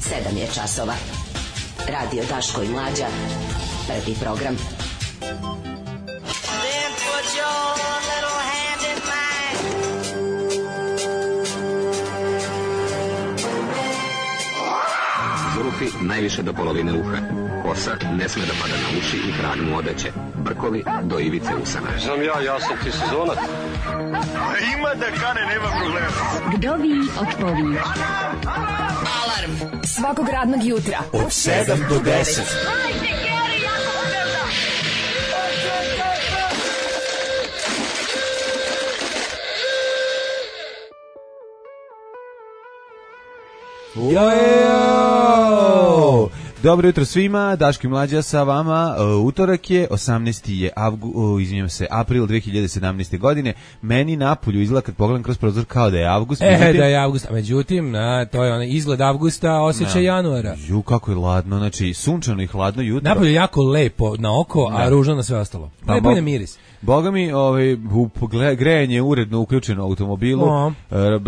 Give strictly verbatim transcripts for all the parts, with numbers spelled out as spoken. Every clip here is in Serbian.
sedam je časova. Radio Daško i Mlađa. Prvi program. Then put your little hand in mine. Zulufi najviše do polovine uha. Kosa ne sme da pada na uši i hranu odeće. Brkovi do ivice usana. Znam ja, ja sam ti sezonac. Ima da kane, nema problema. Vdovi otpovi. Alarm svakog radnog jutra od sedam do deset. Yo! Dobro jutro svima, Daško i Mlađa sa vama. Uh, utorak je, osamnaesti je avgu, uh, izvinjam se, april dve hiljade sedamnaeste. godine. Meni napolju izgleda kad pogledam kroz prozor kao da je avgust. E, međutim, da je avgust, a međutim, na, to je onaj izgled avgusta, osjećaj januara. Ju, kako je ladno, znači sunčano i hladno jutro. Napolju je jako lepo na oko, a ružno na sve ostalo. Pa, lepo je na miris. Boga mi, ovaj, grejanje je uredno uključeno u automobilu. O.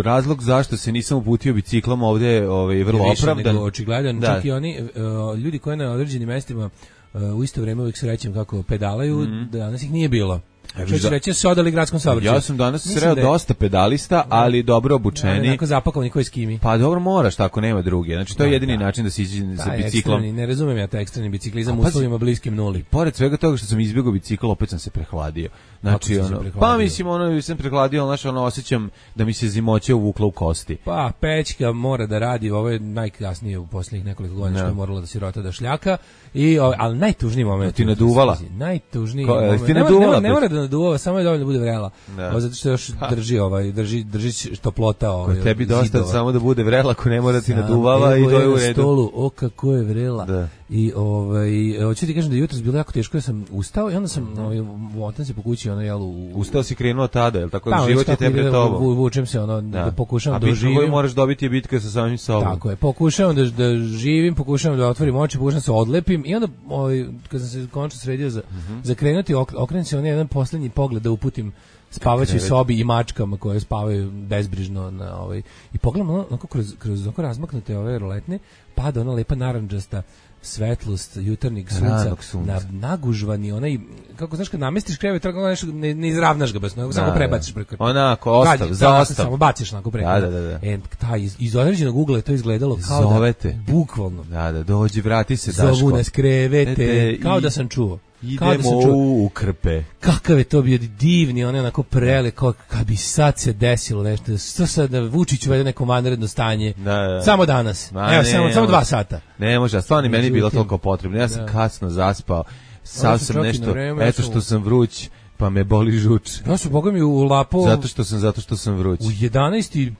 Razlog zašto se nisam uputio biciklom ovde je ovaj, vrlo Više opravdan. Nego očigledan, da. Čak i oni uh, ljudi koji na određenim mestima uh, u isto vrijeme uvijek srećem kako pedalaju, mm. danas ih nije bilo. Što će reći, se odali gradskom saobraćaju. Ja sam danas sreo da je... dosta pedalista, ali dobro obučeni. Onako zapakovani koji skimi. Pa dobro, moraš, tako nema druge. Znači, to je jedini da. način da se iđe sa biciklom. Ekstremni, ne razumem ja taj ekstremni biciklizam u uslovima bliskim nuli. Pored svega toga što sam izbjegao bicikl, opet sam se prehladio. Znači, ono, pa mislim, ono, sam prehladio, znači, ono, osjećam da mi se zimoće uvukla u kosti. Pa, pećka mora da radi, ovo je najkasnije u posljednjih nekoliko godina što je morala da sirota da šljaka, i, ali najtužniji moment. Ti naduvala? Najtužniji Ko, moment. Ti ne, naduvala, ne, ne mora da naduvava, samo je dovoljno da bude vrela. Da. Zato što još drži, ovaj, drži, drži toplota. Ovaj, ko tebi dosta zidova. Samo da bude vrela, ako ne mora da ti naduvava i to je u redu. Stolu, o kako je vrela. Da. I ovaj hoću ti kažem da jutros bilo jako teško, ja sam ustao i onda sam ovaj motam se po kući, ono jel u ustao si krenuo tada, jel tako, da, život je te pred tobom. Vučem se ono da, da pokušavam da živim. A bitno moraš dobiti je bitka sa samim sobom. Tako je, pokušavam da da živim, pokušavam da otvorim oči, pokušavam se odlepim i onda ovaj kad sam se konačno sredio za mm-hmm. za krenuti, okrenem se onaj jedan poslednji pogled da uputim spavaćoj sobi i mačkama koje spavaju bezbrižno na ovaj i pogledam onako kroz kroz onako razmaknute ove roletne, pada ona lepa narandžasta svetlost jutarnjeg sunca, na nagužvani onaj, kako znaš kad namestiš krevet, tako nešto ne, ne izravnaš ga baš, nego samo prebaciš preko. Onako ostav, za ostav. Samo baciš onako preko. Da, da, da. E, taj iz, iz određenog ugla je to izgledalo kao Zovete. Da, bukvalno. Da, da, dođi, vrati se, Daško. Zovu nas krevete, kao i, da sam čuo. Idemo da čuo, u krpe. Kakav je to bio divni, on je onako prele, kao kad bi sad se desilo nešto, što sad da Vučić uvede neko vanredno stanje, da, da. Samo danas, Ma, evo, ne, samo, samo dva sata. Ne može, stvarno meni je bilo toliko potrebno, ja sam da. kasno zaspao, sam sam nešto, vreme, eto što sam vruć, pa me boli žuč. Ja sam, boga mi, u lapo... Zato što sam, zato što sam vruć. U jedanaest i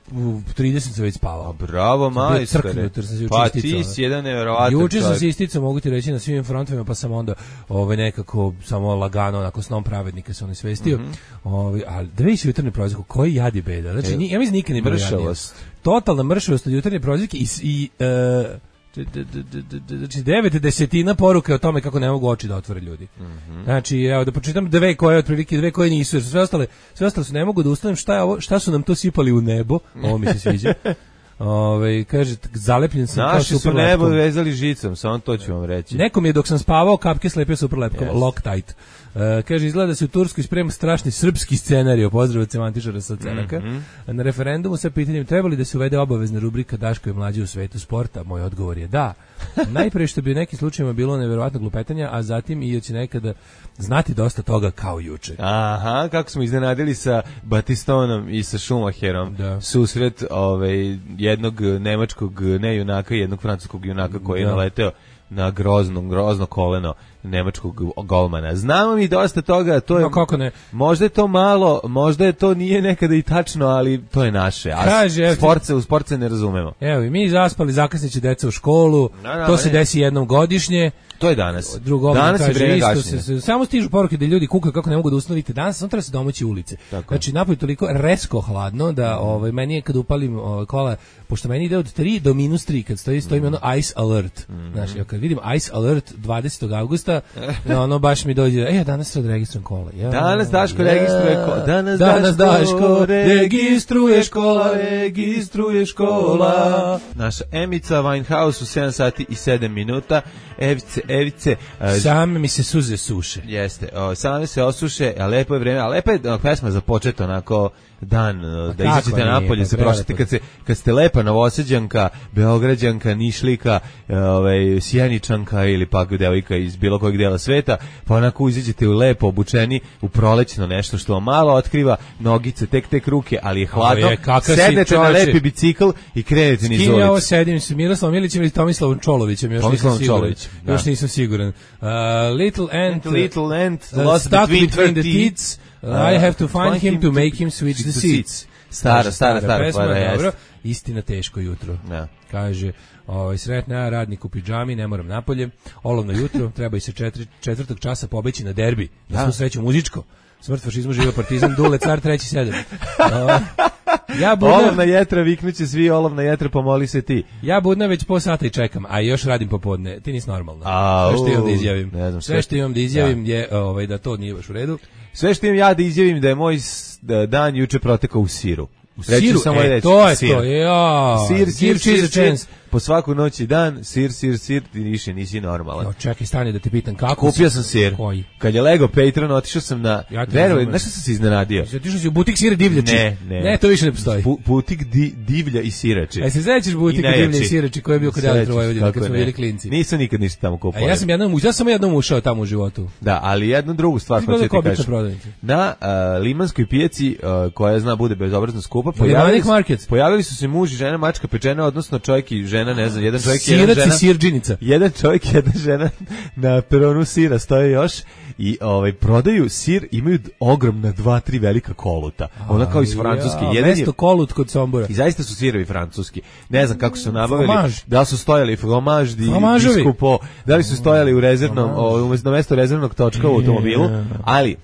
trideset sam već spavao. A bravo, majstore. Pa ti si jedan nevjerovatan čovjek. Juče sam se isticao, mogu ti reći, na svim frontovima, pa sam onda ovaj, nekako samo lagano, onako snom pravednika se on svestio. Mm-hmm. Ovaj, ali da vidiš jutarnje prozivke, koji jad i beda. Znači, ja mislim nikad ne bilo jadnije. Totalna mršavost od jutarnje prozivke i... i uh, znači devet desetina poruke o tome kako ne mogu oči da otvore ljudi. Mm-hmm. Znači, evo da pročitam dve koje otprilike, dve koje nisu, jer sve ostale, sve ostale su ne mogu da ustanem šta je ovo, šta su nam to sipali u nebo. Ovo mi se sviđa. Ove, kaže, zalepljen sam naši kao super lepkom. Naši su nebo vezali žicom, samo to ću vam reći. Nekom je dok sam spavao kapke slepio super lepkom, yes. Loctite. Uh, kaže, izgleda da se u Turskoj sprema strašni srpski scenario, pozdrav od semantičara sa Cenaka. Mm-hmm. Na referendumu sa pitanjem trebali da se uvede obavezna rubrika Daško je mlađi u svetu sporta. Moj odgovor je da. Najpre što bi u nekim slučajima bilo neverovatno glupetanja, a zatim i da će nekada znati dosta toga kao juče. Aha, kako smo iznenadili sa Batistonom i sa Schumacherom. Da. Susret ovaj, jednog nemačkog ne junaka i jednog francuskog junaka koji da. je naleteo na grozno, grozno koleno nemačkog golmana. Znamo mi dosta toga, to je, no, kako ne? Možda je to malo, možda je to nije nekada i tačno, ali to je naše. A Kaže, sportce, u sportce ne razumemo. Evo, i mi zaspali, zakasniće deca u školu, no, no, to se ne. desi jednom godišnje. To je danas. Drugo, danas kaže, je isto se, se, samo stižu poruke da ljudi kukaju kako ne mogu da ustanovite danas, samo treba se domoći ulice. Tako. Znači, napolje toliko resko hladno da mm. ovaj, meni je kad upalim ovaj, kola, pošto meni ide od tri do minus tri, kad stoji, stoji mm. ono ice alert. Mm. Znači, kad vidim Ice Alert dvadesetog avgusta, ono baš mi dođe, e, danas se odregistrujem kola. Ja, danas Daško ja, registruje kola. Danas, danas Daško, Daško registruje škola, registruje škola. Naša Emica Winehouse u sedam sati i sedam minuta. Evice, Evice. Same mi se suze suše. Jeste, o, same se osuše, a lepo je vreme, a lepo je o, pesma za počet onako dan, a da izađete napolje, se prošete kad, se, kad ste lepa Novosađanka, Beograđanka, Nišlika, ovaj, Sjeničanka ili pak devojka iz bilo kojeg dela sveta, pa onako izađete u lepo obučeni, u prolećno nešto što vam malo otkriva, nogice, tek tek ruke, ali je hladno, je, sednete na lepi bicikl i krenete niz ulicu. S kim ja ovo sedim, s Miroslavom Milićem ili Tomislavom Čolovićem, još Tomislavom nisam siguran. Da. Još nisam siguran. Uh, little Ant, Little Ant, uh, lost between, between the teats, uh, I have to find, find him to make him switch the seats. Stara, stara, stara, pesma, stara, dobro. Istina teško jutro. Ja. Kaže, ovaj, sretna ja, radnik u pidžami, ne moram napolje, olovno jutro, treba i se četiri, četvrtog časa pobeći na derbi, da smo sreću muzičko. Smrt fašizmu, živio partizan, Dule, car, treći sedam. Uh, ja budna, olovna jetra, viknuće svi, olovna jetra, pomoli se ti. Ja budna već po sata i čekam, a još radim popodne. Ti nisi normalno. A, sve što imam da izjavim. Znam, sve što imam da izjavim ja. je ovaj, da to nije baš u redu. Sve što imam ja da izjavim da je moj dan juče protekao u siru. U reći siru, samo e, reći, to je sir. To, ja. Sir, sir, sir, sir, sir. Po svaku noć i dan, sir, sir, sir, ti više nisi normalan. Jo, čekaj, stani da te pitam kako. Kupio sam sir. Koji? Kad je lego Patreon, otišao sam na... Ja verujem, nešto sam se iznenadio. Otišao si u butik sira divljači. Ne, ne. Ne, to više ne postoji. Bu, butik di, divlja i sirači. E, se sećaš butika divlja i sirači koji je bio kod Elektrovojvodina, kad smo bili klinci. Nisam nikad ništa tamo kupao. A ja sam jednom, ja sam jednom ušao tamo u životu. Da, ali jednu drugu stvar hoću ti kažem. Na uh, Limanskoj pijaci, uh, koja zna bude bezobrazno skupa, pojavili, pojavili su se muž i žena, mačka pečena, odnosno čovjek i žena, ne znam, jedan čovjek i jedna žena. Sirđinica. Jedan čovjek i jedna žena na peronu sira stoje još i ovaj prodaju sir, imaju ogromna dva, tri velika koluta. Ona kao iz Francuske. Ja, jedan mesto kolut kod Sombora. I zaista su sirovi francuski. Ne znam kako su nabavili. Fromaž. Da li su stojali fromaž di biskupo, da li su stojali u rezervnom, umjesto mesto rezervnog točka u automobilu, ali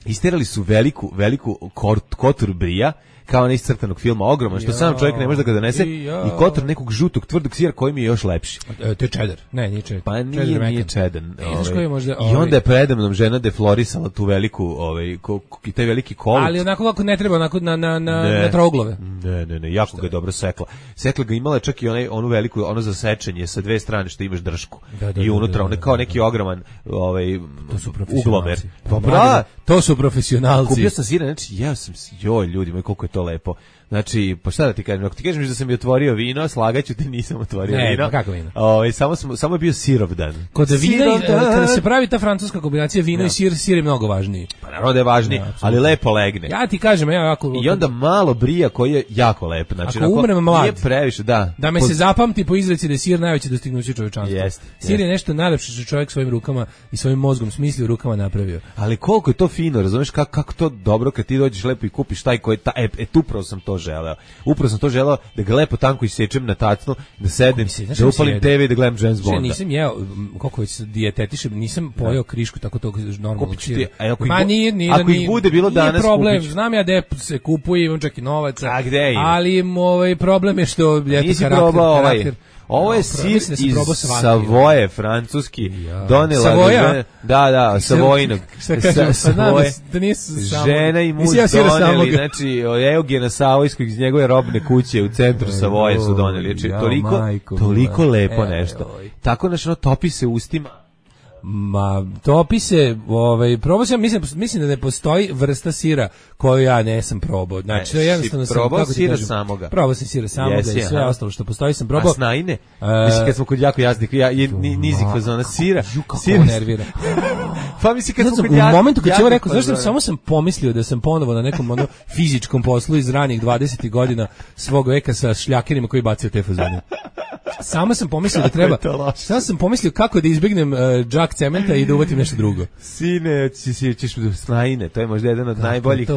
isterali su veliku, veliku kotur brija, kao onaj iz crtanog filma, ogroman, što sam čovjek ne može da ga donese, i, i kotor nekog žutog, tvrdog sira koji mi je još lepši. E, to je cheddar. Ne, nije cheddar. Pa nije, cheddar nije cheddar. Ovaj. Možda, ovaj. I onda je predemnom žena deflorisala tu veliku, ovaj, ko, i taj veliki kolut. Ali onako kako ne treba, onako na, na, na, ne, na trouglove. Ne, ne, ne, jako što ga je dobro sekla. Sekla ga imala čak i onaj, onu veliku, ono za sečenje sa dve strane što imaš dršku. Da, da, i unutra, da, da, da, kao neki ogroman ovaj, uglomer. Dobra, to su profesionalci. Kupio sam sira, znači, ja sam, joj, ljudi moji, koliko je to lepo. Znači, pa šta da ti kažem, ako ti kažem da sam mi otvorio vino, slagaću ti, nisam otvorio ne, vino. Ne, kako vino? O, samo, sam, samo je bio sirovdan. Kod vina, kada se pravi ta francuska kombinacija vino ja. i sir, sir je mnogo važniji. Pa naravno da je važniji, ja, ali lepo legne. Ja ti kažem, ja jako... I onda malo brija koji je jako lep. Znači, ako umrem mlad, nije previše, da. Da me po... se zapamti po izreci da je sir najveće dostignuće čovečanstva. Jest, sir jest. Je nešto najlepše što čovjek svojim rukama i svojim mozgom smislio rukama napravio. Ali koliko je to fino, razumeš kako, kako to dobro kad ti dođeš lepo i kupiš taj koji ta, e, e tu upravo sam to želeo. Upravo sam to želeo da ga lepo tanko isečem na tacnu, da sedem, da upalim te ve i da gledam James Bonda. Nisam jeo, koliko već dijetetišem, nisam pojeo krišku tako tog normalnog sira. Ma nije, nije, ako ih bude bilo danas problem, kupić. Znam ja da se kupuje, imam čak i novaca. A gde je? Ali ovaj problem je što ljeto karakter, karakter. Ovo je no, sir iz Savoje, francuski. Ja. Donela Savoja? Žena, da, da, Savojinog. Šta kažem, sa, Savoje, da nisu žena i muž ja doneli, znači, Eugena Savojskog iz njegove robne kuće u centru Savoje su doneli. Znači, toliko, majko, toliko lepo nešto. Tako, znači, no, topi se ustima. Ma, topi se, ovaj, probao sam, mislim, mislim da ne postoji vrsta sira koju ja nesam probao. Znači, e, jednostavno sam, probao sira samoga. Probao sam sira samoga yes, i sve aha. ostalo što postoji sam probao. A snajine? Uh, mislim, kad smo kod jako jasnih, ja, je, nizik fazona sira. Ju, kako sira nervira. Pa mislim, kad smo kod jako... U momentu kad ćemo rekao, znaš, sam, samo sam pomislio da sam ponovo na nekom ono, fizičkom poslu iz ranih dvadesetih godina svog veka sa šljakerima koji bacaju te fazone. Samo sam pomislio da treba, samo sam pomislio kako da izbjegnem uh, džak cementa i da uvatim nešto drugo. Sine, ćeš, ćeš do snajine, to je možda jedan od kako najboljih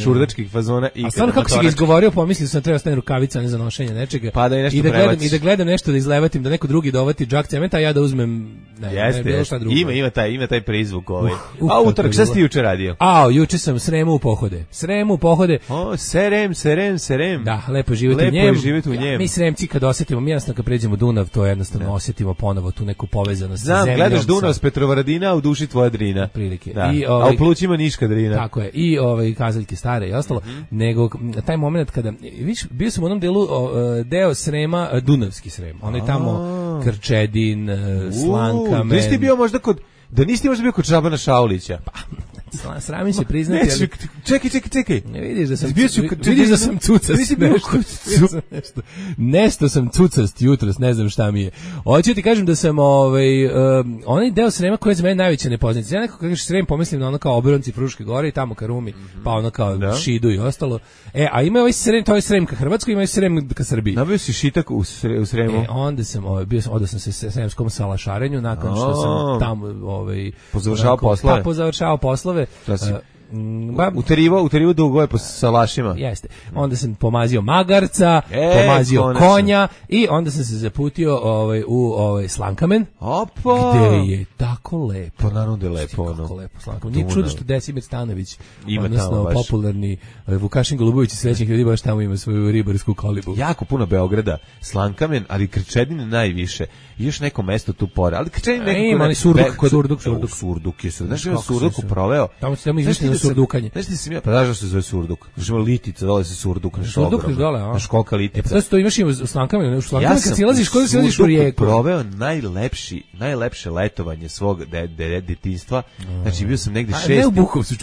šurdačkih fazona. I a stvarno kako si ga izgovorio, pomislio sam da treba stane rukavica, ne za nošenje nečega. Pa da i nešto I da gledam, i da gledam nešto da izlevatim, da neko drugi dovati džak cementa, a ja da uzmem ne, jeste, ne, bilo šta drugo. Ima, ima taj, ima taj prizvuk ovaj. Uh, uh, a utorak, šta si ti juče radio? A, juče sam Sremu u pohode. Sremu u pohode. O, Serem, Serem, Serem. Da, lepo živjeti u njemu. Lepo živjeti u njemu. Mi Sremci kad osetimo, mi jasno kad pređemo Dunav, to jednostavno osjetimo ponovo tu neku povezanost Znam, sa zemljom. gledaš Dunav s Petrovaradina, a u duši tvoja Drina. Prilike. Da. I, ovaj, a u plućima Niška Drina. Tako je. I ovaj kazaljke stare i ostalo, mm-hmm. nego taj moment kada viš, bio sam u onom delu o, deo Srema, Dunavski Srem. Onaj tamo Krčedin, Slankamen. Da nisi bio možda kod Da nisi možda bio kod Šabana Šaulića. Pa, sramim se priznati. Neću, ali... Čekaj, čekaj, čekaj. Ne vidiš da sam, bio si, vidiš da sam cucast. Nisi bio nešto, nešto, nešto, nešto sam cucast jutros, ne znam šta mi je. Hoću ti kažem da sam ovaj, um, onaj deo Srema koji je za mene najveća nepoznanica. Ja nekako kažeš Srem pomislim na ono kao obronci Fruške gore i tamo ka Rumi, mm-hmm. pa ono kao da. Šidu i ostalo. E, a ima ovaj Srem, to je Srem ka Hrvatskoj, ima i Srem ka Srbiji. Nabio si šitak u, sre, u Sremu? E, onda sam, ovaj, bio sam, onda sam se s Sremskom salašarenju, nakon što sam tamo ovaj, pozavršao poslove. Pa, pozavršao poslove. Ba, uterivo, uterivo dugove po salašima. Jeste. Onda sam pomazio magarca, e, pomazio konečno. konja i onda sam se zaputio ovaj, u ovaj, Slankamen. Opa! Gde je tako lepo. Pa naravno da je lepo. Kako ono. lepo Slankamen. Nije čudo što Desimir Stanović, ima odnosno popularni Vukašin Golubović i srećnih ljudi baš tamo ima svoju ribarsku kolibu. Jako puno Beograda, Slankamen, ali Krčedin najviše. I još neko mesto tu pored. Ali Krčedin nekako... E, ima ali Surduk, Be, Surduk, Surduk. Surduk je Surduk. Znaš, ja Surduku proveo. Tamo se tamo izvišli na Surdukanje. Znaš ti sam ja, pa znaš da se zove Surduk. Znaš ima Litica, dole se Surduk. Surduk još dole, a? Znaš kolika Litica. E, pa to to imaš i u Slankamenu. U Slankamenu ja kad silaziš, kod silaziš u rijeku. Proveo najlepši, najlepše letovanje svog de, de, detinjstva. Znači bio sam negde šesti,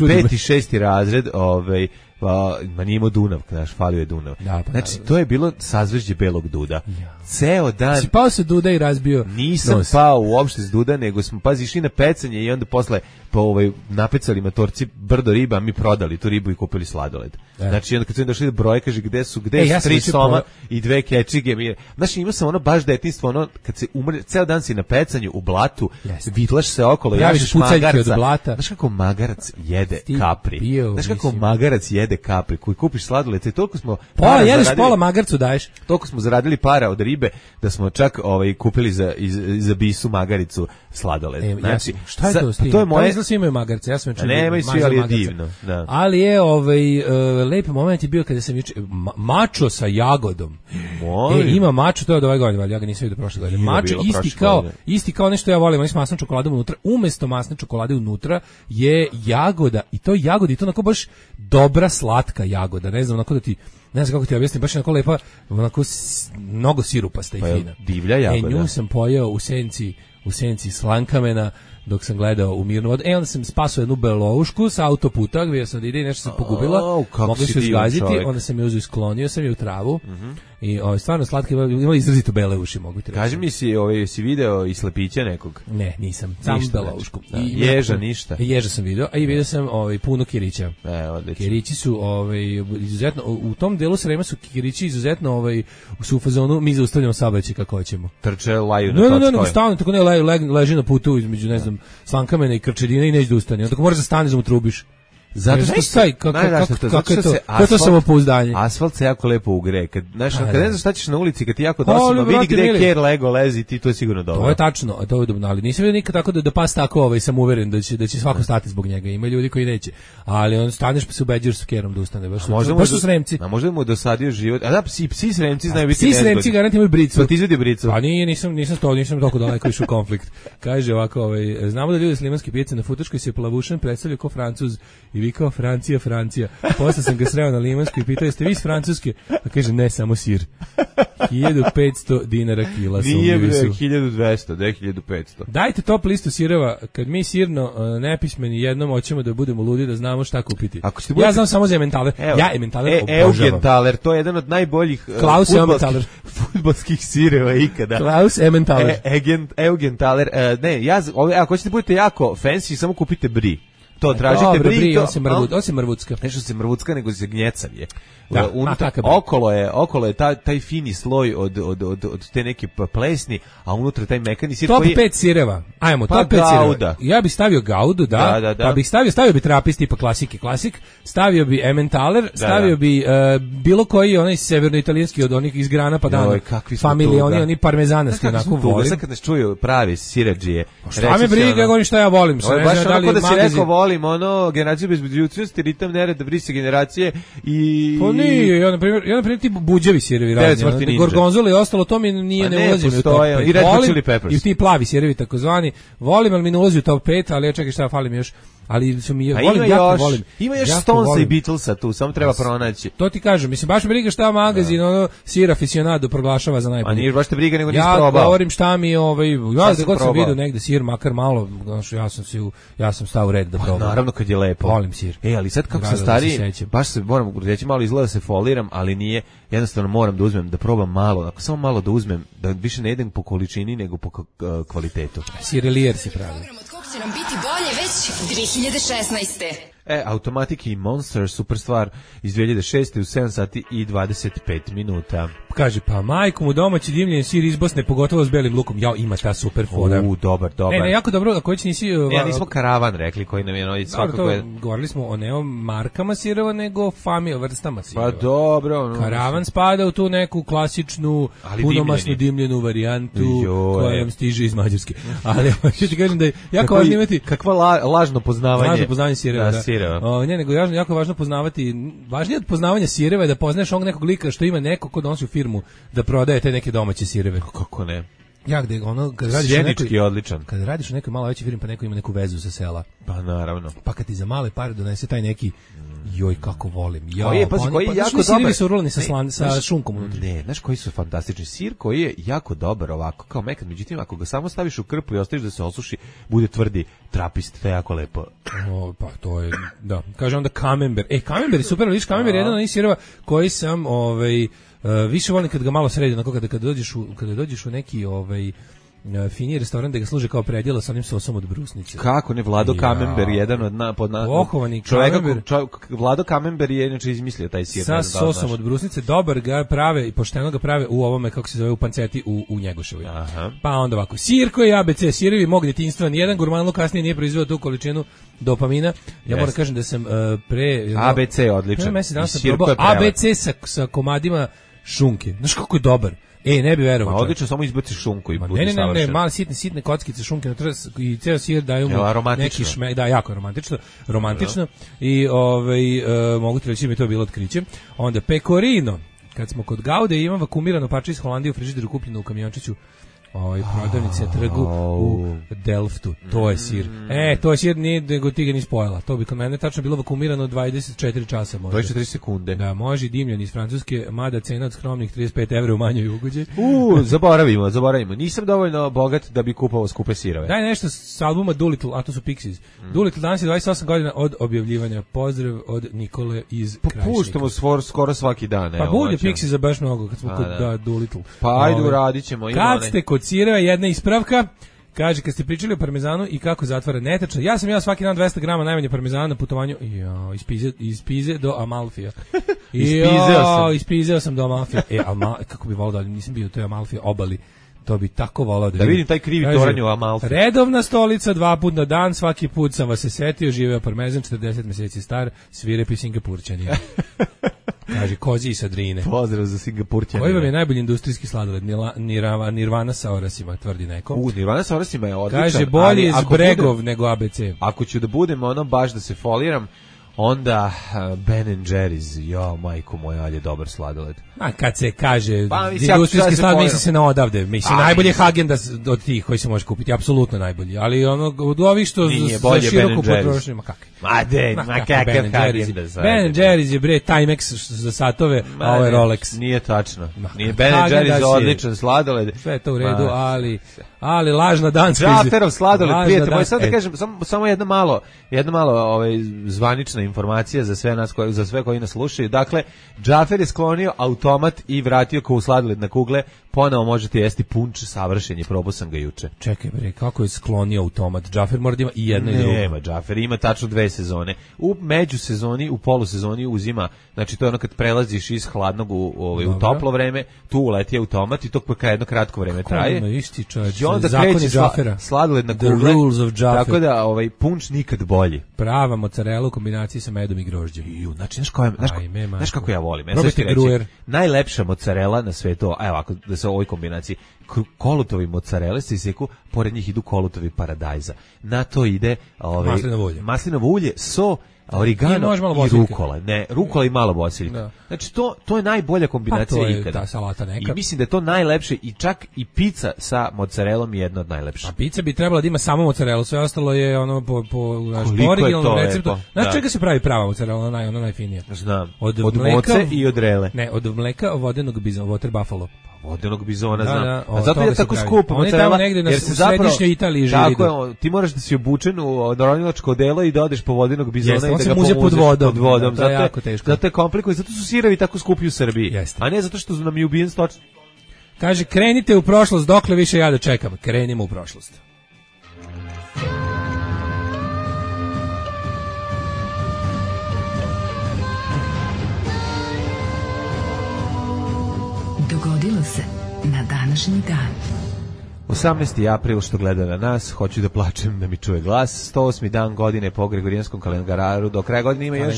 peti, šesti razred, ovaj, pa, ma nije imao Dunav, znaš, falio je Dunav. Da, pa, znači, da, to je bilo sazvežđe belog duda. Ja. Ceo dan... Si pao se duda i razbio Nisam nos. Pao uopšte s duda, nego smo, pazi, išli na pecanje i onda posle po ovaj, napecali matorci brdo riba, a mi prodali tu ribu i kupili sladoled. E. Znači, onda kad su im došli do broje, kaže, gde su, gde e, su ja tri soma po... i dve kečige. Mi... Znači, imao sam ono baš detinjstvo, ono, kad se umre, ceo dan si na pecanju u blatu, yes. vitlaš se okolo, javiš magarca. Znaš kako magarac jede Sti kapri? Bio, Znaš kako mislim. magarac jede kapri? Koji kupiš sladoled, i toliko smo... Pola, jedeš pola magarcu daješ. Toliko smo zaradili para od ribe, da smo čak ovaj, kupili za, iz, za bisu magaricu sladoled. E, znači, ja, šta je to s tim? To je moje... Da svi imaju magarce, ja sam čuo. Nemaju svi, ali je divno. Da. Ali je, ovaj, uh, lep moment je bio kada sam juče, ma, mačo sa jagodom. Moj. E, ima mačo, to je od ove godine, ja ga nisam vidio prošle godine. Mačo isti kao, godine. isti kao nešto ja volim, oni s masnom čokoladom unutra, umesto masne čokolade unutra je jagoda, i to jagoda, i to onako baš dobra slatka jagoda, ne znam, onako da ti ne znam kako ti objasnim, baš je onako lepa, onako s, mnogo sirupasta i pa fina. Divlja jagoda. E, nju sam pojeo u senci, u senci Slankamena, dok sam gledao u mirnu vodu. E, onda sam spasao jednu beloušku sa autoputa, gdje sam da ide i nešto sam pogubila. Oh, mogli su izgaziti, onda sam je uzu i sklonio sam je u travu. Mm-hmm. I o, stvarno slatke, imali izrazito bele uši, mogu ti reći. Kaži mi si, ovaj, si video i slepića nekog? Ne, nisam. Sam beloušku. Da. I ježa ništa. Ježa sam video, a i video sam ovaj, puno kirića. E, odlično. Kirići su ovaj, izuzetno, u tom delu Srema su kirići izuzetno ovaj, su u fazonu, mi zaustavljamo saobraćaj kako hoćemo. Trče, laju na no, no, no, no, stavno, tako ne, le, le, leži na putu između, ne znam, Slankamena i Krčedina i neće da ustane. Onda moraš da staneš da mu trubiš. Zato što staj, kako kako je to? Kako to samopouzdanje? Asfalt se jako lepo ugre. Kad znaš, kad ne znaš šta ćeš na ulici, kad ti jako dosadno vidi gde ker lego lezi, ti to je sigurno dobro. To je tačno, a to je dobro, ali nisam vidio nikad tako da da pas tako, ovaj sam uveren da će da će svako stati zbog njega. Ima ljudi koji neće. Ali on staneš pa se ubeđuješ s kerom da ustane, baš. Baš su Sremci. A možda mu dosadio život. A da psi, psi Sremci znaju biti nezgodni. Psi Sremci garantuju imaju bricu. Pa ti izvedi bricu. Pa nije, nisam nisam to, nisam toliko daleko išao konflikt. Kaže ovako, ovaj znamo da ljudi s limanske pijace na Futoškoj se Plavušan predstavljaju kao Francuz i vi kao Francija Francija. Posle sam ga sreo na Limanskoj i pitao jeste vi iz Francuske? A kaže ne, samo sir. hiljadu petsto dinara kila su. Nije bre, hiljadu dvesta, da je hiljadu petsto. Dajte top listu sireva, kad mi sirno uh, nepismeni jednom hoćemo da budemo ludi da znamo šta kupiti. Ako ja budete... znam samo za Emmentaler. Ja Emmentaler e, obožavam. Emmentaler, to je jedan od najboljih uh, Klaus Emmentaler fudbalskih sireva ikada. Klaus Emmentaler. E, Emmentaler, uh, ne, ja ove, ako hoćete budete jako fancy, samo kupite brie. To tražite Dobre, brie, brie, on se mrvuc, on se mrvucka. Nešto se mrvucka, nego se gnjecav je. Da, unutra, okolo je, okolo je taj, taj fini sloj od, od, od, od te neke plesni, a unutra taj mekani sir top koji... Top pet sireva, ajmo, pa top pet sireva. Ja bih stavio gaudu, da, da, da, da. Pa bih stavio, stavio bi trapist tipa klasike, klasik, stavio bi Emmentaler, stavio da, da. bi uh, bilo koji onaj severnoitalijanski od onih iz Grana pa dana, familije, oni, oni parmezanasti, onako volim. Sad kad nas čuju pravi siradžije. Šta me briga, govorim šta ja volim. Baš onako da si rekao volim volim ono generaciju bez budućnosti, ritam nereda, brise generacije i... Pa nije, ja na primjer, ja na primjer ti buđevi sirevi razni, gorgonzola i ostalo, to mi nije, ne ulazi mi u top pet. I Red Hot Chili Peppers. I ti plavi sirevi takozvani, volim, ali mi ne ulazi u top pet, ali ja čekaj šta fali mi još, ali su mi, pa volim, ima jako još, volim. Ima još Stonesa i Beatlesa tu, samo treba pronaći. To ti kažem, mislim, baš me briga šta magazin, da. ono, sir aficionado proglašava za najbolji. A nije baš te briga, nego nisi ja probao. Ja govorim šta mi, ovaj, ja da god sam vidio negde sir, makar malo, znači, ja sam, si u, ja sam stao u red da probam. Naravno kad je lepo. Volim sir. E, ali sad kako sam stariji, baš se moram reći malo izgleda se foliram, ali nije, jednostavno moram da uzmem, da probam malo, ako samo malo da uzmem, da više ne jedem po količini, nego po kvalitetu. Sirelijer si pravi. Od kog će nam biti bolje već dve hiljade šesnaeste. E, Automatic i Monster, super stvar, iz dve hiljade šeste u sedam sati i dvadeset pet minuta. Kaže, pa majko mu domaći dimljen sir iz Bosne, pogotovo s belim lukom. Jao, ima ta super fora. U, dobar, dobar. Ne, ne, jako dobro, a koji će nisi... Ne, ja nismo karavan rekli, koji nam je noći svakako je... Govorili smo o ne o markama sireva, nego fami, o vrstama sireva. Pa dobro. No, karavan spada u tu neku klasičnu, punomasnu dimljenu varijantu, koja vam stiže iz Mađarske. Ali, što ti kažem da je jako važno imati... Kakva la, lažno poznavanje. Lažno poznavanje sireva, da. Sireva. O, ne, nego jako važno poznavati, važnije od poznavanja sireva je da poznaš onog nekog lika što ima neko ko donosi u firmu da prodaje te neke domaće sireve. Kako ne? Ja gde ono kad radiš Sjenički je odličan. Kad radiš u nekoj malo većoj firmi pa neko ima neku vezu sa sela. Pa naravno. Pa kad ti za male pare donese taj neki joj kako volim. Ja, koji je, pazi, koji je pa, jako dobar. dobar. Su urlani sa, slan, sa znaš, šunkom unutra. Ne, znaš koji su fantastični sir koji je jako dobar ovako kao mekan, međutim ako ga samo staviš u krpu i ostaviš da se osuši, bude tvrdi trapist, to je jako lepo. O, pa to je, da. Kaže onda Camembert. E, Camembert je super, vidiš, Camembert je jedan od onih sireva koji sam, ovaj, uh, više volim kad ga malo sredi, onako kada, kada, dođeš u, kada dođeš u neki, ovaj, finiji restoran da ga služe kao predjelo sa onim sosom od brusnice. Kako ne, Vlado ja. Camembert, jedan od na, pod na, Pohovani čovjeka, čov, Vlado Camembert je inače izmislio taj sir. Sa sosom od brusnice, dobar ga prave i pošteno ga prave u ovome, kako se zove, u panceti u, u Njegoševoj. Aha. Pa onda ovako, sir koji je A B C, sirevi mog djetinjstva, nijedan gurmanluk kasnije nije proizveo tu količinu dopamina. Ja yes. moram kažem da sam uh, pre... A B C je odličan. Pre mesec dana sam probao A B C sa, sa komadima šunke. Znaš kako je dobar. E, ne bi verovao. Ma odlično, samo izbaciš šunku i bude ne, ne, ne, savršeno. Ne, male sitne, sitne kockice šunke na trs i ceo sir daju mu neki šme, da, jako romantično, romantično. No. I ovaj uh, mogu ti reći mi to bilo otkriće. Onda pecorino. Kad smo kod Gaude, imam vakumirano parče iz Holandije u frižideru kupljeno u kamiončiću. Ovaj prodavnice trgu u Delftu. To je sir. E, to je sir, nije nego ti ga nisi pojela. To bi kod mene tačno bilo vakumirano dvadeset četiri časa možda. dvadeset četiri sekunde. Da, može dimljen iz Francuske, mada cena od skromnih trideset pet evra u manjoj ugođe. U, zaboravimo, zaboravimo. Nisam dovoljno bogat da bi kupovao skupe sirove. Daj nešto s albuma Doolittle, a to su Pixies. Mm. Doolittle danas je dvadeset osam godina od objavljivanja. Pozdrav od Nikole iz Krajišnika. Pa puštamo svor, skoro svaki dan. Pa bude Pixies za baš mnogo kad smo a, kod da. Da, Doolittle. Pa ajde uradit ćemo. Kad ste kod sireva, jedna ispravka. Kaže, kad ste pričali o parmezanu i kako zatvara netačno, ja sam ja svaki dan dvesta grama najmanje parmezana na putovanju jo, iz, Pize, iz Pize do Amalfija. Ispizeo sam. Ispizeo sam do Amalfija. E, Amal, kako bi volao da nisam bio u toj Amalfija obali. To bi tako volao da, da vidim taj krivi toranj u Amalfi. Redovna stolica, dva put na dan, svaki put sam vas se setio, živeo parmezan, četrdeset meseci star, svirepi Singapurčani. Kaže, kozi i sadrine. Pozdrav za Singapurčane. Koji vam je najbolji industrijski sladoled? Nirvana, Nirvana sa orasima, tvrdi neko. U, Nirvana sa orasima je odličan. Kaže, bolje iz Bregov budem, nego A B C. Ako ću da budem ono baš da se foliram, onda uh, Ben and Jerry's, jo, majko moja, ali je dobar sladoled. A kad se kaže pa, industrijski sladoled, misli se na odavde. Mislim, najbolje Häagen-Dazs od tih koji se može kupiti, apsolutno najbolji. Ali ono, od ovih što nije, za široku potrošnju, ma kakvi. Ma de, ma kakav Häagen-Dazs. Ben and Jerry's je bre Timex za satove, a ovo je Rolex. Nije tačno. Nije Ben and Jerry's odličan sladoled. Sve to u redu, ali ali lažna danska. Džaferov sladoled, prijatelj moj, sad da kažem, samo samo jedno malo, jedno malo ovaj zvanična informacija za sve nas koji za sve koji nas slušaju. Dakle, Džafer je sklonio automat i vratio ko u sladoled na kugle. Ponovo možete jesti punč, savršen je, probao sam ga juče. Čekaj bre, kako je sklonio automat? Džafer mora da ima i jedno i drugo. Nema, Džafer ima tačno dve sezone. U međusezoni, u polusezoni uzima, znači to je ono kad prelaziš iz hladnog u, ovaj, u toplo vreme, tu uleti automat i to pa jedno kratko vreme kako traje. Kako ima isti čovječ, I onda zakoni Džafera. Sladoled na kugle, tako da ovaj punč nikad bolji. Prava mozzarella u kombinaciji kombinaciji sa medom i grožđem. Ju, znači, znaš, koja, znaš, Ajme, znaš kako ja volim? Ja Probajte grujer. Najlepša mozzarella na svetu, evo, ako da se u ovoj kombinaciji, kolutovi mozzarelle se iseku, pored njih idu kolutovi paradajza. Na to ide ove, maslinovo ulje. Maslinovo ulje, so, origano i, i rukola. Ne, rukola i malo bosiljka. Da. Znači, to, to je najbolja kombinacija pa to je ikada. Ta salata neka. I mislim da je to najlepše i čak i pizza sa mozzarellom je jedna od najlepših. A pizza bi trebala da ima samo mozzarellu, sve ostalo je ono po, po, po originalnom receptu. Znaš čega se pravi prava mozzarella, ona, ona najfinija? Znam, od, od mleka, moce i od rele. Ne, od mleka vodenog bizona, water buffalo. Vodenog bizona, da, znam. Da, a zato je tako skupo mozzarella, jer se zapravo Italiji tako je, ti moraš da si obučen u narodilačko odelo i da odeš po vodenog bizona Jeste, i da ga pomuzeš pod vodom. Pod vodom. Da, to je jako teško. Zato je komplikuje, zato su sirevi tako skupi u Srbiji. Jeste. A ne zato što nam je ubijen stoč. Kaže, krenite u prošlost, dokle više ja da čekam. Krenimo u prošlost. Dogodilo se na današnji dan. osamnaesti april što gleda na nas, hoću da plačem da mi čuje glas. sto osmi dan godine po Gregorijanskom kalendaru. Do kraja godine ima još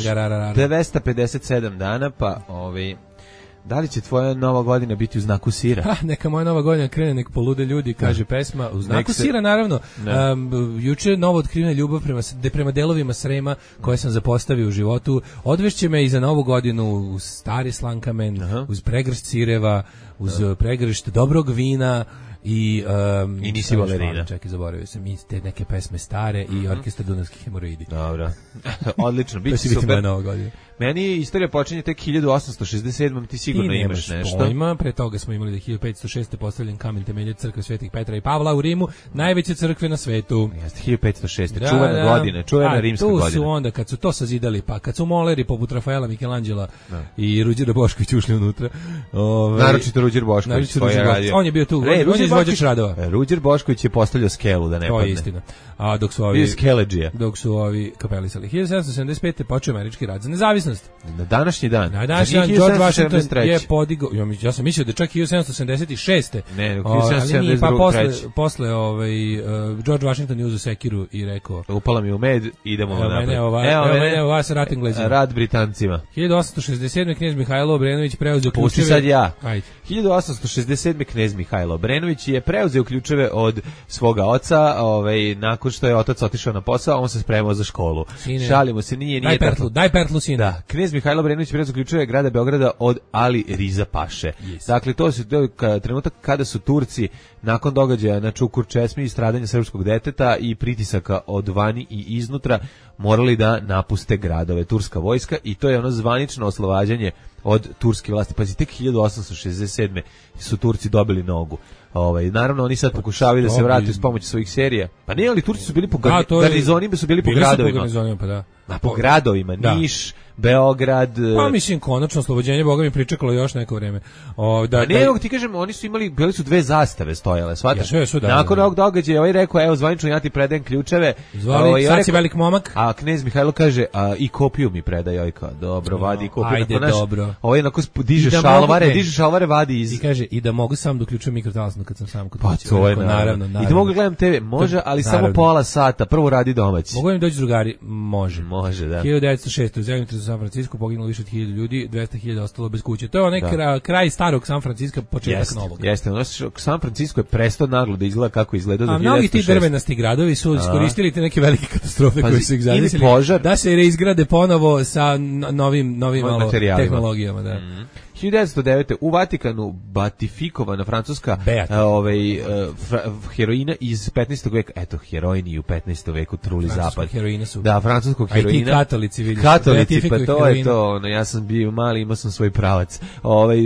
dvesta pedeset sedam dana, pa ovi... Da li će tvoja nova godina biti u znaku sira? Ha, neka moja nova godina krene, nek polude ljudi, kaže pesma. U znaku se... sira, naravno. Um, juče novo otkrivena ljubav prema, de, prema delovima Srema koje sam zapostavio u životu. Odvešće me i za novu godinu u stari Slankamen, Aha. uz pregršt sireva, uz Aha. pregršt dobrog vina, i um, i nisi balerina. Čekaj, zaboravio sam i te neke pesme stare i mm-hmm. orkestar Dunavskih hemoroidi. Dobro. Odlično, biće super. Meni istorija počinje tek hiljadu osamsto šezdeset sedmom ti sigurno ti imaš nešto. Pojma, pre toga smo imali da hiljadu petsto šeste postavljen kamen temeljac crkve Svetih Petra i Pavla u Rimu, najveće crkve na svetu. Jeste, hiljadu petsto šeste Da, čuvena da. godina, čuvena A, rimska godina. Tu su onda, kad su to sazidali, pa kad su moleri poput Rafaela Michelangela da. i Ruđera Bošković ušli unutra. Ove, naročito Ruđer Bošković. On je bio tu, Re, on je izvođač radova. Ruđer Bošković je postavljao skelu da ne to padne. To je istina. A dok su ovi dok su ovi kapelisali hiljadu sedamsto sedamdeset pete počeo američki rat za nezavisnost. Na današnji dan. Na današnji dan George Washington je podigao, ja sam mislio da čak hiljadu sedamsto sedamdeset šeste Ne, hiljadu sedamsto sedamdeset druge pa posle posle ovaj uh, George Washington je uzeo sekiru i rekao: "Upala mi u med, idemo evo napred." Mene ova, evo, evo mene ova sa rat Englezima. Rad Britancima. hiljadu osamsto šezdeset sedme knez Mihajlo Obrenović preuzeo ključeve. Pusti sad ja. Ajde. hiljadu osamsto šezdeset sedme knez Mihajlo Obrenović je preuzeo ključeve od svoga oca, ovaj nakon što je otac otišao na posao, on se spremao za školu. Sine, šalimo se, nije nije daj pertlu, daj pertlu sine. Da, knez Mihajlo Obrenović preuzeo ključeve grada Beograda od Ali Riza Paše. Yes. Dakle, to su to ka, trenutak kada su Turci nakon događaja na Čukur Česmi i stradanja srpskog deteta i pritisaka od vani i iznutra morali da napuste gradove, turska vojska, i to je ono zvanično oslobađanje od turske vlasti. Pa tek hiljadu osamsto šezdeset sedme su Turci dobili nogu. Ovaj, naravno oni sad pokušavaju da se vrate s pomoću svojih serija. Pa ne, ali Turci su bili po gar... garnizonima, su bili po gradovima. Po, pa da. A po gradovima, da. Niš, Beograd. Pa mislim, konačno oslobođenje, Boga mi pričekalo još neko vreme. O, da, a ne, da, ti kažem, oni su imali, bili su dve zastave stojale, shvataš? Ja, su, da, nakon da, ovog događaja, ovaj rekao, evo, zvanično ja ti predajem ključeve. Zvali, o, sad si velik momak. A knez Mihajlo kaže, a i kopiju mi predaj, ojka. Dobro, vadi i kopiju. Ajde, naš, dobro. Ovaj onako diže da šalvare, diže šalvare, vadi iz... I kaže, i da mogu sam da uključujem mikrotalasno kad sam sam kod pa, kuće. To je naravno. naravno, naravno. I da mogu gledam te ve, može, ali naravno. Samo pola sata, prvo radi domaći. Mogu im doći drugari? Može. Može, da. hiljadu devetsto šeste u zemljotresu San Francisco poginulo više od hiljadu ljudi, dvesta hiljada ostalo bez kuće. To je onaj kraj, kraj starog San Francisco, početak jest, novog. Jeste, jeste. San Francisco je prestao naglo da izgleda kako izgleda do hiljadu devetsto šeste. A mnogi ti drvenasti gradovi su iskoristili te neke velike katastrofe koje su ih zadesili da se reizgrade ponovo sa novim novim malo tehnologijama, da. Mm-hmm. hiljadu devetsto devete u Vatikanu batifikovana francuska ovaj heroina iz petnaestog veka. Eto, heroini u petnaestom veku truli zapad. Su. Da, francuskog heroina. A ti katolici vidiš. Katolici, pa to je to. Ono, ja sam bio mali, imao sam svoj pravac. Ovaj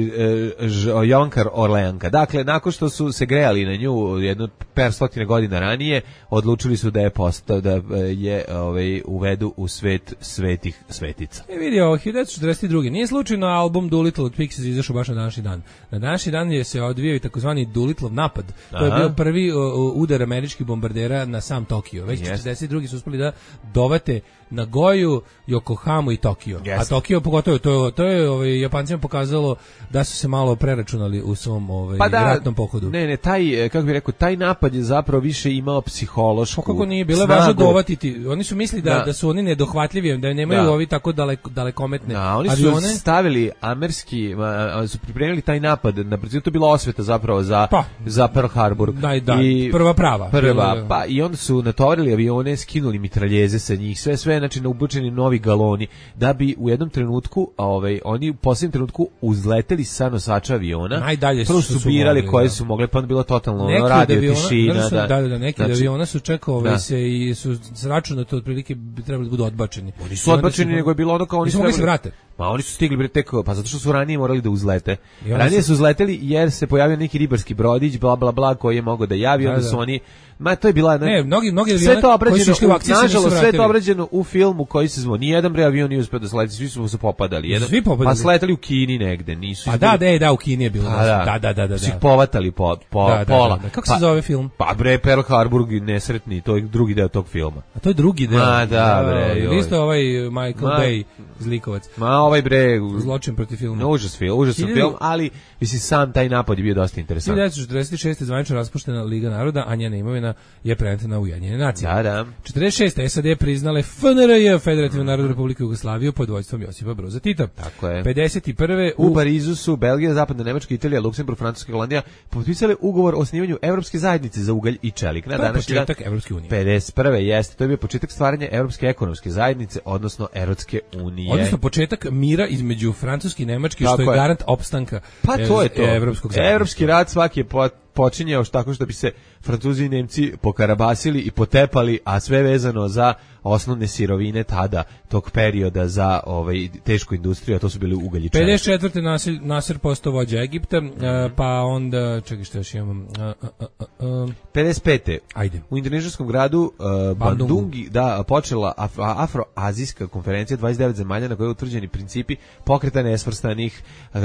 Jonkar Orleanka. Dakle, nakon što su se grejali na nju jedno par stotine godina ranije, odlučili su da je postao da je ovaj uvedu u svet svetih svetica. E vidi, ovo hiljadu devetsto četrdeset druge Nije slučajno album Doolittle Pixies izašao baš na današnji dan. Na današnji dan je se odvijao i takozvani Doolittleov napad. To je bio prvi uh, udar američkih bombardera na sam Tokio. Već četrdeset drugi su uspeli da dovate Nagoju, Yokohamu i Tokio. Yes. A Tokio pogotovo to, to je ovaj, Japancima pokazalo da su se malo preračunali u svom ovaj, pa da, ratnom pohodu. Ne, ne, taj, kako bih rekao, taj napad je zapravo više imao psihološku kako nije, bilo je važno dovatiti. Oni su mislili da, da. da su oni nedohvatljivi, da nemaju da. ovi tako daleko, dalekometne da, oni avione. Su stavili amerski, su pripremili taj napad, na brzinu to bila osveta zapravo za, pa. za Pearl Harbor. Da, da, I prva prava. Prva, bilo, pa i onda su natovarili avione, skinuli mitraljeze sa njih, sve, sve, znači naubučeni novi galoni, da bi u jednom trenutku, ovaj, oni u posljednjem trenutku uzleteli sa nosača aviona. Najdalje su, su birali koje da. su mogle, pa onda bilo totalno ono, radio aviona, tišina. Da, da, da, neki znači, aviona su čekao ovaj, se i su sračunato otprilike bi trebali da budu odbačeni. Oni su odbačeni, nego je bilo ono kao oni su mogli se vrate. Ma oni su stigli bre tek, pa zato što su ranije morali da uzlete. Ranije su uzleteli jer se pojavio neki ribarski brodić, bla bla bla, koji je mogao da javi, onda su oni, ma to je bila ne, ne mnogi mnogi avioni koji su išli u akciju, nažalost sve to obrađeno u filmu koji se zvao. Nijedan bre avion nije uspeo da sleti, svi su se popadali. Jedan, svi popadali. Pa sletali u Kini negde, nisu. A da, da, da, u Kini je bilo. Da, da, da, da, da. Su ih povatali po, po da, da, pola. Da, da. Kako se zove film? Pa bre Pearl Harbor nesretni, to je drugi deo tog filma. A to je drugi deo. Ma da bre. Isto ovaj Michael Bay zlikovac. Ma ovaj bre zločin protiv filma. Užas film, užasan film, ali mislim sam taj napad je bio dosta interesantan. hiljadu devetsto četrdeset šeste zvanično raspuštena Liga naroda, a njena imovina je preneta na Ujedinjene nacije. Da, da. četrdeset šeste S A D priznale F N R J, Federativnu narodnu republiku Jugoslaviju pod vođstvom Josipa Broza Tita. Tako je. pedeset prve u, u Parizu su Belgija, Zapadna Nemačka, Italija, Luksemburg, Francuska i Holandija potpisale ugovor o osnivanju Evropske zajednice za ugalj i čelik. Na današnji dan Evropske unije. pedeset prve jeste, to je bio početak stvaranja Evropske ekonomske zajednice, odnosno Evropske unije. Odnosno početak mira između Francuske i Nemačke, što je, je garant opstanka pa to je to. Evropskog zajedništva. Evropski rat svaki je počinjao tako što bi se Francuzi i Nemci pokarabasili i potepali, a sve vezano za osnovne sirovine tada, tog perioda za ovaj, tešku industriju, a to su bili ugalj i čelik. pedeset četvrte Nasir, Nasir postao vođa Egipta, mm -hmm. pa onda, čekaj što još imam... A, a, a, a, pedeset pete Ajde. U indonežijskom gradu uh, Bandungi da, počela af, afroazijska konferencija dvadeset devet zemalja na kojoj je utvrđeni principi pokreta nesvrstanih. Uh,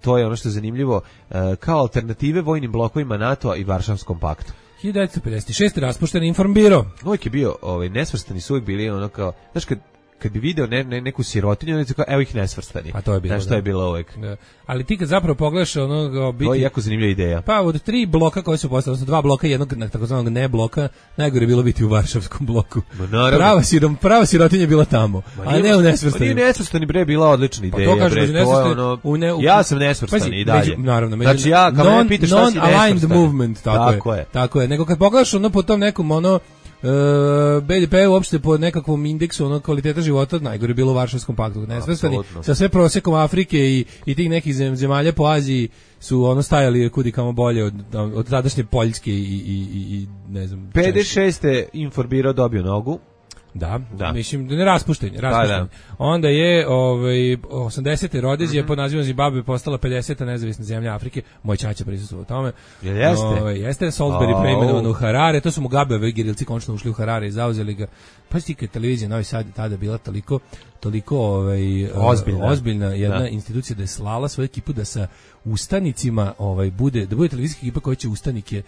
to je ono što je zanimljivo, uh, kao alternative vojnim blokovima NATO-a i Varšavskom paktu. hiljadu devetsto pedeset šeste raspušten Informbiro. Uvijek je bio, ovaj, nesvrstani su uvijek bili ono kao, znaš kad kad bi video ne, ne, neku sirotinju, on kao, evo ih nesvrstani. A to je bilo. Znaš, to je bilo uvijek. Da. Ali ti kad zapravo pogledaš ono... Biti, to je jako zanimljiva ideja. Pa od tri bloka koji su postali, odnosno dva bloka, jednog takozvanog ne bloka, najgore je bilo biti u Varšavskom bloku. Prava, sirom, prava sirotinja je bila tamo, ma a ne u nesvrstani. Ma nije nesvrstani, bre, bila odlična ideja. Pa to kažem, bre, to je ono... U ne, u, ja sam nesvrstani i dalje. Među, naravno, među, znači ja, kao non, me pitaš šta si nesvrstani. Movement, tako, tako je. je. Tako je. Nego kad pogledaš ono po tom nekom, ono, Uh, B D P uopšte po nekakvom indeksu ono kvaliteta života najgore je bilo u Varšavskom paktu. Nesvrstani sa sve prosekom Afrike i, i tih nekih zemalja po Aziji su ono stajali kudi kamo bolje od, od tadašnje Poljske i, i, i, i ne znam. pedeset šeste Informbiro dobio nogu. Da, da, mislim da ne raspuštenje, raspuštenje. Da, da. Onda je ovaj osamdesete Rodezija mm -hmm. pod nazivom Zimbabwe postala pedeseta nezavisna zemlja Afrike. Moj ćaća prisustvovao u tome. Jel jeste? Ovaj jeste Salisbury oh. preimenovan u Harare, to su Mugabeovi gerilci konačno ušli u Harare i zauzeli ga. Pa stika televizija Novi Sad tada bila toliko toliko ovaj ozbiljna, ozbiljna jedna da. institucija da je slala svoju ekipu da sa ustanicima ovaj bude da bude televizijska ekipa koja će ustanike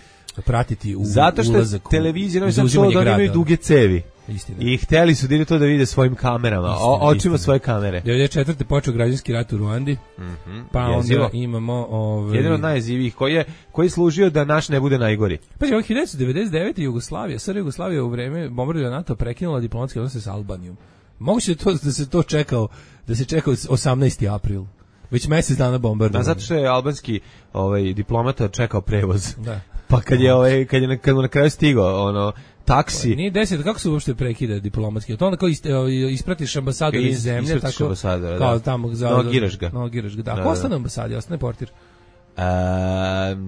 pratiti u zato što ulazak televizija Novi Sad to da imaju duge cevi. Istina. I hteli su da to da vide svojim kamerama, istina, o, očima istina. Svoje kamere. devedeset četvrte počeo građanski rat u Ruandi. Mm -hmm. Pa Jezivo. Onda imamo ovaj jedan od najjezivijih koji je koji je služio da naš ne bude najgori. Pa je hiljadu devetsto devedeset devete Jugoslavija, S R Jugoslavija u vreme bombardovanja NATO prekinula diplomatske odnose sa Albanijom. Moguće to da se to čekao, da se čekao osamnaesti april. Već mjesec dana bombardovanja. Da, zato što je albanski ovaj diplomata čekao prevoz. Da. Pa kad je ovaj kad je kad mu na kraju stigao ono taksi. Pa, nije deset, kako se uopšte prekida diplomatski? To onda kao ispratiš ambasador iz zemlje, tako ambasadora, kao da. tamo za no, giraš ga. No, giraš ga. Da, da, ko ostane ambasadi, ostane portir. E,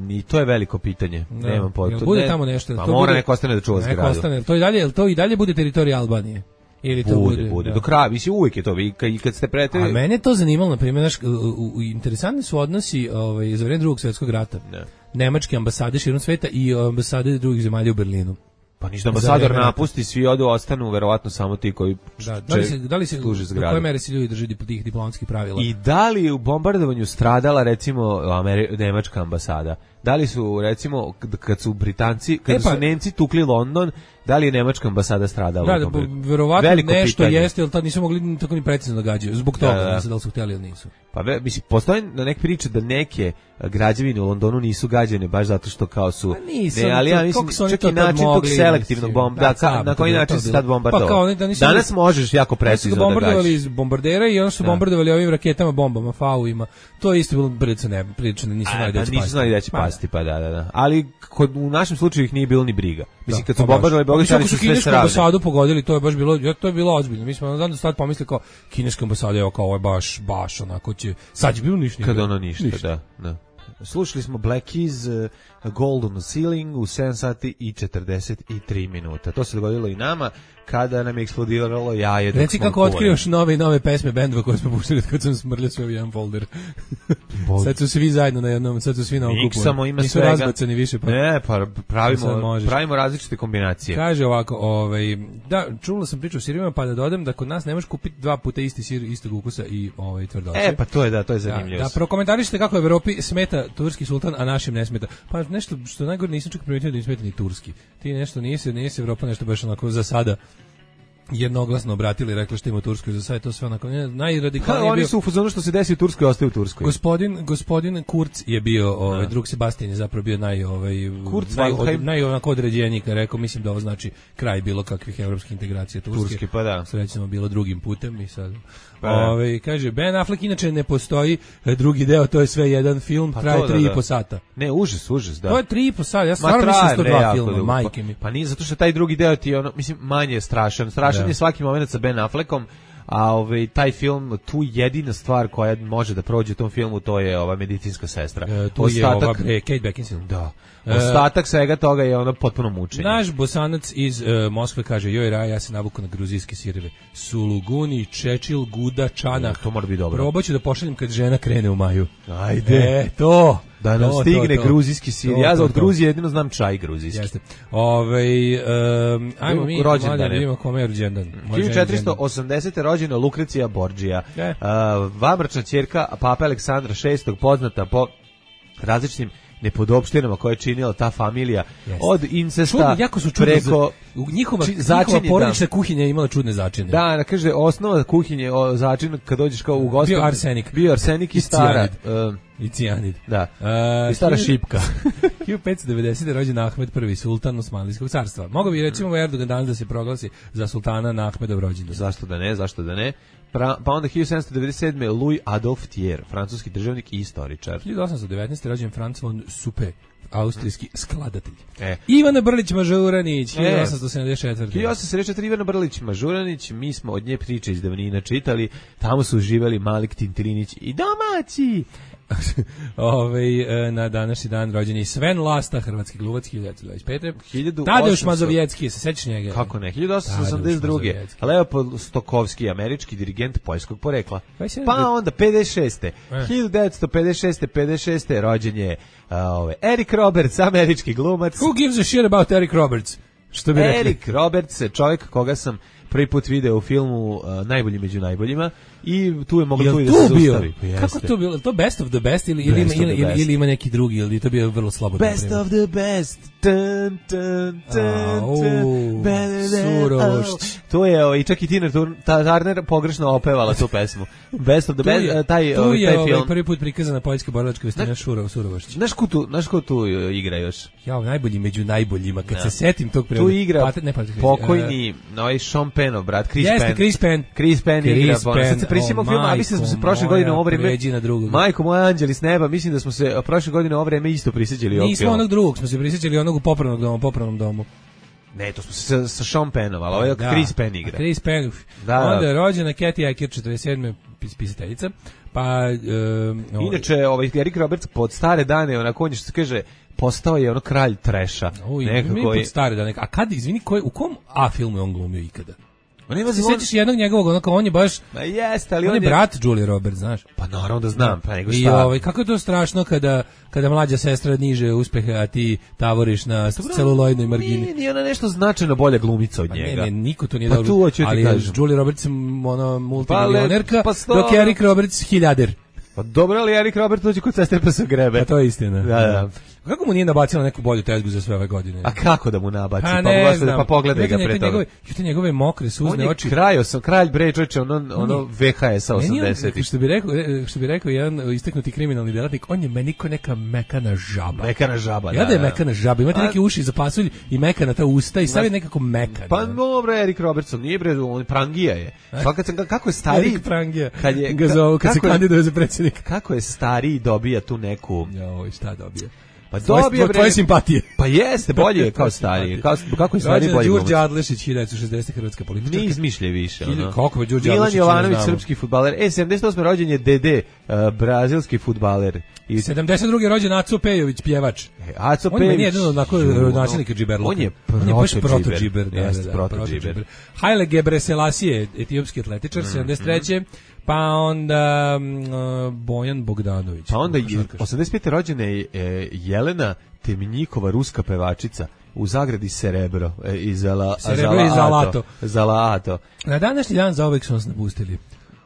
i to je veliko pitanje. Da. Nemam pojma. Bude ne, tamo nešto. Pa to mora bude, neko ostane da čuva zgradu. Ostane. To i dalje, to i dalje bude teritorija Albanije. Ili to bude, bude, bude. Da. Do kraja, mislim uvijek je to, vi kad, kad ste pretili... A mene to zanimalo, na primjer, naš, u, u, interesantni su odnosi ovaj, za vreme drugog svjetskog rata. Ne. Nemačke ambasade širom sveta i ambasade drugih zemalja u Berlinu. Pa ništa, ambasador napusti, svi odu, ostanu verovatno samo ti koji da, da li se, da li se, služe zgradu. Do koje mere se ljudi drži tih diplomatskih pravila? I da li u bombardovanju stradala recimo Ameri- nemačka ambasada? Da li su recimo kad su Britanci, kad e pa, su Nemci tukli London, da li je nemačka ambasada stradala? Da, da, verovatno nešto pitanje. Jeste, ali tad nisu mogli tako ni precizno da gađaju. Zbog toga, da, da. Ne znam da li su htjeli ili nisu. Pa ve, mislim, postoje na neke priče da neke građevine u Londonu nisu gađene baš zato što kao su... Pa nisu, ne, ali ja mislim, čak i način tog selektivnog bomba, da, da, na koji način se tad bombardovao. Pa da danas možeš jako precizno da gađaš. Bombardovali iz bombardera i onda su da. bombardovali ovim raketama, bombama, fauima. To je isto bilo prilično ne, prilično nisu znali da će pasti. Nisu znali da će pasti, pa da, da, da. Ali kod, u našem slučaju ih nije bilo ni briga. Mislim, kad su bombardovali Bogotani su sve sravne. Ambasadu pogodili, to je baš bilo, to je bilo ozbiljno. Mi smo onda sad pomislili kao kineska ambasada, evo kao ovo je baš, baš onako će, sad će bilo ništa. Kad ono ništa, ništa. da, da. Slušali smo Black Keys, uh, Gold on the Ceiling u sedam sati i četrdeset tri minuta. To se dogodilo i nama kada nam je eksplodiralo jaje. Reci kako otkrivaš nove i nove pesme bendova koje smo puštili kad sam smrljao sve u jedan folder. Sad su svi zajedno na jednom, sad su svi na okupu. Samo ima nisu svega. Razbacani više. Pa, ne, pa pravimo, pravimo različite kombinacije. Kaže ovako, ovaj, da, čula sam priču o sirima, pa da dodam da kod nas ne možeš kupiti dva puta isti sir, istog ukusa i ovaj, tvrdoće. E, pa to je, da, to je zanimljivo. Da, da prokomentarišite kako u Evropi smeta turski sultan, a našim ne smeta. Pa nešto što najgore nisam čak primetio da im smeta ni turski. Ti nešto nisi, nisi Evropa nešto baš onako za sada jednoglasno obratili i rekli što ima u Turskoj, za sad to sve onako najradikalnije. Oni su u fazonu što se desi u Turskoj, ostaje u Turskoj. Gospodin gospodin Kurz je bio, ovaj no. drug Sebastian je zapravo bio naj ovaj Kurz naj, od, naj onako određeniji, rekao, mislim da ovo znači kraj bilo kakvih evropskih integracija Turske. Turski, pa da. Srećno bilo drugim putem i sad. Pa ovaj kaže Ben Affleck inače ne postoji drugi deo, to je sve jedan film, pa traje tri i po sata. Ne, užas, užas, da. To je tri i po sata. Ja stvarno mislim sto dva filma, majke mi. Pa nije zato što taj drugi deo ti je ono, mislim, manje strašan. Strašan da. je svaki moment sa Ben Affleckom. A ovaj taj film, tu jedina stvar koja može da prođe u tom filmu, to je ova medicinska sestra. E, tu Ostatak, je ova bre, Kate Beckinsale. Da. Ostatak svega toga je ono potpuno mučenje. Naš Bosanac iz uh, Moskve kaže: "Joj Raja, ja se navuku na gruzijske sireve. Suluguni, čečil, guda, čanah. To mora biti dobro. Probaću da pošaljem kad žena krene u maju." Ajde. E, to. Da nam to, stigne to, to. gruzijski sir. To, ja za od Gruzije jedino znam čaj gruzijski. Jeste. Ovaj um, ajmo mi da vidimo kome je rođendan. hiljadu četiristo osamdesete rođena Lukrecija Borđija. E. Uh, Vamračna ćerka Pape Aleksandra šestog, poznata po različitim nepodopštinama koje je činila ta familija. Yes. Od incesta Čudno, jako su preko za, njihova, či, njihova porodična kuhinja je imala čudne začine. Da, kaže osnova kuhinje, o, začin kad dođeš kao u gostu. Bio arsenik. Bio arsenik i, i stara. Uh, I cijanid. Da. Uh, I stara šipka. hiljadu petsto devedesete rođen Ahmed prvi, sultan Osmanlijskog carstva. Mogao bi recimo Erdogan danas da se proglasi za sultana na Ahmedov rođendan. Zašto da ne, zašto da ne? Pra, pa onda hiljadu sedamsto devedeset sedme Louis Adolphe Thiers, francuski državnik i istoričar. hiljadu osamsto devetnaeste rođen Franz von Supe, austrijski skladatelj. E. Ivana Brlić Mažuranić, hiljadu osamsto sedamdeset četvrte. hiljadu osamsto sedamdeset četvrte Ivana Brlić Mažuranić, mi smo od nje priče iz davnina čitali, tamo su uživali Malik Tintilinić i domaći. Ove, na današnji dan rođen je Sven Lasta, hrvatski glumac, hiljadu devetsto dvadeset pete. hiljadu osamsto Tadeusz Mazovjetski, se sećaš njega? Kako ne? hiljadu osamsto osamdeset druge Leopold Stokowski, američki dirigent poljskog porekla. Pa onda pedeset šeste hiljadu devetsto pedeset šeste pedeset šeste rođen je uh, ove, Eric Roberts, američki glumac. Who gives a shit about Eric Roberts? Što bi rekli? Eric Roberts je čovjek koga sam prvi put video u filmu uh, Najbolji među najboljima i tu je moglo tu i da se zaustavi. Kako to bilo? To Best of the Best ili, ili, ima, ili, ili, ili ima neki drugi ili to bio vrlo slabo? Best of the Best. Tun, tun, tun, tun. Surošć. To je i čak i Tina Turner pogrešno opevala tu pesmu. Best of the Best, je, taj, tu taj je film. Ovaj prvi put prikazana poljska borilačka vestina Šurov, Surovošć. Znaš ko tu, znaš ko tu igra još? Ja, najbolji među najboljima. Kad no. se setim tog prevoda. Tu igra Pate, ne, pokojni, uh, ovaj Sean Pennov, brat, Chris Jeste, Penn. Chris Penn. Chris Penn Chris igra. Penn. Sad se prisjetimo oh, filma, a mislim da smo se prošle godine u ovo vreme... Majko moja, anđeli s neba, mislim da smo se prošle godine u ovo vreme isto prisjećali. Nismo onog drugog, smo se prisjećali onog u popravnog domu, popravnom domu. Ne, to smo se sa, sa Sean Pennom, ali ovo je da, Chris Penn igra. Chris Penn. Da, onda je rođena Kathy Acker, četrdeset sedme pisateljica. Pa, um, inače, ovaj Eric Roberts pod stare dane, onako on je što se kaže, postao je ono kralj treša. Nekako je... pod stare dane. A kad, izvini, koji, u kom A filmu je on glumio ikada? On ima se sećaš jednog njegovog, onako on je baš Ma jeste, ali on, on je brat Julie Roberts, znaš? Pa naravno da znam, pa nego šta. I ovaj kako je to strašno kada kada mlađa sestra niže uspehe, a ti tavoriš na celuloidnoj margini. Nije, nije ona nešto značajno bolja glumica od pa njega. Ne, ne, niko to nije pa dobro. Tu, ali je Julie Roberts ona multimilionerka, pa pa dok Eric Roberts hiljader. Pa dobro, ali Eric Roberts dođe kod sestre pa se grebe. Pa to je istina. Da, da. Kako mu nije nabacila neku bolju tezgu za sve ove godine? A kako da mu nabaci? Pa, pa, ne pa pogledaj ga pre toga. Jute njegove mokre suzne oči. On je kralj, sam kralj bre, čoveče, ono, ono V H S-a osamdesetih. Što bi rekao, što bi rekao jedan istaknuti kriminalni delatnik, on je meni ko neka mekana žaba. Mekana žaba, da. Ja da je mekana žaba, imate neke uši za pasulj i mekana ta usta i stavi nekako mekana. Pa dobro, Erik Robertson, nije bre, on prangija je. Svaka sam kako je stariji Erik prangija. Kad je ga zove, kad se kandiduje za predsjednika. Kako je stariji dobija tu neku. Joj, šta dobija? Pa dobije bre tvoje simpatije. Pa jeste, bolje je kao stariji. Kao kako je stariji bolje. Đurđe Adlešić hiljadu devetsto šezdeset hrvatska političarka. Ni izmišlja više, ono. Kako je Đurđe Milan Jovanović srpski fudbaler. E sedamdeset osme rođen je Dede, uh, brazilski fudbaler. I sedamdeset druge rođen Aco Pejović, pjevač. E, Aco Pejović. On je jedan onako načelnika džiberluka. On je proto-džiber. Jeste, proto-džiber. Haile Gebrselassie, etiopski atletičar, sedamdeset treće Pa onda uh, Bojan Bogdanović. Pa onda osamdeset pete rođena je e, Jelena Temnjikova, ruska pevačica, u zagradi Serebro e, iz Zala, Serebro iz Zalato. Zalato. Na današnji dan zauvek su nas napustili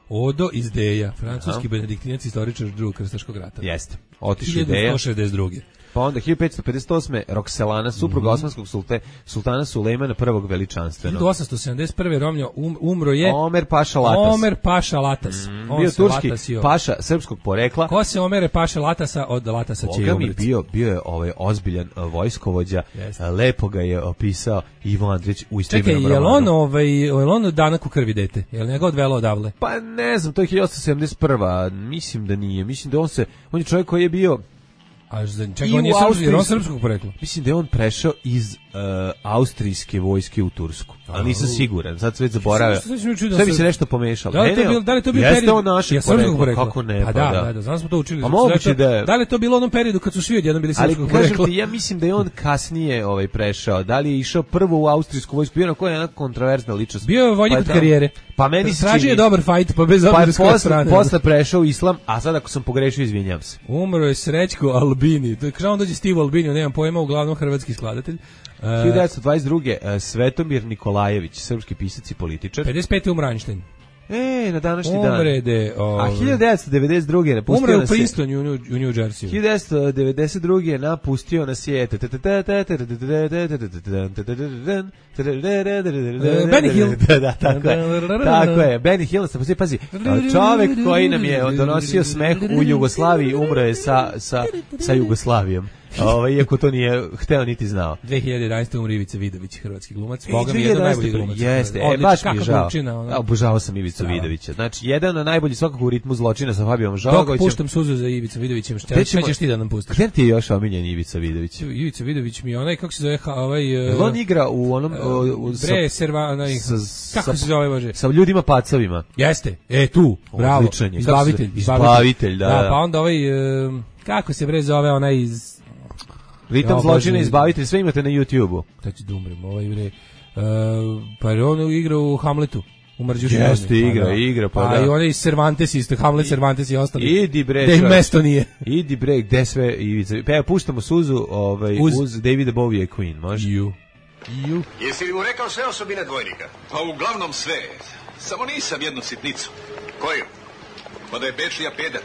Odo iz Deja, francuski benediktinac, istoričar drugog krstaškog rata. Jeste. Otišao Deja. hiljadu sto šezdeset druge Pa onda hiljadu petsto pedeset osme Rokselana, supruga mm-hmm. osmanskog sulte, sultana Sulejmana prvog veličanstvenog. hiljadu osamsto sedamdeset prve Romlja um, umro je Omer Paša Latas. Omer Paša Latas. Mm, bio turski Latasio. Paša srpskog porekla. Ko se Omere Paša Latasa od Latasa će umreti? Bio, bio je ovaj ozbiljan uh, vojskovođa, yes. Lepo ga je opisao Ivo Andrić u istoimenom romanu. Čekaj, je on, ovaj, je on danak u krvi dete? Je li njega odvelo odavle? Pa ne znam, to je hiljadu osamsto sedamdeset prva Mislim da nije. Mislim da on se, on je čovjek koji je bio A čekaj, on je srpski, on srpskog porekla. Mislim da je on prešao iz uh, austrijske vojske u Tursku. Ali nisam siguran, sad sve već zaboravio. Sve bi se nešto pomešalo. Da li to bilo, da li to bio period? On našeg porekla. Kako ne? Pa, pa da, da, da, znam smo to učili. A moguće da je. Da li to bilo u onom periodu kad su svi odjednom bili srpskog porekla? Ali kažem ti, ja mislim da je on kasnije ovaj prešao. Da li je išao prvo u austrijsku vojsku? Bio na koja je jedna kontroverzna ličnost. Bio je vojnik od karijere. Pa meni se tražio je dobar fight, pa bez obzira s koje strane. Posle prešao u islam, a sad ako sam pogrešio, izvinjavam se. Umro je Srećko Albini. To je kao on dođe Steve Albini, nemam pojma, uglavnom hrvatski skladatelj. hiljadu devetsto dvadeset druge Svetomir Nikolajević, srpski pisac i političar. pedeset pete umro Einstein. E, na današnji dan. Umrede, o... A hiljadu devetsto devedeset druge napustio umre nas u Princetonu u New, u New Jersey. hiljadu devetsto devedeset druge napustio nas je Benny Hill. Da, tako je. Tako je. Benny Hill, pazi, pazi. Čovek koji nam je donosio smeh u Jugoslaviji umro je sa, sa, sa Jugoslavijom. Ovaj, iako to nije hteo niti znao. dve hiljade jedanaeste umre Ivica Vidović, hrvatski glumac. Boga mi jedan najbolji glumac. Jeste, e, baš mi je žao. Ono... Obožavao sam Ivicu Vidovića. Znači, jedan od najboljih svakako u ritmu zločina sa Fabijom Žalagovićem. Dok puštam suzu za Ivica Vidovićem, šta ćeš ti da nam pustiš? Gde ti je još omiljen Ivica Vidović? Ivica Vidović mi je onaj, kako se zove, ovaj... Uh, on igra u onom... Uh, uh, bre, serva, onaj... Kako se zove, Bože? Sa ljudima pacovima. Jeste, e, tu, bravo. Izbavitelj. Izbavitelj, da. Da, pa onda ovaj... Kako se bre zove onaj iz... Ritam ja, zločina, izbavitelj, sve imate na YouTube-u. Da ću da umrem, ovaj bre. Uh, pa on igra u Hamletu. U Marđuši. Jeste, igra, pa, igra, pa, pa da. A i onaj iz Cervantes isto, Hamlet, Cervantes i ostali. Idi bre. Da im mesto nije. Idi bre, gde sve Ivica. Pa ja puštamo suzu ovaj, uz, uz Davida Bowie Queen, može? You. You. Jesi li mu rekao sve osobine dvojnika? Pa uglavnom sve. Samo nisam jednu sitnicu. Koju? Pa da je Bečija peder.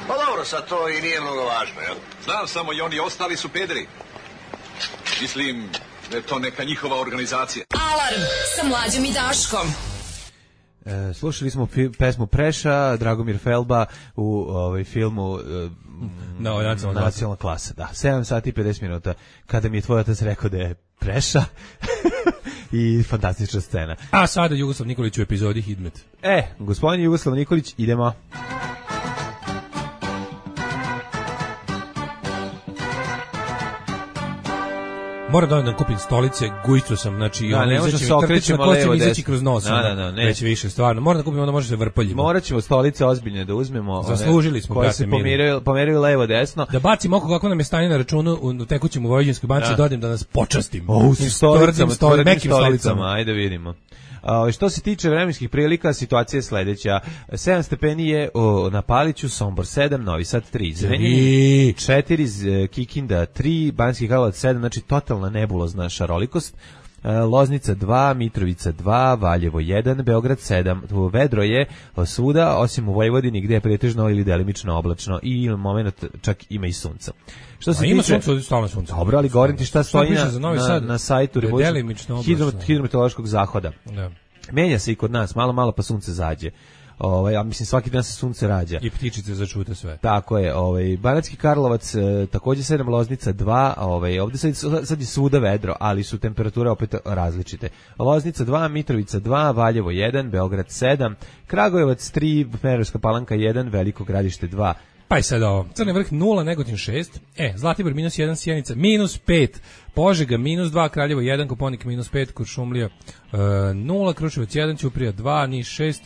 Pa dobro, sad to i nije mnogo važno, jel? Znam samo i oni ostali su pederi. Mislim da je to neka njihova organizacija. Alarm sa Mlađom i Daškom. E, slušali smo fi, pesmu Preša, Dragomir Felba u ovaj filmu e, no, nacionalna, nacionalna klasa. Da, sedam sati i pedeset minuta kada mi je tvoj otac rekao da je Preša i fantastična scena. A sada Jugoslav Nikolić u epizodi Hidmet. E, gospodin Jugoslav Nikolić, idemo. Moram da da kupim stolice, gujicu sam, znači da, ne može se okrećemo levo izaći kroz nos. Da, da, da, ne. Već više stvarno. Moram da kupim, onda može se vrpaljimo. Morat ćemo stolice ozbiljne da uzmemo. Zaslužili smo, koje se pomeraju, pomeraju levo desno. Da bacim oko kako nam je stanje na računu u tekućem u Vojvođanskoj banci, dođem da nas počastim. O, s stolicama, stoli, mekim stolicama, ajde vidimo. Uh, što se tiče vremenskih prilika, situacija je sledeća. sedam stepeni je o, na Paliću, Sombor sedam, Novi Sad tri, Zrenjanin četiri, Kikinda tri, Banjski Karlovac sedam, znači totalna nebulozna šarolikost. Loznica dva, Mitrovica dva, Valjevo jedan, Beograd sedam. Vedro je svuda, osim u Vojvodini gde je pretežno ili delimično oblačno i moment čak ima i sunca. Što se A ima tiče, sunce, stalno sunce. Dobro, ali govorim ti šta stoji na, na, na sajtu hidrometeorološkog zahoda. Da. Menja se i kod nas, malo malo pa sunce zađe. Ovaj, ja mislim svaki dan se sunce rađa. I ptičice začute sve. Tako je, ovaj Banatski Karlovac e, takođe sedam, Loznica dva, ovaj ovde sad, sad je svuda vedro, ali su temperature opet različite. Loznica dva, Mitrovica dva, Valjevo jedan, Beograd sedam, Kragujevac tri, Smederevska Palanka jedan, Veliko Gradište dva. Pa i sad ovo, Crni Vrh nula, Negotin šest, e, Zlatibor minus jedan, Sjenica minus pet, Požega minus dva, Kraljevo jedan, Koponik minus pet, Kuršumlija e, nula, Kruševac jedan, Ćuprija dva, Niš šest,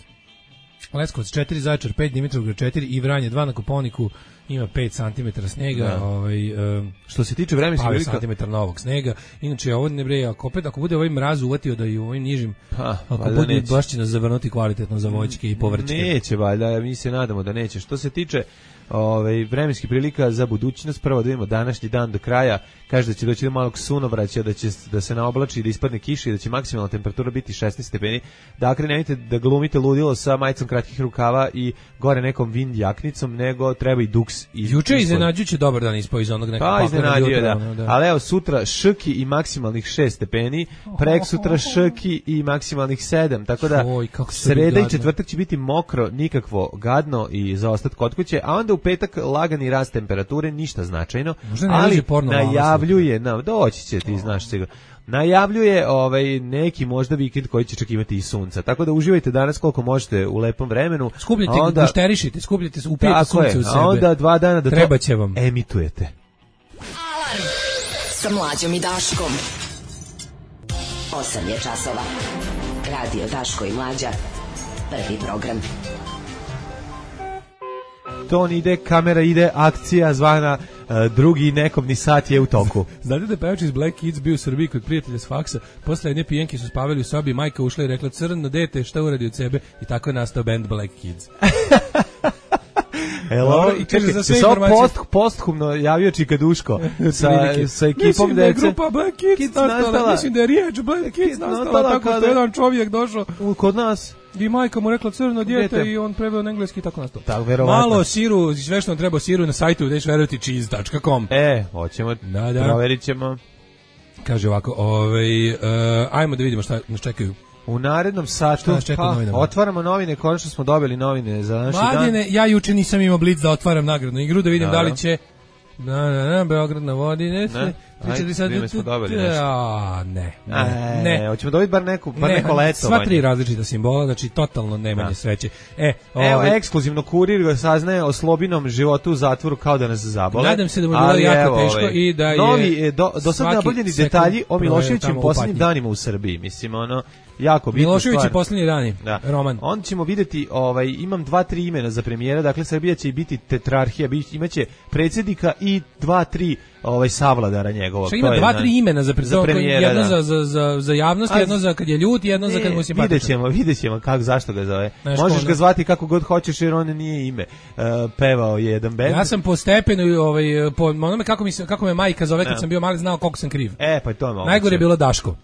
Leskovac četiri, Zaječar pet, Dimitrovgrad četiri i Vranje dva, na Koponiku ima pet centimetara snega, da. ovaj um, što se tiče vremenskih prilika, centimetar novog snega. Inače ovo ne bre, ako opet ako bude ovaj mraz uvatio da i u ovim nižim, ha, ako bude baš će nas zavrnuti kvalitetno za voćke i povrćke. Neće valjda, mi se nadamo da neće. Što se tiče ovaj vremenskih prilika za budućnost, prvo da vidimo današnji dan do kraja, kaže da će doći do malog sunovraća, da će da se naoblači, da ispadne kiša i da će maksimalna temperatura biti šesnaest stepeni. Dakle, nemojte da glumite ludilo sa majicom kratkih rukava i gore nekom vind jaknicom, nego treba i duks i juče iznenađujuće dobar dan ispao iz onog nekog pa, iznenadio, da. da. Ali evo sutra šrki i maksimalnih šest stepeni, prek sutra šrki i maksimalnih sedam, tako da Oj, sreda i četvrtak će biti mokro, nikakvo gadno i za ostat kod kuće, a onda u petak lagani rast temperature, ništa značajno, ali najavljuje, na, doći će ti, znaš sigurno, najavljuje ovaj neki možda vikend koji će čak imati i sunca. Tako da uživajte danas koliko možete u lepom vremenu. Skupljite, onda, gušterišite, skupljite, upijete sunce u sebe. A onda dva dana da treba to će vam. emitujete. Alarm sa Mlađom i Daškom. osam je časova. Radio Daško i Mlađa. Prvi program. Ton ide, kamera ide, akcija zvana uh, drugi nekobni sat je u toku. Znate da je pevač iz Black Kids bio u Srbiji kod prijatelja s faksa, posle jedne pijenke su spavali u sobi, majka ušla i rekla crno dete šta uradi od sebe i tako je nastao band Black Kids. Hello, i kaže za sve informacije. Post, posthumno javio Čika Duško sa, sa ekipom mislim dece. Mislim da je grupa Black Kids, Kids nastala, nastala, mislim da je riječ Black Kids nastala, nastala tako što je jedan čovjek došao kod nas. I majka mu rekla crno dijete i on preveo na engleski i tako nastao. Tako, verovatno. Malo siru, sve što nam treba siru na sajtu deš verovati cheese dot com. E, hoćemo, da, da. proverit ćemo. Kaže ovako, ovaj, uh, ajmo da vidimo šta nas čekaju. U narednom satu pa, otvaramo novine, konačno smo dobili novine za naši dan. Mladine, ja juče nisam imao blic da otvaram nagradnu igru, da vidim da, da li će na, na, na, Beograd na vodi, ne, ne. Ajde, sad mi smo dobili nešto. A, ne, ne, ne. Hoćemo dobiti bar, neku, bar ne, neko letovanje. Sva tri različita simbola, znači totalno nemanje sreće. E, Evo, ovaj, ekskluzivno kurir ga saznaje o Slobinom životu u zatvoru kao da nas zabole. Nadam se da mu je bilo jako evo, teško ovaj, i da je... Novi, do, do sad naboljeni detalji o Miloševićim posljednjim danima u Srbiji, mislim, ono... Jako bitno. Milošević je posljednji dani, da. roman. Onda ćemo vidjeti, ovaj, imam dva, tri imena za premijera, dakle Srbija će biti tetrarhija, imaće predsjednika i dva, tri ovaj, savladara njegovog. Što ima dva, tri imena za, za premijera, jedno da. za, za, za, za javnost, jedno za kad je ljut, jedno ne, za kad mu je simpatičan. Vidjet ćemo, vidjet ćemo kako, zašto ga zove. Znaš, možeš ga zvati kako god hoćeš jer on nije ime. Uh, pevao je jedan bend. Ja sam po stepenu, ovaj, po onome kako, mi, kako me majka zove kad ne. sam bio mali, znao koliko sam kriv. E, pa to je moguće. Najgore je bilo Daško.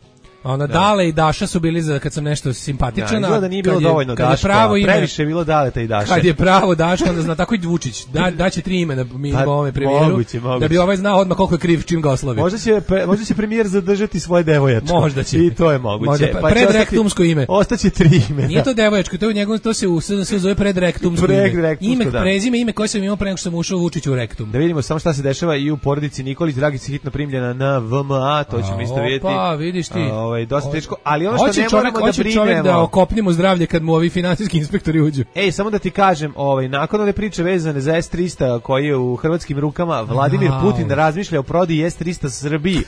Ona da. Dale i Daša su bili za kad sam nešto simpatičan, ja, da nije bilo dovoljno Daško, previše je bilo Daleta i Daša. Kad je pravo Daško, onda zna tako i Vučić, da daće tri imena mi pa, ovome premijeru. Moguće, moguće. Da bi ovaj znao odmah koliko je kriv čim ga oslovi. Možda će možda će premijer zadržati svoje devojačko. Možda će. I to je moguće. Možda, pa predrektumsko ime. Ostaće tri imena. Nije to devojačko, to je u njegovom to se u S N S zove predrektumsko ime. Ime, da. Prezime, ime koje sam imao pre nego što sam ušao Vučiću u rektum. Da vidimo samo šta se dešava i u porodici Nikolić, Dragica hitno primljena na V M A, to ćemo isto vidjeti. Pa, vidiš ti. Ovaj dosta teško. Ali ono što hoće ne čovjek, moramo da brinemo, čovjek da okopnimo zdravlje kad mu ovi finansijski inspektori uđu. Ej, samo da ti kažem, ovaj nakon ove priče vezane za S trista koji je u hrvatskim rukama, Vladimir Putin razmišlja o prodaji S trista Srbiji.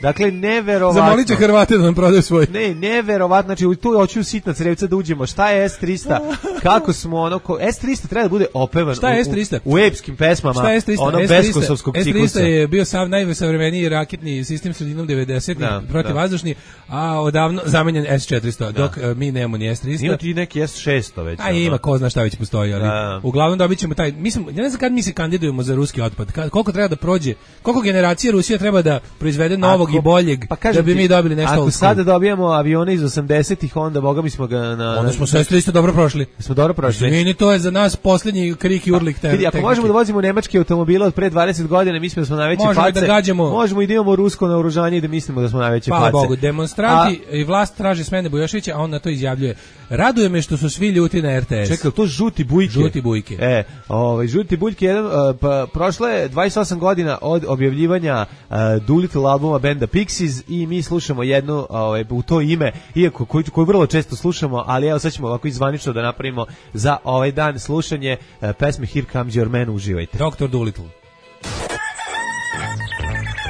Dakle, neverovatno. Zamolit će Hrvate da nam prodaju svoj. Ne, neverovatno. Znači, tu hoću sitna crevca da uđemo. Šta je S trista? Kako smo ono... Ko... S trista treba da bude opevan Šta je S trista? U, u, u epskim pesmama. Šta je S trista? Ono beskosovskog ciklusa. S trista je bio sav najsavremeniji raketni sistem sredinom devedesetih protivvazdušni, a odavno zamenjen S četiristo, da. Dok uh, mi nemamo ni S trista. Ima ti neki S šesto već. A ima, ko zna šta već postoji, ali da. Uglavnom dobit ćemo taj, mislim, ja ne znam kad mi se kandidujemo za ruski otpad, kad, koliko treba da prođe, koliko generacija Rusija treba da proizvede novog ako, i boljeg, pa da bi mi dobili nešto. Ako sada dobijamo avione iz osamdesetih, onda boga mi smo ga na... Onda smo sve isto dobro prošli. Smo dobro prošli. Izvini, to je za nas posljednji krik i urlik. Pa, vidi, ako možemo da vozimo nemačke automobile od pre dvadeset godina, mislimo da smo najveće možemo face. Da gađamo. Možemo i da imamo rusko naoružanje i da mislimo da smo najveće Hvala face. Bogu, demonstranti a, i vlast traže smene Bujoševića, a on na to izjavljuje. Raduje me što su svi ljuti na R T S. Čekaj, to žuti bujke. Žuti bujke. E, ovaj žuti bujke jedan uh, pa prošlo je dvadeset osam godina od objavljivanja uh, Doolittle albuma benda Pixies i mi slušamo jednu ovaj u to ime, iako koju koju vrlo često slušamo, ali evo sad ćemo ovako izvanično da napravimo za ovaj dan slušanje uh, pesme Here Comes Your Man, uživajte. doktor Doolittle.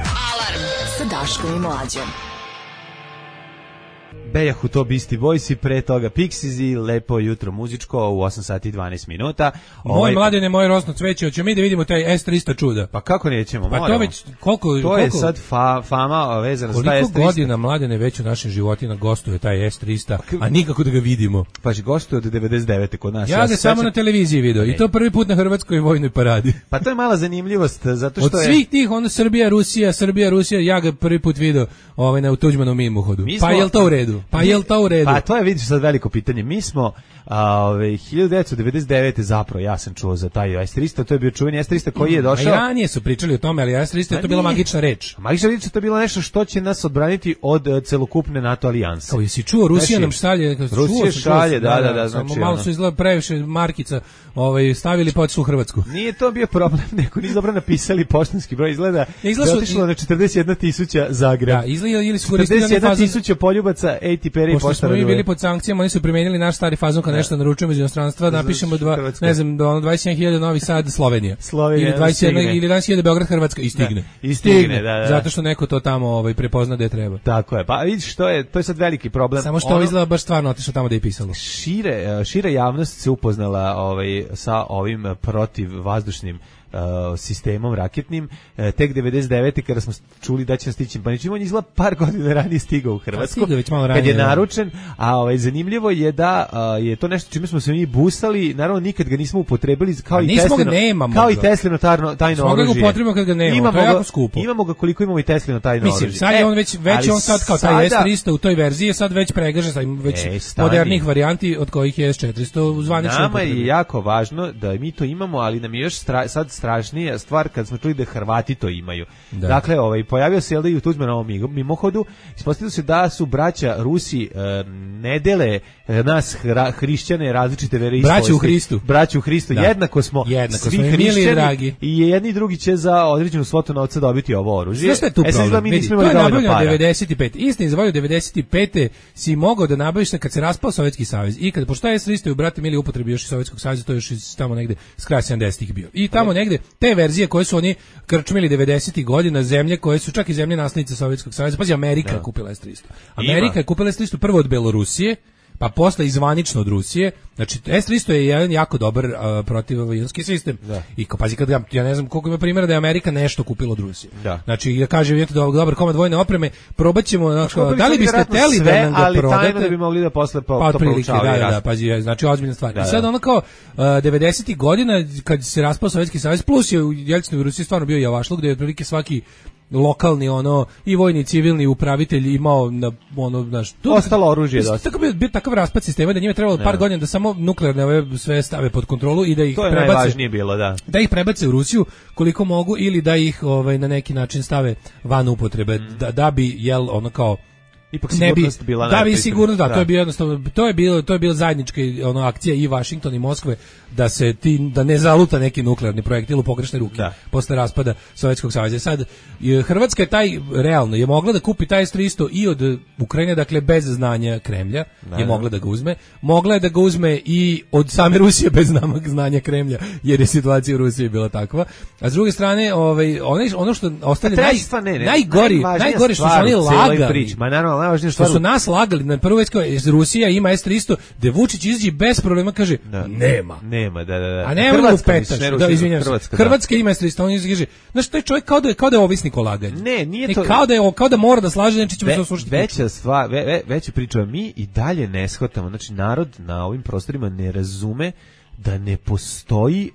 Alarm sa Daškom i Mlađom. Bejahu to Beastie Boys i pre toga Pixies i lepo jutro muzičko u osam sati i dvanaest minuta. Moj ovaj... mladene, moje rosno cveće, hoćemo mi da vidimo taj S trista čuda. Pa kako nećemo, pa moramo. To već, koliko, to koliko, je sad fa, fama vezana za taj S trista. Koliko godina mladene već u našim životima gostuje taj S trista, a nikako da ga vidimo. Pa gostuje od devedeset devete kod nas. Ja, ja ga samo sveća... na televiziji video i to prvi put na Hrvatskoj vojnoj paradi. Pa to je mala zanimljivost, zato što od je... Od svih tih, ono Srbija, Rusija, Srbija, Rusija, ja ga prvi put video ovaj, na Tuđmanovom mimohodu. Mi smo... Pa je li to u redu? Pa je li to u redu? Pa to je, vidiš sad veliko pitanje. Mi smo ove, hiljadu devetsto devedeset devete zapravo, ja sam čuo za taj S trista, to je bio čuveni S trista koji je došao. A i ranije su pričali o tome, ali S trista je to bila magična reč. Magična reč je to bilo nešto što će nas odbraniti od uh, celokupne NATO alijanse. Kao jesi čuo, Rusija nam šalje, Rusija šalje, da, da, da, znači. Malo su izgleda previše markica, ovaj stavili pa u Hrvatsku. Nije to bio problem, neko nisu dobro napisali poštanski broj, izgleda. Izgleda su otišlo na četrdeset jedna tisuća Zagreb. Da, izgleda ili su koristili četrdeset jedna tisuća poljubaca, ej ti peri pošta. Pošto smo mi bili pod sankcijama, oni su primenili naš stari fazon kad nešto naručujemo iz inostranstva, napišemo dva, ne znam, do dvadeset jedan hiljada Novi Sad, Slovenija. Slovenija ili dvadeset jedan ili dvadeset hiljada Beograd, Hrvatska i stigne. Da, i stigne, stigne da, da. Zato što neko to tamo ovaj prepozna da je treba. Tako je. Pa vidiš što je, to je sad veliki problem. Samo što ono, izgleda baš stvarno otišlo tamo da je pisalo. Šire, šira javnost se upoznala ovaj sa ovim protivvazdušnim Uh, sistemom raketnim, uh, tek devedeset devete kada smo čuli da će stići, pa nećemo, on izgleda par godina ranije stigao u Hrvatsku, kad je naručen, a ovaj, zanimljivo je da uh, je to nešto čime smo se mi busali, naravno nikad ga nismo upotrebili, kao, i Teslino, kao i Teslino tajno, tajno oružje. Smo ga upotrebimo kad ga nemamo, imamo, to je jako skupo. Imamo ga koliko imamo i Teslino tajno oružje. Mislim, sad je on već, već on sad kao taj S trista u toj verziji je sad već pregažen, sad ima već e, modernih varijanti od kojih je S četiristo u zvaničnoj Nama je jako važno da mi to imamo, ali nam je još stra, sad strašnija stvar kad smo čuli da Hrvati to imaju. Da. Dakle, ovaj pojavio se Elda i u Tuđmanovom mimohodu, ispostavilo se da su braća Rusi e, ne dele e, nas hra, hrišćane različite veroispovesti. Braća u Hristu. Braća u Hristu. Da. Jednako smo Jednako svi smo hrišćani dragi. I jedni i drugi će za određenu svotu novca dobiti ovo oružje. Znaš šta je tu problem? E, sad, mi Vidi, to je nabavljeno devedeset pete. Istina, izvolio devedeset pete si mogao da nabaviš kad se raspao Sovjetski savez. I kad pošto je S trista u brate mili upotrebi još iz Sovjetskog saveza, to je još iz tamo negde s kraja sedamdesetih bio. I tamo negde te verzije koje su oni krčmili devedesetih godina, zemlje koje su čak i zemlje naslednice Sovjetskog saveza. Pazi, Amerika da. je kupila S trista. Amerika Ima. je kupila S trista prvo od Belorusije, pa posle izvanično od Rusije. Znači S trista je jedan jako dobar uh, protivavionski sistem. Da. I kao pazi kad ga, ja ne znam koliko ima primjera da je Amerika nešto kupila od Rusije. Da. Znači ja kažem vidite da dobar komad vojne opreme, probaćemo znači, da li biste hteli da nam ga ali prodate, ali da bi mogli da posle po, pa, to proučavaju. Da, da, da, pazi, znači ozbiljna stvar. Da, I sad ono kao uh, devedesetih godina kad se raspao Sovjetski savez, plus je u Jelcinovoj Rusiji stvarno bio javašluk, gde je otprilike svaki lokalni ono i vojni i civilni upravitelj imao na ono znaš ostalo oružje dosta. Tako bi bio takav raspad sistema da njima trebalo par godina da samo nuklearne ove sve stave pod kontrolu i da ih to je prebace. Najvažnije bilo, da. Da ih prebace u Rusiju koliko mogu ili da ih ovaj na neki način stave van upotrebe mm. da, da bi jel ono kao ipak sigurnost bi, bila da bi sigurno da, da, to je bilo jednostavno, to je bilo to je bila zajednička ono akcija i Vašingtona i Moskve da se ti da ne zaluta neki nuklearni projektil u pogrešne ruke da. Posle raspada Sovjetskog saveza. Sad Hrvatska je taj realno je mogla da kupi taj S tristo i od Ukrajine, dakle bez znanja Kremlja, da, je mogla da ga uzme, mogla je da ga uzme i od same Rusije bez znanja Kremlja, jer je situacija u Rusiji bila takva. A s druge strane, ovaj ono ono što ostane naj, ne, ne, najgori, najgori što su oni lagali. Ma naravno, najvažnije što su nas lagali na prvo već Rusija ima S tristo, da Vučić izađe bez problema kaže da. nema. Nema, da, da, da. A nema u petaš, da izvinjavam se. Hrvatska, Hrvatska ima S tristo, on izgiže. Znaš, taj čovjek kao da je kao da je ovisnik o laganju. Ne, nije to. Ne, kao da je kao da mora da slaže, znači ćemo se oslušati. Veća stvar, ve, ve, veća priča, mi i dalje ne shvatamo, znači narod na ovim prostorima ne razume da ne postoji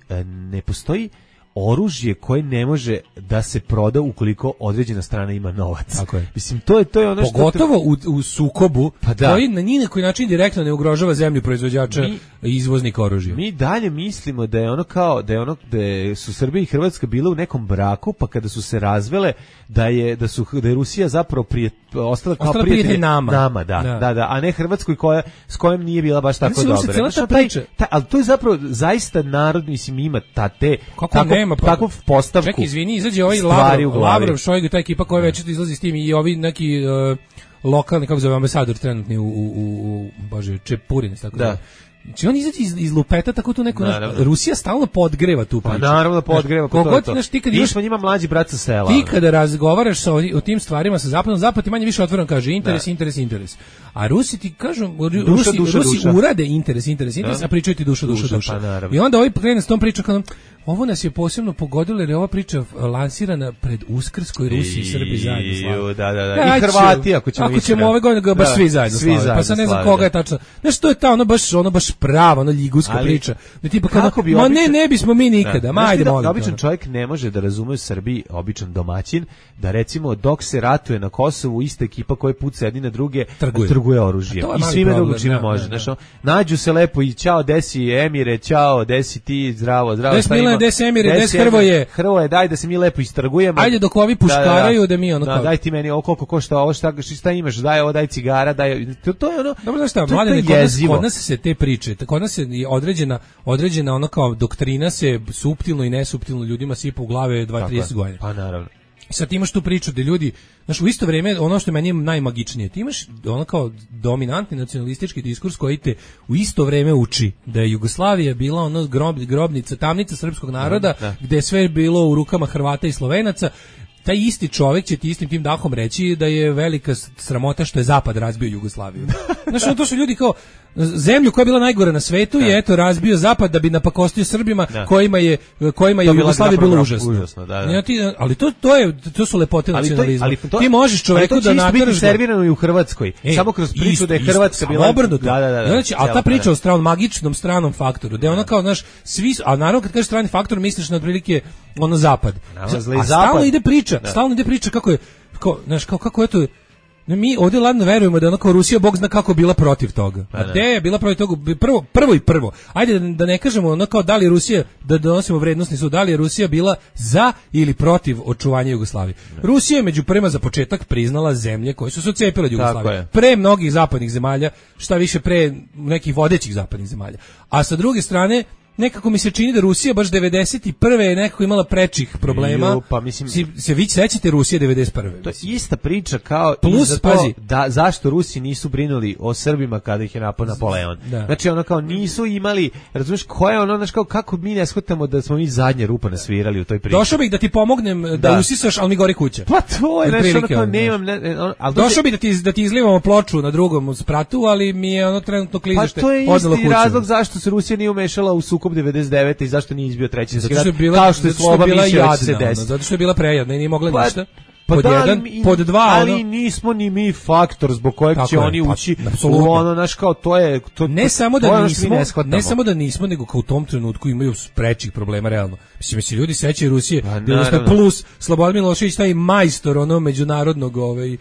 ne postoji oružje koje ne može da se proda ukoliko određena strana ima novac. Tako je. Mislim, to je to je ono što pogotovo u, u sukobu pa da. Koji na ni na koji način direktno ne ugrožava zemlju proizvođača i izvoznika oružja. Mi dalje mislimo da je ono kao da je ono da su Srbija i Hrvatska bile u nekom braku, pa kada su se razvele da je da su da je Rusija zapravo prije ostala kao ostala prijatelj nama. nama da, da, da, da, a ne Hrvatskoj koja s kojom nije bila baš tako dobra. Znači, priča, taj, ali to je zapravo zaista narod mislim ima ta te kako nema pa, takvu postavku. Čekaj, izvini, izađe ovaj Lavrov, Lavrov Šojgu, ta ekipa koja već izlazi s tim i ovi neki uh, lokalni, kako zove, ambasador trenutni u, u, u, u bože, Čepurin, tako da. da. Znači on izađe iz, iz lupeta tako tu neko naš, Rusija stalno podgreva tu priču. Pa naravno podgreva, pa to je to. Ti kad imaš njima mlađi brat sa sela. Ti kada razgovaraš sa o, o tim stvarima sa zapadom, zapad ti manje više otvoreno kaže interes, da. interes, interes. A Rusi ti kažu, Rusi, duša, duša, Rusi duša. urade interes, interes, interes, da. a pričaju ti duša, duša, duša. duša. Pa, I onda ovaj krene s tom pričom kao ovo nas je posebno pogodilo jer je ova priča lansirana pred Uskrs koji Rusi i Srbi zajedno slave. Da, da, da. Ja, I Hrvati ako ćemo Ako ćemo ove godine baš da, svi zajedno svi slave. Pa sad ne znam koga je tačno. Znaš, to je ta ono baš, ono baš prava, ono ljiguska ali, priča. Da tipa kako bi ma običan, ne, ne bismo mi nikada. Da. Ma ajde, da, molim. Običan čovjek ne može da razume u Srbiji, običan domaćin, da recimo dok se ratuje na Kosovu ista ekipa koja puca jedni na druge trguje, trguje oružjem. I svime drugo čime može. Znaš, nađu se lepo i ćao, desi Emire, ćao, desi ti, zdravo, zdravo. Des Milane, des Emire, des Hrvoje. Hrvoje, daj da se mi lepo istrgujemo. Ajde dok ovi puškaraju da, da, da mi ono da, daj ti meni ovo koliko košta ovo, šta, šta imaš, daj ovo, daj cigara, daj. To, to je ono. Dobro, znaš šta, mladine, kod nas, kod nas se te priče, kod nas se određena, određena ono kao doktrina se suptilno i nesuptilno ljudima sipa u glave dvadeset do trideset godina. Pa naravno. I sad ti imaš tu priču da ljudi, znaš, u isto vrijeme, ono što je meni najmagičnije, ti imaš ono kao dominantni nacionalistički diskurs koji te u isto vrijeme uči da je Jugoslavija bila ono grob, grobnica, tamnica srpskog naroda, da, da. Gde je sve bilo u rukama Hrvata i Slovenaca. Taj isti čovjek će ti istim tim dahom reći da je velika sramota što je Zapad razbio Jugoslaviju. Znači, to su ljudi kao zemlju koja je bila najgora na svetu i eto razbio Zapad da bi napakostio Srbima da. kojima je kojima je Jugoslavija bila užasno. užasno da, da. Ja, ti, ali to to je to su lepote nacionalizma. Ali to, ti možeš čovjeku da nateraš servirano i u Hrvatskoj. E, samo kroz priču isto, da je Hrvatska isto, bila obrnuto. Da, da, da, da, znači, a ta priča o stranom magičnom stranom faktoru, da je ona kao znaš svi, a naravno kad kažeš strani faktor misliš na otprilike ono Zapad. A stalno ide priča, stalno ide priča kako je kao znaš kao kako je to. Mi ovdje ladno verujemo da je ono kao Rusija, Bog zna kako bila protiv toga. A gde je bila protiv toga? Prvo, prvo i prvo. Ajde da, da ne kažemo ono kao da li je Rusija, da donosimo vrednostni sud, da li je Rusija bila za ili protiv očuvanja Jugoslavije. Ne. Rusija je među prvima za početak priznala zemlje koje su se odcepile od Jugoslavije. Pre mnogih zapadnih zemalja, šta više pre nekih vodećih zapadnih zemalja. A sa druge strane, nekako mi se čini da Rusija baš devedeset prve je nekako imala prečih problema. Ju, pa mislim si, se vi sećate Rusije devedeset prve To je ista priča kao plus to, pazi da zašto Rusi nisu brinuli o Srbima kada ih je napao Napoleon. Da. Znači ono kao nisu imali, razumeš, ko je ono, znači kao kako mi ne shvatamo da smo mi zadnje rupa nasvirali u toj priči. Došao bih da ti pomognem da, da usisaš, al mi gori kuća. Pa to je znači ono kao nemam, ne, on, al došao bih da ti da ti izlivamo ploču na drugom spratu, ali mi je ono trenutno klizište odnelo kuću. Pa to je isti razlog zašto se Rusija nije umešala u sukob devedeset devete i zašto nije izbio treći svjetski rat, kao što je Sloba mislio da će se desiti. Zato što je bila prejadna i nije mogla pa, ništa. Pa pod da, jedan, ali, pod dva, ali ono, nismo ni mi faktor zbog kojeg će je, oni pa, ući apsolutno. U ono, naš kao, to je... To, ne to, samo da to nismo, ne, ne samo da nismo, nego kao u tom trenutku imaju sprečih problema, realno. Mislim, se ljudi sećaju Rusije, pa, plus Slobodan Milošević, taj majstor, ono, međunarodnog, ovaj,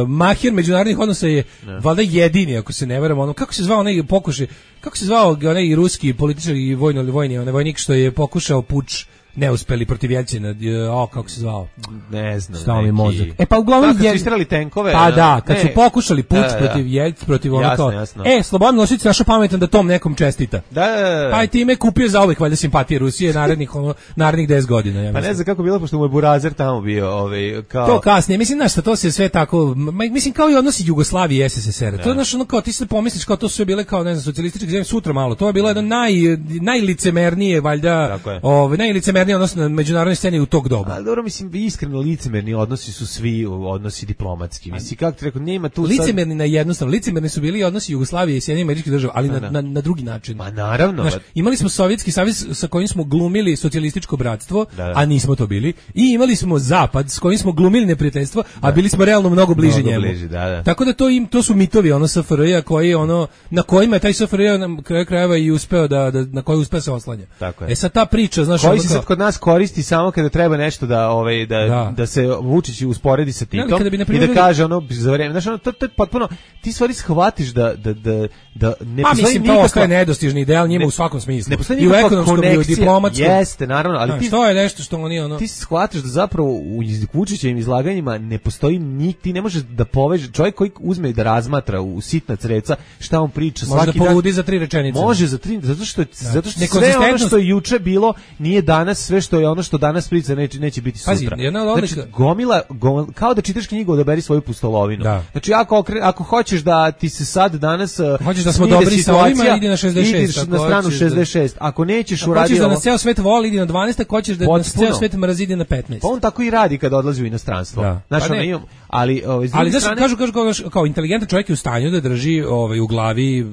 mahir međunarodnih odnosa je, ne. Valjda jedini, ako se ne varam, ono, kako se zvao onaj pokušaj, kako se zvao onaj ruski političar i vojno, vojni, onaj vojnik što je pokušao puč neuspeli protiv Jelcina, o, kako se zvao? Ne znam. Stao mi mozak. E pa uglavnom kad su istrali tenkove. Pa da, kad ne. su pokušali puč da, da, da. protiv Jelcina, protiv ono kao. Jasno. E, Slobodan Milošević našao pametan da tom nekom čestita. Da, da, da. Pa i time kupio zauvek valjda simpatije Rusije narednih ono narednih deset godina, ja Pa ne znam kako bilo pošto mu je Burazer tamo bio, ovaj kao. To kasnije, mislim znaš šta, to se sve tako, mislim kao i odnosi Jugoslavije i S S S R. To je znaš ono kao ti se pomisliš kao to su sve bile kao ne znam socijalističke zemlje sutra malo. To je bilo jedno naj najlicemernije valjda, ovaj najlicemernije odnosno na međunarodnoj sceni u tog doba. Ali dobro, mislim iskreno licemerni odnosi su svi odnosi diplomatski. Mislim kako ti rekao, nema tu licemerni sad... na jednostavno, licemerni su bili odnosi Jugoslavije i Sjedinjenih Američkih Država, ali na, na, na drugi način. Ma naravno. Znaš, imali smo Sovjetski savez sa kojim smo glumili socijalističko bratstvo, da, da. a nismo to bili. I imali smo Zapad s kojim smo glumili neprijateljstvo, a bili smo realno mnogo bliži mnogo njemu. Bliži, da, da. Tako da to im to su mitovi ono S F R J koji ono na kojima je taj S F R J na kraju krajeva i uspeo da, da na koji uspeo se oslanja. Tako je. E sad ta priča, znaš, koji se sad kod nas koristi samo kada treba nešto da ovaj da da, da se Vučić usporedi sa Titom bi, i da kaže ono za vreme, znaš, ono to, to je potpuno ti stvari shvatiš da da da da ne pa, postoji nikakva to ostaje nedostižni ideal njima ne, u svakom smislu. I u ekonomskom i u diplomatskom. Jeste, naravno, ali znaš, ti to je nešto što oni ono ti shvatiš da zapravo u Vučićevim izlaganjima ne postoji ni ti ne možeš da poveže čovjek koji uzme da razmatra u sitna creca šta on priča može svaki da poludi za tri rečenice. Može za tri, zato što da. zato što sve ono što je juče bilo nije danas, sve što je ono što danas priča neće neće biti sutra. Pazi, jedna od odlika... znači, gomila, gomila kao da čitaš knjigu, odaberi svoju pustolovinu. Da. Znači ako ako hoćeš da ti se sad danas hoćeš da smo dobri sa ovima, idi na šezdeset šest, idi na stranu šezdeset šest. Ako nećeš uraditi hoćeš da nas ceo svet voli, idi na dvanaest, hoćeš da nas ceo svet mrzi, idi na petnaest. Pa on tako i radi kad odlazi u inostranstvo. Da. Znači, pa ono, imam, ali ovaj ali da strane... kažu, kažu kao, kao inteligentan čovjek je u stanju da drži ovaj u glavi uh,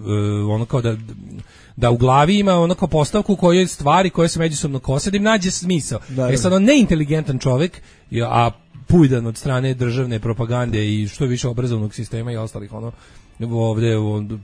ono kao da da u glavi ima ono kao postavku u kojoj stvari koje se međusobno kose da im nađe smisao. Da, e sad on neinteligentan čovjek, a pujdan od strane državne propagande i što je više obrazovnog sistema i ostalih ono ovde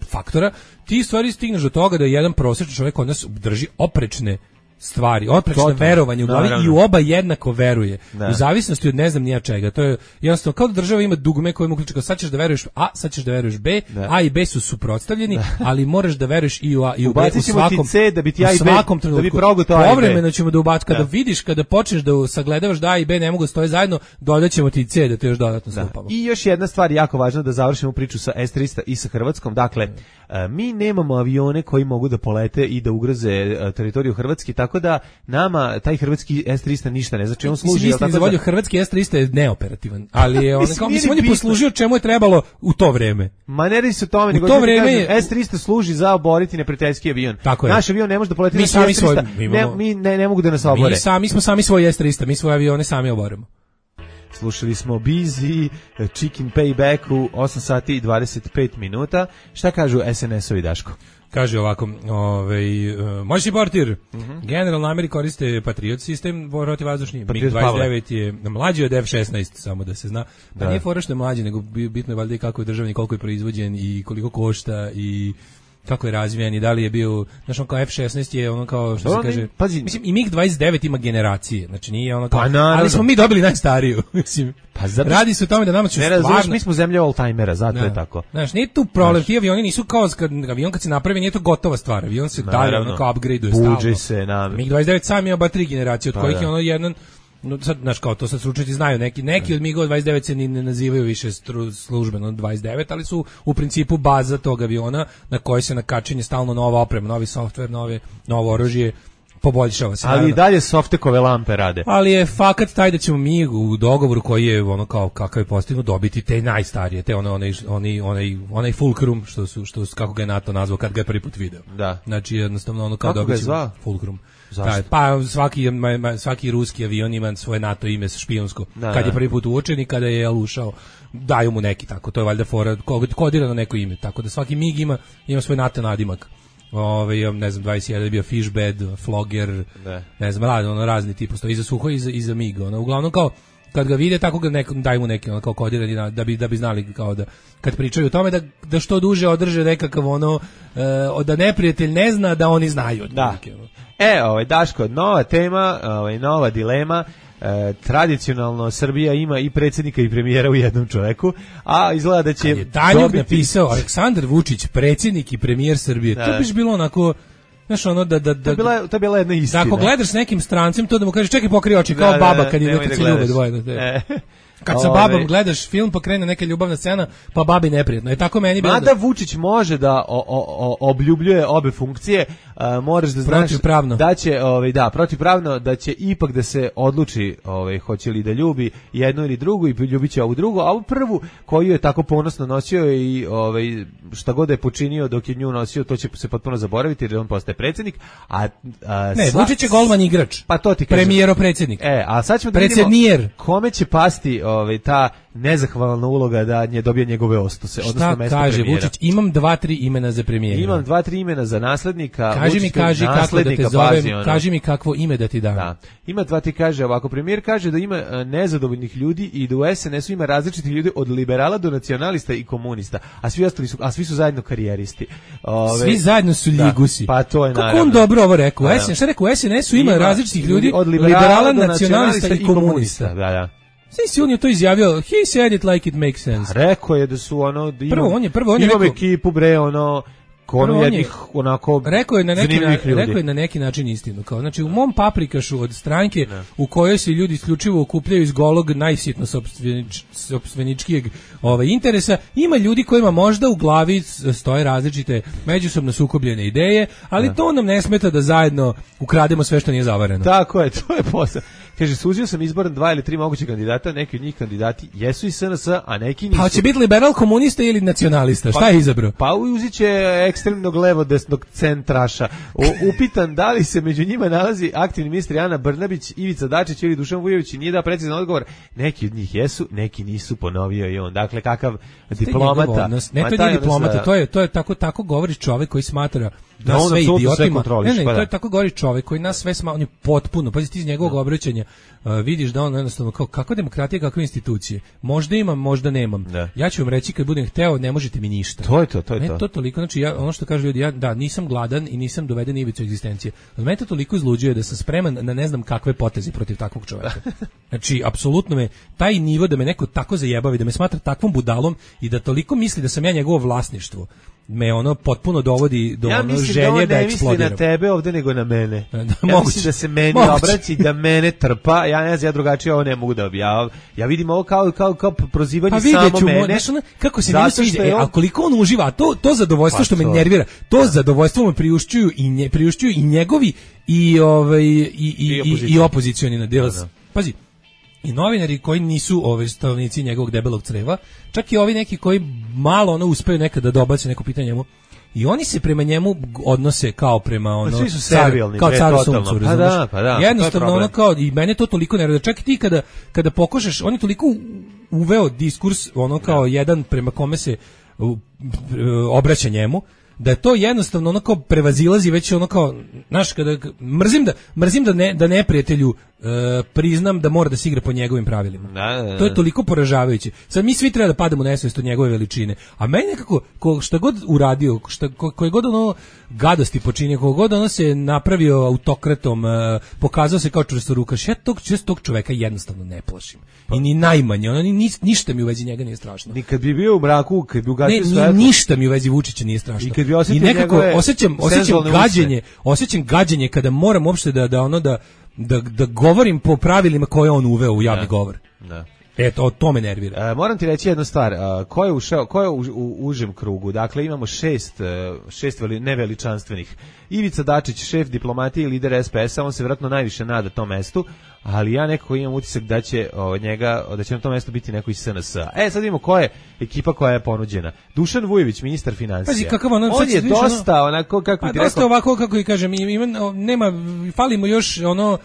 faktora, ti stvari stigneš do toga da jedan prosječan čovjek od nas drži oprečne stvari, oprečne Total. verovanje u glavi Naravno. i u oba jednako veruje. Da. U zavisnosti od ne znam nija čega. To je jednostavno kao da država ima dugme koje mu ključe kao sad ćeš da veruješ A, sad ćeš da veruješ B, da. A i B su suprotstavljeni, da. ali moraš da veruješ i u A i u B u svakom, C, da bi ti A i B, svakom trenutku. Da bi progutao A i B. Povremeno ćemo da ubacimo, kada da. vidiš, kada počneš da sagledavaš da A i B ne mogu stoje zajedno, dodaćemo ti C da te još dodatno da. slupamo. I još jedna stvar jako važna da završimo priču sa S trista i sa Hrvatskom. Dakle, mm. mi nemamo avione koji mogu da polete i da ugroze teritoriju Hrvatske, tako da nam taj hrvatski S trista ništa ne znači, on služi je tako da hrvatski S trista je neoperativan, ali je on kao mislim on je poslužio čemu je trebalo u to vreme. Ma ne radi se o tome, nego to vreme je... S trista služi za oboriti neprijateljski avion. Naš avion ne može da poleti mi na sami S trista. Svoj, mi, ne, mi ne, ne mogu da nas obore. Mi sami smo sami svoj S trista, mi svoje avione sami oborimo. Slušali smo Busy, Chicken Payback u osam sati i dvadeset pet minuta. Šta kažu S N S-ovi, Daško? Kaže ovako, ovaj uh, moćni portir, mm -hmm. generalno Amerika koriste Patriot sistem, protivvazdušni, mig dvadeset devet je mlađi od F šesnaest, samo da se zna. Pa da. Nije fora što je mlađi, nego bitno je valjda i kako je državni, koliko je proizvođen i koliko košta i kako je razvijen i da li je bio, znači on kao F šesnaest je ono kao što Dobro, se kaže, pazi, mislim i mig dvadeset devet ima generacije, znači nije ono kao, pa ali smo mi dobili najstariju, mislim. Pa zato, radi se o tome da nama će ne stvarno... razumiješ, mi smo zemlja all-timera, zato da. je tako. Znaš, nije tu problem, ti avioni nisu kao, kad, avion kad se napravi, nije to gotova stvar, avion se dalje ono kao upgrade-uje stalno. Buđe se, na... mig dvadeset devet sam ima ba tri generacije, od pa, kojih da. je ono jedan, no sad, znaš, kao to sad stručnjaci znaju, neki, neki od migova dvadeset devet se ni ne nazivaju više stru, službeno dvadeset devet, ali su u principu baza tog aviona na kojoj se nakačenje stalno nova oprema, novi softver, nove, novo oružje, poboljšava se. Ali i dalje softekove lampe rade. Ali je fakat taj da ćemo mi u dogovoru koji je ono kao kakav je postignut dobiti te najstarije, te one onaj oni onaj onaj Fulcrum što su što su, kako ga je NATO nazvao kad ga je prvi put video. Da. Znači jednostavno ono kao dobiti Fulcrum. Zašto? Pa svaki svaki ruski avion ima svoje NATO ime špijunsko. Da, kad je prvi put uočen i kada je ušao, daju mu neki tako, to je valjda fora kodirano neko ime, tako da svaki mig ima ima svoj NATO nadimak. Ove, ne znam, dvadeset jedan je bio Fishbed, Flogger, ne, ne znam, rad, ono, razni tipu, stoji iza Suho i iza, iza Miga, ono, uglavnom kao, kad ga vide, tako ga neko, daj mu neki, ono, kao kodirani, da bi, da bi znali, kao da, kad pričaju o tome, da, da što duže održe nekakav, ono, e, da neprijatelj ne zna, da oni znaju. Da. Neki, ono. E, ovaj, Daško, nova tema, ovaj, nova dilema. E, tradicionalno Srbija ima i predsjednika i premijera u jednom čoveku, a izgleda da će kad je Tanjug dobiti... napisao Aleksandar Vučić, predsjednik i premijer Srbije, da. To biš bilo onako, Znaš, ono da da da to je bila, to je bila jedna istina. Da ako gledaš s nekim strancem, to da mu kažeš čekaj pokri oči kao da, baba da, kad ide kad se ljube dvoje da te. E. Kad sa babom gledaš film pa krene neka ljubavna scena, pa babi neprijatno. Je tako meni bilo. Mada Vučić može da o, o, o, obljubljuje obe funkcije, uh, moraš da znaš protivpravno. Da će, ovaj da, protivpravno da će ipak da se odluči, ovaj hoće li da ljubi jednu ili drugu i ljubiće ovu drugu, a ovu prvu koju je tako ponosno nosio i ovaj šta god je počinio dok je nju nosio, to će se potpuno zaboraviti jer on postaje predsjednik, a, a ne, sva, Vučić je golman igrač. Pa to ti kažem. Premijero predsjednik. E, a sad ćemo da vidimo kome će pasti ovaj ta nezahvalna uloga da nje dobije njegove ostuse, odnosno mesto kaže premijera. Vučić? Imam dva tri imena za premijera. Imam dva tri imena za naslednika. Kaži mi, kaži kako da te zovem, kaži mi kakvo ime da ti dam. Da. Ima dva ti kaže ovako, premijer kaže da ima nezadovoljnih ljudi i da u S N S-u ima različitih ljudi od liberala do nacionalista i komunista, a svi ostali su, a svi su zajedno karijeristi. Ove, svi zajedno su ligusi. Da, pa to je naravno. Kako on dobro ovo rekao? Da, da. Šta rekao? U S N S-u ima, ima različitih ljudi od liberala, liberala do nacionalista i komunista. Da, da. Svi on je to izjavio, he said it like it makes sense. Rekao je da su ono da ima, prvo on je prvo on je imam ekipu bre ono ono jednih onako rekao je na neki na, rekao je na neki način istinu, kao znači u mom paprikašu od stranke ne. U kojoj se ljudi isključivo okupljaju iz golog najsitno sopstveničkijeg ovaj interesa, ima ljudi kojima možda u glavi stoje različite međusobno sukobljene ideje, ali ne. To nam ne smeta da zajedno ukrademo sve što nije zavareno. Tako je, to je posao. Kaže, suzio sam izboran dva ili tri moguće kandidata, neki od njih kandidati jesu iz S N S, a neki nisu. Pa će biti liberal, komunista ili nacionalista? Šta pa, je izabrao? Pa uzit će ekstremnog levo desnog centraša. O, upitan da li se među njima nalazi aktivni ministri Ana Brnabić, Ivica Dačić ili Dušan Vujović, nije da precizan odgovor. Neki od njih jesu, neki nisu, ponovio i on. Dakle, kakav diplomata. Ne, to nije diplomata, za... to je, to je tako, tako govori čovjek koji smatra da nas sve idiotima. Ne, ne, pa to je tako govori čovjek koji nas sve sma, on je potpuno, pazi ti iz njegovog da. Obraćanja uh, vidiš da on jednostavno kao kako demokratija, kakve institucije. Možda imam, možda nemam. Da. Ja ću vam reći kad budem hteo, ne možete mi ništa. To je to, to je ne, to. to toliko, znači ja ono što kažu ljudi, ja da nisam gladan i nisam doveden ivicu egzistencije. Od mene to toliko izluđuje da sam spreman na ne znam kakve poteze protiv takvog čovjeka. Znači apsolutno me taj nivo da me neko tako zajebavi, da me smatra takvom budalom i da toliko misli da sam ja njegovo vlasništvo. Me ono potpuno dovodi do ja ono želje da, da eksplodiram. Ja mislim da ne tebe ovde nego na mene. Da, ja moguće, mislim da se meni moguće. obraći, da mene trpa. Ja ne znam, ja drugačije ovo ne mogu da objavam. Ja vidim ovo kao, kao, kao prozivanje pa samo ću, mene. Znaš, ono, kako se meni sviđa, e, a koliko on uživa, to, to zadovoljstvo pa što me nervira, to da. Zadovoljstvo me priušćuju i, nje, priušćuju i njegovi i, ovaj, i, i, i, i, i opozicioni na djel. Da. Pazi, i novinari koji nisu ove stavnici njegovog debelog creva, čak i ovi neki koji malo ono uspeju nekada da dobace neko pitanje njemu, i oni se prema njemu odnose kao prema ono svi su servilni, kao caru suncu, pa da, pa da, jednostavno ono kao i mene to toliko nervira, čak i ti kada kada pokušaš, on je toliko uveo diskurs ono kao da. Jedan prema kome se obraća njemu, da je to jednostavno ono kao prevazilazi već ono kao, znaš, kada mrzim da mrzim da ne da neprijatelju e, priznam da mora da se igra po njegovim pravilima. Da, da, da. To je toliko poražavajuće. Sad mi svi treba da padamo u nesvest od njegove veličine. A meni nekako ko, šta god uradio, šta ko, koje god ono gadosti počinio, koga god ono se napravio autokratom, e, pokazao se kao čvrstorukaš, ja tog, tog čoveka jednostavno ne plašim. I ni najmanje, ono ni, ništa mi u vezi njega nije strašno. Ni kad bi bio u mraku, kad bi ugasio sve. Ne, ništa mi u vezi Vučića nije strašno. I kad bi osjetio I nekako osjećam, osjećam gađenje, usne. osjećam gađenje kada moram uopšte da da ono da da da govorim po pravilima koje on uveo u javni da. Govor. Da. Eto, to me nervira. E, moram ti reći jednu stvar, a, ko je ušao, ko je u, u užem krugu? Dakle, imamo šest, šest veli, neveličanstvenih. Ivica Dačić, šef diplomatije i lider S P S-a, on se vjerojatno najviše nada tom mestu, ali ja nekako imam utisak da će o, njega, da će na tom mestu biti neko iz S N S-a. E, sad vidimo ko je ekipa koja je ponuđena. Dušan Vujović, ministar financija. Pazi, kakav ono, on je dosta, ono, onako, kako pa, ti dosta rekao... ovako, kako i kažem, ima, nema, falimo još ono...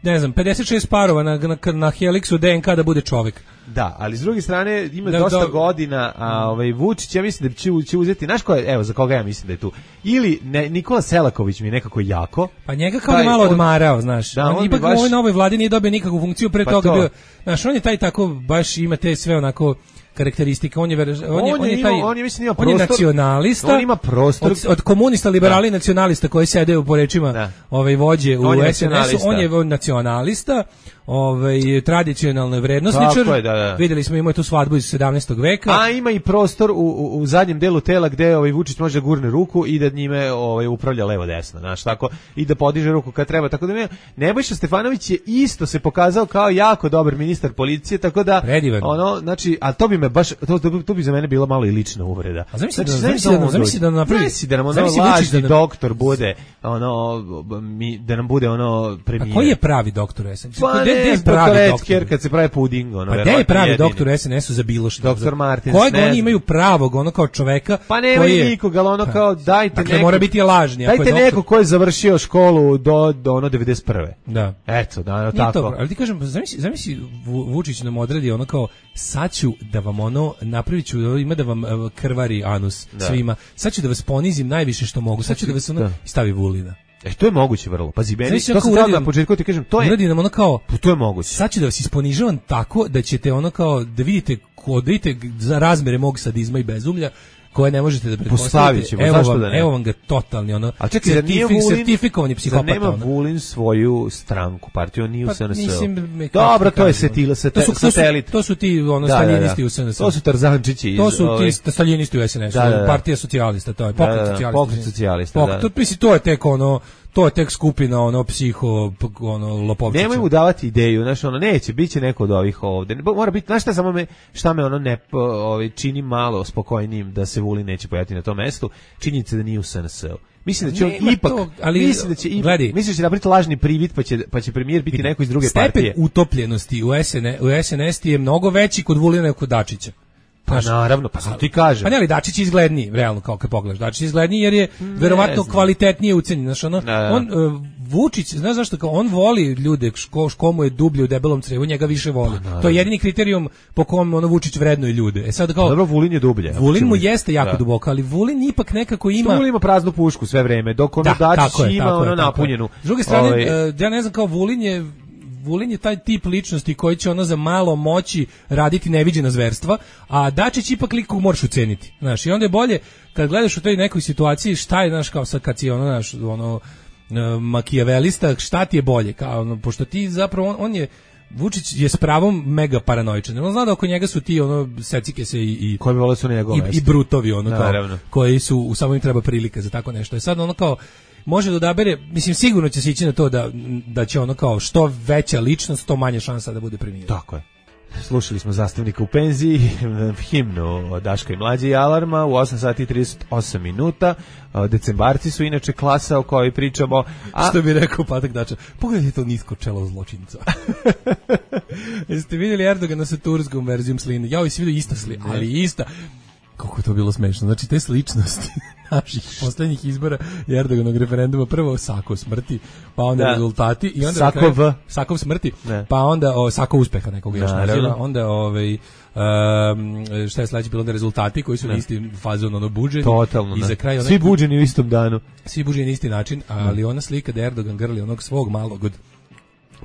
ne znam, pedeset šest parova na, na, na Helixu D N K da bude čovjek. Da, ali s druge strane ima da, dosta da, godina, a ovaj Vučić, ja mislim da će, će uzeti, znaš ko je, evo, za koga ja mislim da je tu, ili ne, Nikola Selaković mi je nekako jako. Pa njega kao da malo on, odmarao, znaš, da, on, on ipak baš... u ovoj novoj vladi nije dobio nikakvu funkciju, pre pa toga to. Bio, znaš, on je taj tako, baš ima te sve onako karakteristika, on je on je on je, on je taj on je, mislim, ima prostor, on je nacionalista, on ima prostor od, od komunista, liberali, da. Nacionalista koji sede u porečima da. Ovaj vođe u S N S-u, on je nacionalista, ovaj tradicionalne vrednosničar. Tako je, da, da. Videli smo ima tu svadbu iz sedamnaestog veka. A ima i prostor u, u, u zadnjem delu tela gde ovaj Vučić može da gurne ruku i da njime ovaj upravlja levo desno, znaš, tako i da podiže ruku kad treba. Tako da ne, Nebojša Stefanović je isto se pokazao kao jako dobar ministar policije, tako da Predivan. ono, znači, a to bi me baš to, to, to bi za mene bila malo i lična uvreda. A zamisli znači, da zamisli da zamisli da napravi zamisli da nam ono lažni doktor bude ono mi da nam bude ono premijer. A koji je pravi doktor S N S? Pa Gde je pravi doktor kad se pravi puding, ono. Pa gde je pravi doktor S N S-u za bilo što? Doktor Martin. Kojeg oni imaju pravog, ono kao čoveka? Pa nema nikoga, ali ono kao dajte dakle, neko. mora biti lažni. Dajte ako je neko ko je završio školu do, do ono devedeset prve. Da. Eto, da, ono tako. To, ali ti kažem, zamisli, zamisli Vučić nam odredi ono kao, sad ću da vam ono, napravit ću, ima da vam krvari anus da. Svima. Sad ću da vas ponizim najviše što mogu. Sad ću da vas ono, da. Stavi Vulina. E, to je moguće vrlo. Pazi, meni, to sam tada na početku ti kažem, to je... Uradi nam ono kao... To je moguće. Sad ću da vas isponižavam tako da ćete ono kao, da vidite, da vidite za razmere mog sadizma i bezumlja, koje ne možete da pretpostavite. Ćemo, evo, zašto vam, da ne? Evo vam ga totalni, ono, a čekaj, certifi, Vulin, certifikovani psihopata. Da nema ono. Vulin svoju stranku, partiju, on nije pa, u S N S-u. Dobro, to je setila, sate, to su, satelit. To su, to su ti ono, da, staljinisti da, da. u S N S-u. To su Tarzančići. To su ovaj... ti staljinisti u S N S-u. Da, da, da. Partija socijalista, to je pokret da, da, da. socijalista. Pokret socijalista, pokret, da. To, mislim, to je tek ono... To je tek skupina ono psiho ono lopovčića. Nemoj mu davati ideju, znači ono neće, biće neko od ovih ovde. Mora biti, znaš šta samo me šta me ono ne ovaj čini malo spokojnijim da se Vulin neće pojaviti na tom mestu. Činjenica da nije u S N S-u. Mislim da će on ipak, to, ali mislim da će ipak, misliš da će napraviti lažni privid pa će pa će premijer biti neko iz druge stepen partije. Stepen utopljenosti u S N S, u S N S je mnogo veći kod Vulina nego kod Dačića. Pa naravno, pa sam ti kažem. Pa ne, ali Dačić je izgledniji, realno, kao kad pogledaš. Dačić je izgledniji jer je verovatno kvalitetnije ucenjen. Znaš, ono, on, uh, Vučić, znaš zašto, kao on voli ljude, ško, ško mu je dublje u debelom crevu, njega više voli. Pa, to je jedini kriterijum po kom ono Vučić vrednuje ljude. E sad kao, dobro, Vulin je dublje. Vulin mu jeste jako da. Duboko, ali Vulin ipak nekako ima... Vulin ima praznu pušku sve vreme, dok ono da, Dačić je, ima ono je, napunjenu. S druge strane, ovaj... uh, ja ne znam, kao Vulin je... Vulin je taj tip ličnosti koji će ono za malo moći raditi neviđena zverstva, a Dačić ipak lik kog moraš uceniti. Znaš, i onda je bolje kad gledaš u toj nekoj situaciji šta je, znaš, kao sad kad si ono, znaš, ono, makijavelista, šta ti je bolje, kao ono, pošto ti zapravo, on, on je, Vučić je s pravom mega paranoičan. On zna da oko njega su ti ono secike se i i koji vole su na njegovom i, i brutovi ono kao, koji su u samo im treba prilika za tako nešto. I sad ono kao može da odabere, mislim sigurno će se ići na to da da će ono kao što veća ličnost, to manje šansa da bude premijer. Tako je. Slušali smo Zastavnika u penziji, himnu od Daška i Mlađe i Alarma u osam sati i trideset osam minuta. Decembarci su inače klasa o kojoj pričamo. A... Što bi rekao Patak Dača, pogledajte to nisko čelo zločinca. Jeste vidjeli Erdogana sa turskom verzijom sline? Ja ovdje si vidio ista slina, ali ista. Kako je to bilo smešno. Znači, te sličnosti naših poslednjih izbora i Erdoganog referenduma, prvo Sakov smrti, pa onda da. Rezultati i onda Sakov, kraju, Sakov smrti, ne. Pa onda o, Sakov uspeha nekog još naziva, onda ovaj um, šta je sledeće bilo, onda rezultati koji su na isti fazon ono buđeni. Totalno, i za kraj onaj, svi buđeni u istom danu. Svi buđeni na isti način, ali ona slika da Erdogan grli onog svog malog od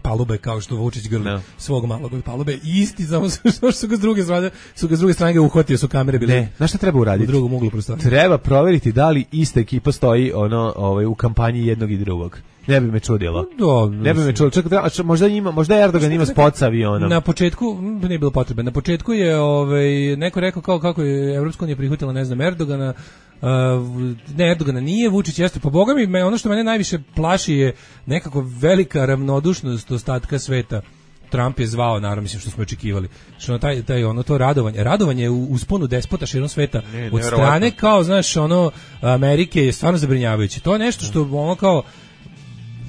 palube kao što Vučić grli no. svog malog od palube, isti, samo što su ga s druge strane, su ga s druge strane ga uhvatio, su kamere bile. Ne, znaš šta treba uraditi? U drugom uglu prostorije. Treba proveriti da li ista ekipa stoji ono, ovaj, u kampanji jednog i drugog. Ne bi me čudilo. Do, ne bi me čudilo. Čekaj, možda ima, možda Erdogan ima spot sa avionom. Na početku nije bilo potrebe. Na početku je ovaj neko rekao kao kako je Evropska unija prihvatila, ne znam, Erdogana. Uh, ne, Erdogana nije, Vučić jeste. Pa boga mi, me, ono što mene najviše plaši je nekako velika ravnodušnost ostatka sveta. Trump je zvao, naravno, mislim što smo očekivali. Što taj taj ono to radovanje, radovanje u usponu despota širom sveta ne, od strane kao, znaš, ono Amerike je stvarno zabrinjavajuće. To je nešto što ono kao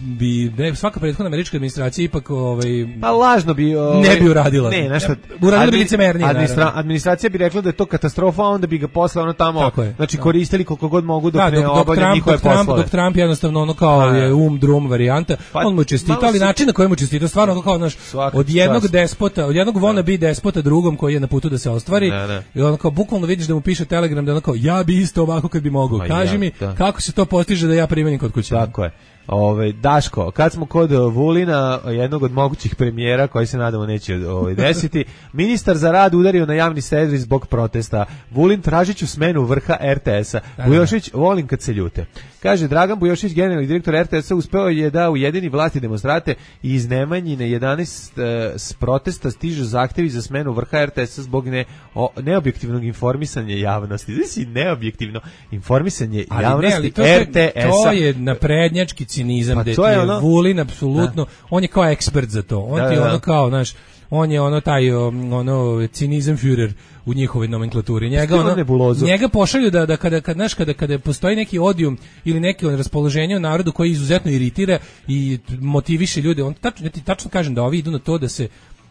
bi ne, svaka prethodna američka administracija ipak ovaj pa lažno bi ovaj, ne bi uradila. Ne, nešto uradila bi licemernije. Administra, administracija bi rekla da je to katastrofa, a onda bi ga posle ono tamo znači koristili koliko god mogu dok da, ne obavlja njihove poslove. Dok Trump jednostavno ono kao a, je um drum varijanta, pa, on mu čestitao, ali način na koji mu čestitao stvarno kao naš od jednog čast. despota, od jednog wanna be despota drugom koji je na putu da se ostvari. Ne, ne. I on kao bukvalno vidiš da mu piše telegram da on kao ja bi isto ovako kad bi mogao. Kaži ja, mi da. kako se to postiže da ja primenim kod kuće. Tako je. Ove, Daško, kad smo kod Vulina, jednog od mogućih premijera koji se nadamo neće ovaj, desiti, ministar za rad udario na javni servis zbog protesta. Vulin tražiću smenu vrha er te es-a. Bujošić, volim kad se ljute. Kaže, Dragan Bujošić, generalni direktor er te es-a, uspeo je da ujedini vlasti demonstrate i iz Nemanjine jedanaest e, s protesta stižu zahtevi za smenu vrha er te es-a zbog ne, o, neobjektivnog informisanja javnosti. Znači, neobjektivno informisanje ali javnosti ne, er te es-a. To je naprednjački cinizam, gde pa je ono, Vulin apsolutno, da. On je kao ekspert za to. On da, ti je da, ono kao, znaš, on je ono taj ono cinizam Führer u njihovoj nomenklaturi. Njega ono, njega pošalju da da kada kad znaš kada kada postoji neki odijum ili neki raspoloženje u narodu koji izuzetno iritira i motiviše ljude, on tačno ja ti tačno kažem da ovi idu na to da se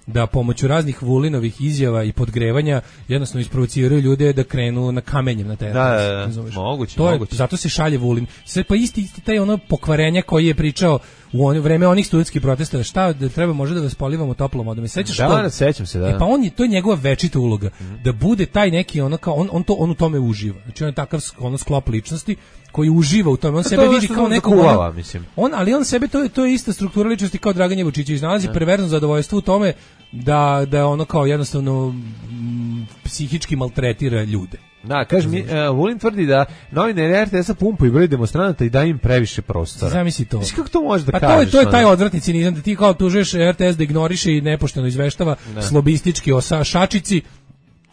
da pomoću raznih Vulinovih izjava i podgrevanja jednostavno isprovociraju ljude da krenu na kamenjem na teren. Da, da, da. Moguće, to je, moguće. Zato se šalje Vulin. Sve pa isti, isti taj ono pokvarenja koji je pričao u ono vreme onih studentskih protesta, šta da treba može da vas polivamo toplom vodom. Sećaš da, to? Da, sećam se, da. E pa on je, to je njegova večita uloga, mm-hmm. da bude taj neki ono kao on on to on u tome uživa. Znači on je takav ono sklop ličnosti koji uživa u tome. On sebe vidi kao nekog kuvala, mislim. On, ali on sebe to je to je ista struktura ličnosti kao Dragan Jevučićević, nalazi perverzno zadovoljstvo u tome da da ono kao jednostavno m, psihički maltretira ljude. Da, kaže mi, uh, Vulin tvrdi da novinari er te es-a pumpaju broj demonstranata i da im previše prostora. Zamisli to. Kako to možeš da pa kažeš? Pa to je, to je taj odvratni cinizam da ti kao tužeš er te es da ignoriše i nepošteno izveštava ne. slobistički o šačici,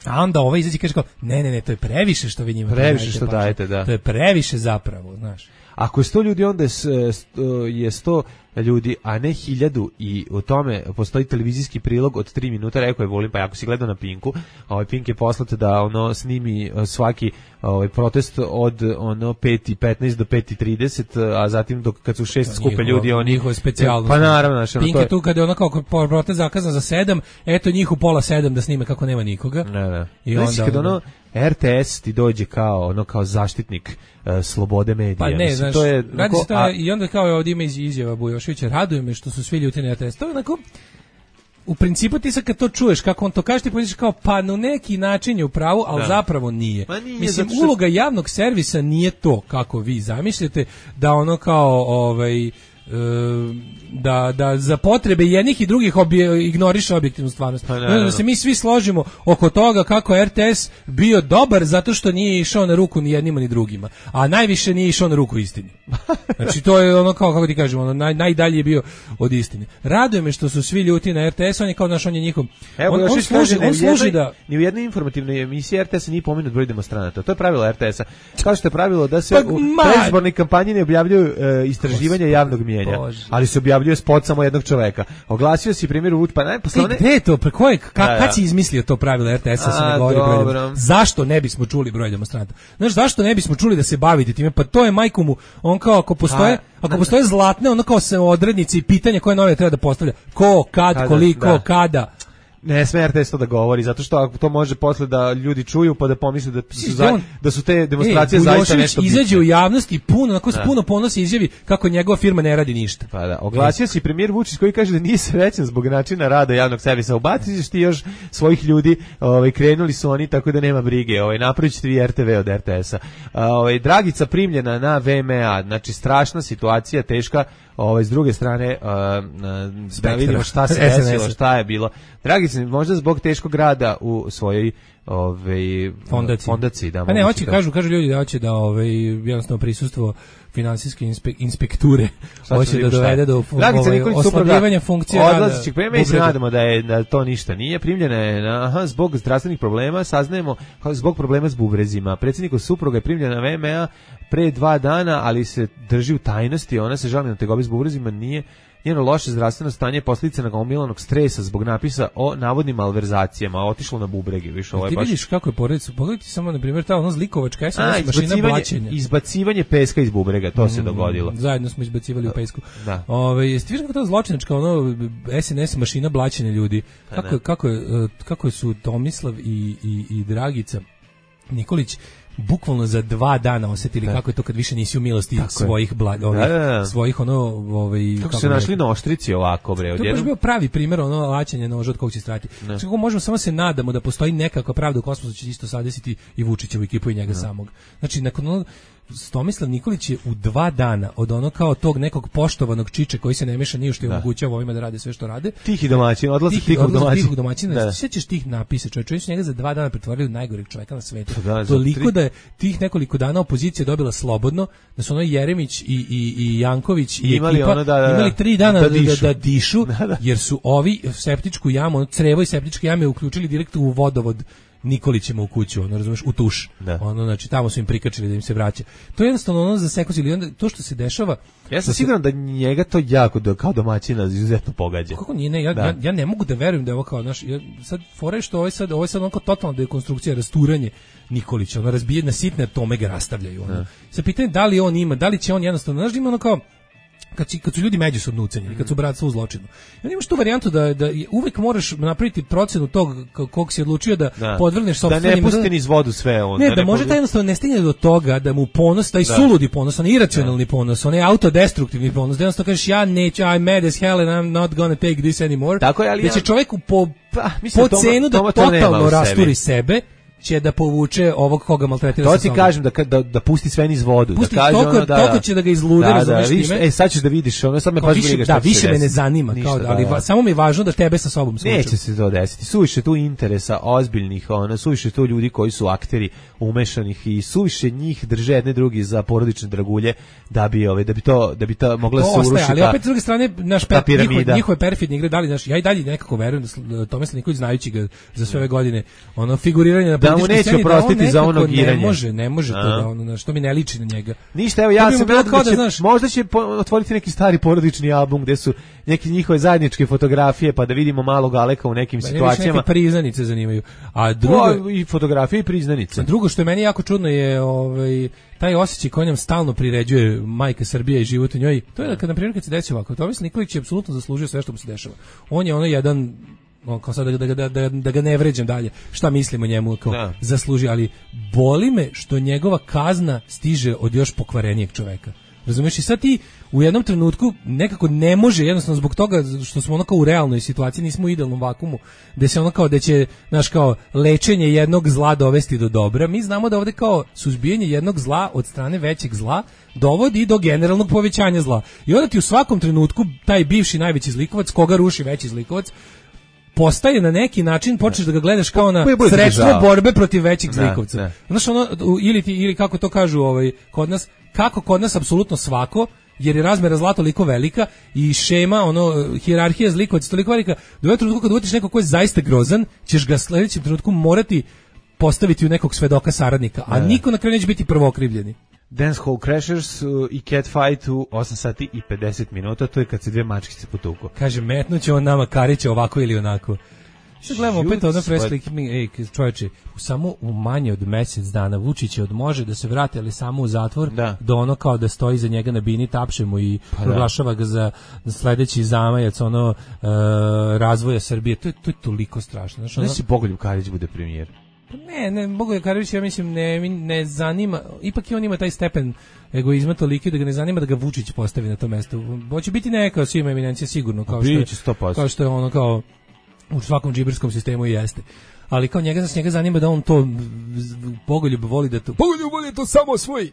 a onda ovaj izađe i kaže kao, ne, ne, ne, to je previše što vi njima previše dajete, što pa, dajete, da. To je previše zapravo, znaš. Ako je sto ljudi, onda je sto ljudi, a ne hiljadu i u tome postoji televizijski prilog od tri minuta, rekao je Vulin, pa ako si gledao na Pinku, ovaj Pink je poslate da ono snimi svaki ovaj protest od ono pet i petnaest do pet i trideset, a zatim dok kad su šest skupe ljudi, oni njihove specijalnosti. Pa naravno, znači Pink je tu kad je ono kao protest zakazan za sedam, eto njih u pola sedam da snime kako nema nikoga. Ne, ne. I znači, onda kad ono er te es ti dođe kao ono kao zaštitnik uh, slobode medija. Pa ne, mislim, znaš, to je radi se to a, i onda kao ovdje ima iz, izjava Bujošića, raduje me što su svi ljuti na er te es. To je onako, u principu ti sad kad to čuješ, kako on to kaže, ti pomisliš kao, pa na neki način je u pravu, ali da. zapravo nije. nije Mislim, što... uloga javnog servisa nije to, kako vi zamišljate, da ono kao, ovaj, da, da za potrebe jednih i drugih obje, ignoriše objektivnu stvarnost. Pa, da se mi svi složimo oko toga kako er te es bio dobar zato što nije išao na ruku ni jednima ni drugima, a najviše nije išao na ruku istini. Znači to je ono kao, kako ti kažemo, ono, naj, najdalje je bio od istine. Raduje me što su svi ljuti na er te es, on je kao naš, on je njihov. Evo, on, on služi, on služi da... Ni u jednoj informativnoj emisiji er te es nije pomenut broj demonstranata. To je pravilo er te es-a. Kao što je pravilo da se pa, u predizbornoj kampanji ne objavljuju uh, istraživanja javnog mijenja. Bože. Ali se objavljuje spot samo jednog čoveka. Oglasio si primjer Vuč, pa ne, posle one... Gde je to? Pre koje, ka, da, da. Kad si izmislio to pravilo er te es-a, se ne govori broj demonstranata? Zašto ne bismo čuli broj demonstranata? Znaš, zašto ne bismo čuli da se bavite time? Pa to je majku mu, on kao, ako postoje, a, ako postoje zlatne, ono kao se odrednice i pitanja koje nove treba da postavlja. Ko, kad, kada, koliko, da. kada... Ne sme er te es to da govori, zato što ako to može posle da ljudi čuju pa da pomisle da su, za, da su te demonstracije e, zaista nešto bitne. Izađe u javnosti puno, onako da. puno ponosi izjavi kako njegova firma ne radi ništa. Pa da, oglasio se premijer Vučić koji kaže da nije srećan zbog načina rada javnog servisa. Ubaciš ti još svojih ljudi, ovaj krenuli su oni tako da nema brige. Ovaj napravićete vi er te ve od er te es-a. Ovaj Dragica primljena na ve em a, znači strašna situacija, teška. Ovaj s druge strane uh, da vidimo šta se desilo, šta je bilo. Dragica, možda zbog teškog rada u svojoj ovaj fondaciji, fondaciji da. Pa ne, hoće kažu, kažu ljudi da hoće da ovaj jednostavno prisustvo finansijske inspe, inspekture hoće da dovede do ovaj, oslabljivanja funkcije rada. Odlazićeg pa mi se nadamo da je da to ništa nije. Primljena je na, aha, zbog zdravstvenih problema, saznajemo zbog problema s bubrezima. Predsjednikov supruga je primljena na ve em a pre dva dana, ali se drži u tajnosti. Ona se žali na tegobe s bubrezima, nije njeno loše zdravstveno stanje je posljedica nagomilanog stresa zbog napisa o navodnim malverzacijama, otišlo na bubrege, više ovo je ti baš. Ti vidiš kako je porodica, pogledaj samo na primjer ta ono zlikovačka es em es mašina blaćenja. Izbacivanje peska iz bubrega, to mm, se dogodilo. Zajedno smo izbacivali u pesku. Da. Ovaj jeste vidiš kako ta zločinačka ono es en es mašina blaćenja ljudi. Kako kako je kako su Tomislav i i i Dragica Nikolić bukvalno za dva dana osetili da. Kako je to kad više nisi u milosti tako svojih blag, ovih, da, da, da. svojih ono ovaj kako, kako se našli na oštrici ovako bre odjednom. To je bio pravi primjer ono laćenja noža od kog će strati. Znači kako možemo samo se nadamo da postoji nekakva pravda u kosmosu će isto sadesiti i Vučićevu ekipu i njega da. Samog. Znači nakon ono Tomislav Nikolić je u dva dana od ono kao tog nekog poštovanog čiče koji se ne meša ni u što i omogućava ovima da rade sve što rade. Tihi domaćin, odlazak tihog domaćina. Tihog domaćina. Da. Sjećaš tih napisa, čovjek, čovjek su njega za dva dana pretvorili u najgoreg čovjeka na svetu. Da, toliko tri... da je tih nekoliko dana opozicija dobila slobodno, da su ono Jeremić i, i, i Janković i, i ekipa ono, da, da, imali tri dana da, da, dišu, da, da dišu da, da. Jer su ovi septičku jamu, ono, crevo i septičke jame uključili direktno u vodovod Nikolićima u kuću, ono, razumeš, u tuš. Da. Ono, znači, tamo su im prikačili da im se vraća. To je jednostavno ono za sekosili. Onda, to što se dešava... Ja sam siguran da njega to jako, da, kao domaćina, izuzetno pogađa. Kako nije, ne, ja, ja, ja ne mogu da verujem da je ovo kao, znaš, ja, sad, fora je što ovo je sad, ovo je sad onako totalna dekonstrukcija, rasturanje Nikolića, ono, razbije na sitne atome ga rastavljaju, ono. Sa pitanje da li on ima, da li će on jednostavno, znaš, ima ono kao, kad, si, kad su ljudi međusobno ucenjeni, kad su bratstvo u zločinu. I on imaš tu varijantu da, da uvek moraš napraviti procenu tog kog si odlučio da, da. podvrgneš sopstvenim... Da ne pusti niz vodu sve on. Ne, da, da ne može taj jednostavno ne stigne do toga da mu ponos, taj da. suludi ponos, onaj iracionalni da. ponos, onaj autodestruktivni ponos, da jednostavno kažeš ja neću, I'm mad as hell and I'm not gonna take this anymore. Tako je, ali... Da će čovjeku po, pa, mislim, po cenu da toma, totalno rasturi sebe, će da povuče ovog koga maltretira. To ti kažem da, da da pusti sve niz vodu, pusti da kaže toliko, ono da toliko će da ga izlude, da, da, vidiš, e sad ćeš da vidiš, ono sad me baš briga šta. Da, više me ne zanima, ništa, kao da, ali da, da. Samo mi je važno da tebe sa sobom slučam. Neće se to desiti. Suviše tu interesa ozbiljnih, ona suviše tu ljudi koji su akteri umešanih i suviše njih drže jedne drugi za porodične dragulje da bi ove da bi to da bi ta mogla se urušiti. Ali opet s druge strane naš per, njihove, njihove perfidne igre dali naš ja i dalje nekako verujem da Tomislav Nikolić znajući ga za sve ove godine, ono figuriranje na političkoj sceni da za ono giranje. Ne može, ne može to da ono, što mi ne liči na njega. Ništa, evo ja sam da će, znaš, možda će otvoriti neki stari porodični album gde su neke njihove zajedničke fotografije pa da vidimo malog Aleka u nekim situacijama. Neke priznanice zanimaju. A drugo o, i fotografije i priznanice. A drugo što je meni jako čudno je ovaj taj osjećaj koji nam stalno priređuje majka Srbija i život u njoj. To je da kad na primjer kad se desi ovako, Tomislav Nikolić je apsolutno zaslužio sve što mu se dešava. On je ono jedan on kao sad da, da, da, da ga ne vređam dalje, šta mislimo njemu kao da. Zasluži, ali boli me što njegova kazna stiže od još pokvarenijeg čoveka. Razumeš, i sad ti u jednom trenutku nekako ne može, jednostavno zbog toga što smo ono kao u realnoj situaciji, nismo u idealnom vakumu, gde se ono kao da će, znaš, kao lečenje jednog zla dovesti do dobra. Mi znamo da ovde kao suzbijanje jednog zla od strane većeg zla dovodi do generalnog povećanja zla. I onda ti u svakom trenutku taj bivši najveći zlikovac, koga ruši veći zlikovac, postaje na neki način, počneš da ga gledaš kao na sredstvo borbe protiv većih zlikovca. Znaš, ono, ili, ti, ili kako to kažu ovaj, kod nas, kako kod nas apsolutno svako, jer je razmera zla toliko velika i šema, ono, hijerarhija zlikovaca toliko velika, da u jednom trenutku kad uvetiš nekog ko je zaista grozan, ćeš ga sledećem trenutku morati postaviti u nekog svedoka saradnika, a niko na kraju neće biti prvokrivljeni. Dance Hall Crashers uh, i Catfight u osam sati i pedeset minuta, to je kad se dve mačkice potuku. Kaže, metnuće on nama Karića ovako ili onako. Što gledamo opet ono preslik, ej, čovječe, samo u manje od mjesec dana Vučić je od može da se vrati, ali samo u zatvor, da. Do ono kao da stoji za njega na bini, tapše mu i pa proglašava ga za sledeći zamajac ono uh, razvoja Srbije. To je, to je toliko strašno. Znaš, ono... Ne si Bogoljub Karić bude premijer. Ne, ne, Bogoljub Karić, ja mislim, ne, ne zanima, ipak i on ima taj stepen egoizma toliki da ga ne zanima da ga Vučić postavi na to mesto. Hoće biti neka svima eminencija sigurno, kao što, je, kao što je ono kao u svakom džiberskom sistemu i jeste. Ali kao njega, njega zanima da on to Bogoljub voli da to Bogoljub voli to samo svoj.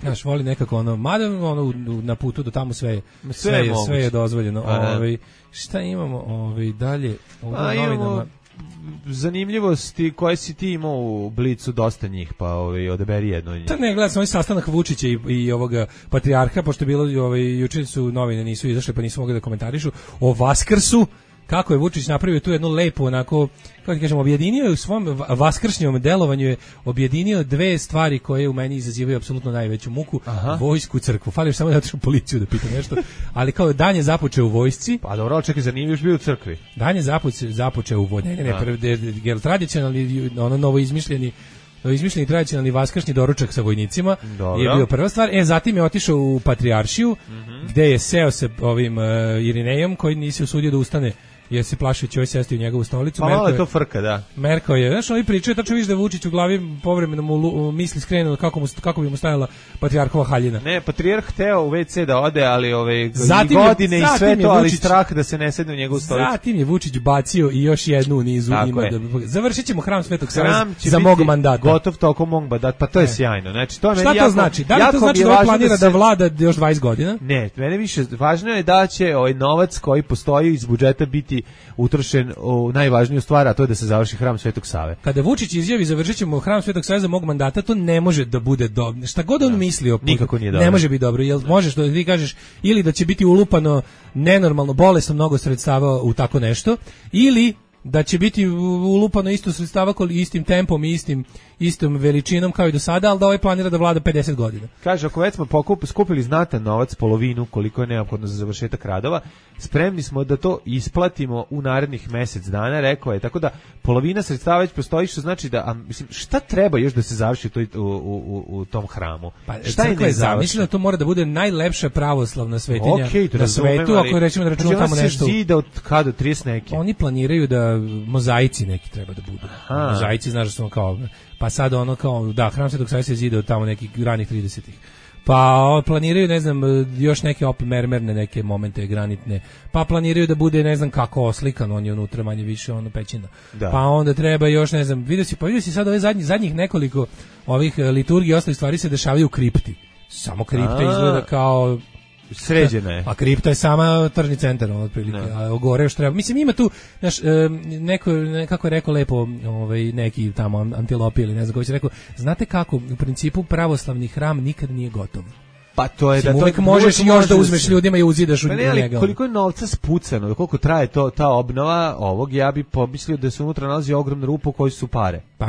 Znaš, voli nekako ono, mada ono na putu do tamo sve sve, sve, je, sve je dozvoljeno. Ovaj, šta imamo ovaj dalje u novinama? Zanimljivosti koje si ti imao u Blicu, dosta njih, pa ovaj, odaberi jedno njih. To ne, gledam sam ovaj sastanak Vučića i, i ovoga patrijarha, pošto je bilo, ovaj, jučer su novine nisu izašle, pa nisu mogli da komentarišu, o Vaskrsu, kako je Vučić napravio tu jednu lepu, onako, kako ti kažem, objedinio je u svom vaskršnjom delovanju je objedinio dve stvari koje u meni izazivaju apsolutno najveću muku. Aha. Vojsku, crkvu. Fali još samo da otišu policiju da pita nešto, ali kao dan je započeo u vojsci. Pa dobro, čekaj, za njim još bio u crkvi. Dan je započeo, započeo u vojsci. Ne, ne, ne, prv, de, de, de, tradicionalni, ono novo izmišljeni izmišljeni tradicionalni vaskršnji doručak sa vojnicima. Dobro. Je bio prva stvar. E, zatim je otišao u Patrijaršiju, mm-hmm. gde je seo se ovim uh, Irinejom, koji nisi usudio da ustane jer se plaši će ovaj sesti u njegovu stolicu. Pa malo je to frka, da. Merkao je, znaš, ovi pričaju, tačno vidiš da Vučić u glavi povremeno mu misli skrenu kako, mu, kako bi mu stajala patrijarhova haljina. Ne, patrijarh hteo u ve ce da ode, ali ove zatim godine je, i sve to, ali Vučić, strah da se ne sedne u njegovu stolicu. Zatim je Vučić bacio i još jednu u nizu. Ima da, završit ćemo hram Svetog Save za mog mandata. Gotov tokom mog mandata, pa to je e. sjajno. Znači, to šta meni to jako, znači? Da li to znači da on planira da, se... da vlada još dvadeset godina? Ne, mene više važno je da će ovaj novac koji postoji iz budžeta biti utrošen u najvažniju stvar, a to je da se završi hram Svetog Save. Kada Vučić izjavi završićemo hram Svetog Save za mog mandata, to ne može da bude dobro. Šta god on misli o putu, nikako nije dobro. Ne može biti dobro. Jel možeš da ti kažeš ili da će biti ulupano nenormalno bolesno mnogo sredstava u tako nešto, ili da će biti ulupano isto sredstava istim tempom i istim istom veličinom kao i do sada, ali da ovaj planira da vlada pedeset godina. Kaže, ako već smo pokup, skupili znatan novac, polovinu koliko je neophodno za završetak radova, spremni smo da to isplatimo u narednih mjesec dana, rekao je, tako da polovina sredstava već postoji, što znači da, a, mislim, šta treba još da se završi u, u, u, u tom hramu? Pa, šta je nezavršeno? Da to mora da bude najlepša pravoslavna svetinja okay, na svetu, ali, ako rećemo da računamo tamo nešto. Znači, zida od kada, trideset neki? Oni planiraju da mozaici neki treba da budu. Aha. Mozaici, znaš da smo kao, pa sad ono kao, da, hram Svetog Save se zida od tamo nekih ranih tridesetih. Pa planiraju, ne znam, još neke opet mermerne neke momente granitne. Pa planiraju da bude, ne znam kako oslikan, on je unutra manje više ono pećina. Da. Pa onda treba još, ne znam, vidio si, pa vidio si sad ove zadnjih, zadnjih nekoliko ovih liturgija i ostalih stvari se dešavaju u kripti. Samo kripta A. izgleda kao sređena je. A kripta je sama tržni centar, otprilike. A gore još treba. Mislim, ima tu, znaš, neko, kako je rekao lepo ovaj, neki tamo antilopi ili ne znam koji će rekao, znate kako, u principu pravoslavni hram nikad nije gotov. Pa to je da uvijek to možeš još može da uzmeš se. Ljudima i uzidaš pa u ne, njega. Koliko je novca spucano, koliko traje to ta obnova ovog, ja bih pomislio da se unutra nalazi ogromna rupa u kojoj su pare. Pa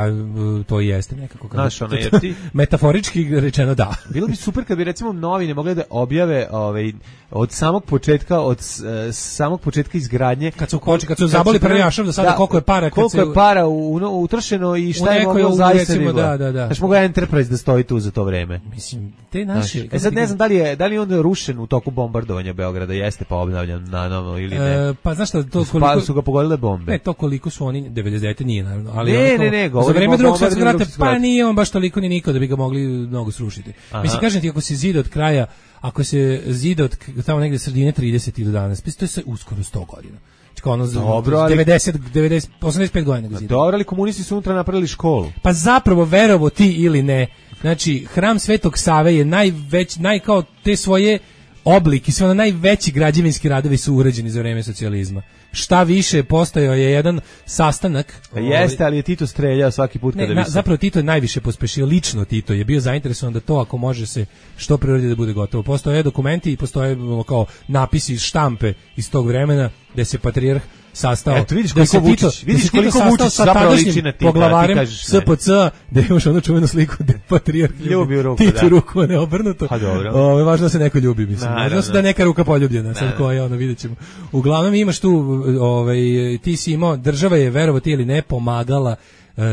to i jeste nekako. Znaš, ono, jer ti... metaforički rečeno da. Bilo bi super kad bi recimo novine mogli da objave ovaj, od samog početka, od uh, samog početka izgradnje. Kad su koči, kad su zaboli prljašom do sada da, koliko je para. Kad koliko se... je para u, u, utrošeno i šta je moglo zaista recimo, da, da, da. Znaš, mogu Enterprise da stoji tu za to vreme. Mislim, te naši... Znaš, e sad ne znam da li je, da li je onda rušen u toku bombardovanja Beograda, jeste pa obnavljan na novo ili ne. E, pa znaš šta, to koliko... Pa su ga pogodile bombe. Ne, to koliko su oni, devedeset devete nije naravno, ali ne, ono, ne, ne, za vreme drugog svjetskog rata, pa nije on baš toliko ni niko da bi ga mogli mnogo srušiti. Aha. Mislim, kažem ti, ako se zida od kraja, ako se zida od tamo negde sredine tridesetih do danas, pa to je sve uskoro sto godina. Kao ono dobro, ali... devedeset, devedeset, osamdeset pet godina ga zida. Dobro, ali komunisti su unutra napravili školu. Pa zapravo, verovo ti ili ne, znači, hram Svetog Save je najveć, naj kao te svoje oblik i sve ono najveći građevinski radovi su urađeni za vreme socijalizma. Šta više, postojao je jedan sastanak. Pa jeste, ali je Tito streljao svaki put kada ne, na, zapravo Tito je najviše pospešio, lično Tito je bio zainteresovan da to ako može se što pre uradi da bude gotovo. Postoje dokumenti i postoje kao napisi štampe iz tog vremena gde se patrijarh sastao. Eto, vidiš koliko Vučić, vidiš koliko Vučić zapravo liči na Tita, poglavarem S P C, da imaš onu čuvenu sliku da patrijarh ljubi ruku, Tito ruku, ne obrnuto. Pa dobro. Ove, važno da se neko ljubi, mislim. Važno da neka ruka poljubljena, sad koja, ono, vidjet ćemo. Uglavnom imaš tu, ovaj, ti si imao, država je, verovo ti ili ne, pomagala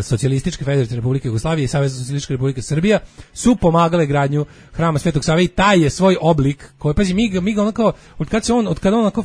Socijalističke federativne republike Jugoslavije i Savez Socijalističke republike Srbija su pomagale gradnju hrama Svetog Save i taj je svoj oblik koji, pazi, mi ga, mi ga onako, od kad se on, od kada on onako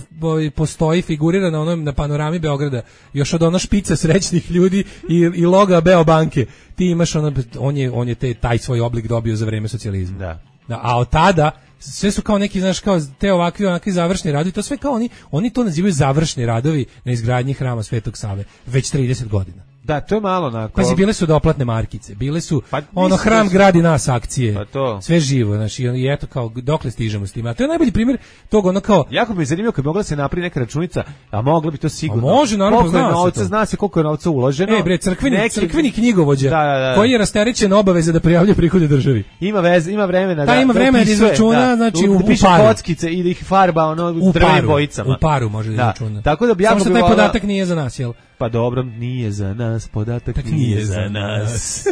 postoji, figurira na onom, na panorami Beograda, još od ona špica srećnih ljudi i, i loga Beobanke, ti imaš ono, on je, on je te, taj svoj oblik dobio za vreme socijalizma. Da. Da, a od tada sve su kao neki, znaš, kao te ovakvi, onakvi završni radovi, to sve kao oni, oni to nazivaju završni radovi na izgradnji hrama Svetog Save, već trideset godina. Da, to je malo onako. Pazi, bile su doplatne markice, bile su pa, ono hram gradi nas akcije. Pa to. Sve živo, znači i eto kao dokle stižemo s tim. A to je najbolji primjer tog ono kao jako mi je zanimljivo kad bi mogla se napravi neka računica, a mogla bi to sigurno. A može, naravno, zna se novca, zna se koliko je novca uloženo. E bre, crkveni, neki... crkveni knjigovođa da, da, da. koji je rasterećen obaveza da prijavljuje prihode državi. Ima veze, ima vremena da. Da, ima vremena da izračuna, da, znači u, u paru. Kockice i da ih farba ono drvenim bojicama. U paru može da izračuna. Tako da bi jako bi taj podatak nije za nas, jel? Pa dobro, nije za nas, podatak tak nije, nije za nas.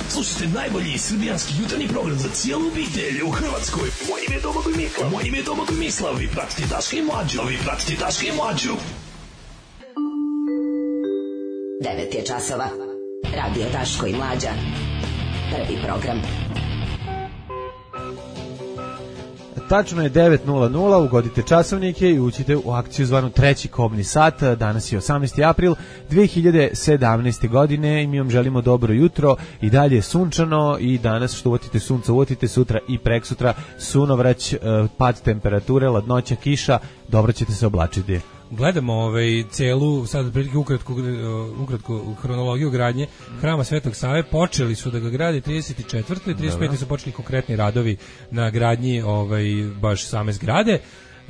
Slušajte najbolji srbijanski jutarnji program za cijelu obitelj u Hrvatskoj. Moje ime je Domagoj Mislav. Moje ime je Domagoj Mislav. Vi pratite Daška i Mlađu. Vi pratite Daška i Mlađu. devet je časova. Radio Daško i Mlađa. Prvi program. Tačno je devet nula nula, ugodite časovnike i uđite u akciju zvanu treći kobni sat. Danas je osamnaesti april dve hiljade sedamnaeste. godine i mi vam želimo dobro jutro i dalje je sunčano i danas što uvatite sunca, uvatite sutra i preksutra sunovrać, pad temperature, ladnoća, kiša, dobro ćete se oblačiti. Gledamo ovaj celu sad prilike ukratko ukratko hronologiju gradnje Hrama Svetog Save. Počeli su da ga grade trideset četvrte. trideset pete su počeli konkretni radovi na gradnji ovaj baš same zgrade.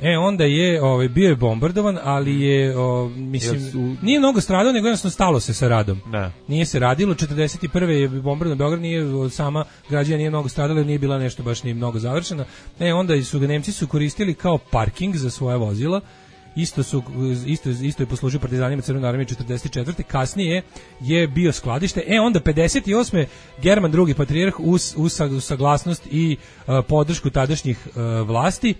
E onda je ovaj bio je bombardovan, ali je o, mislim nije mnogo stradao, nego jednostavno stalo se sa radom. Ne. Nije se radilo. četrdeset prve je bombardovan Beograd, nije sama građana nije mnogo stradala, nije bila nešto baš ni mnogo završena. E onda su ga Nemci su koristili kao parking za svoja vozila. Isto su isto isto je poslužio partizanima Crvene armije četrdeset četvrte. Kasnije je bio skladište. E onda pedeset osme German drugi patrijarh uz, uz saglasnost i uh, podršku tadašnjih uh, vlasti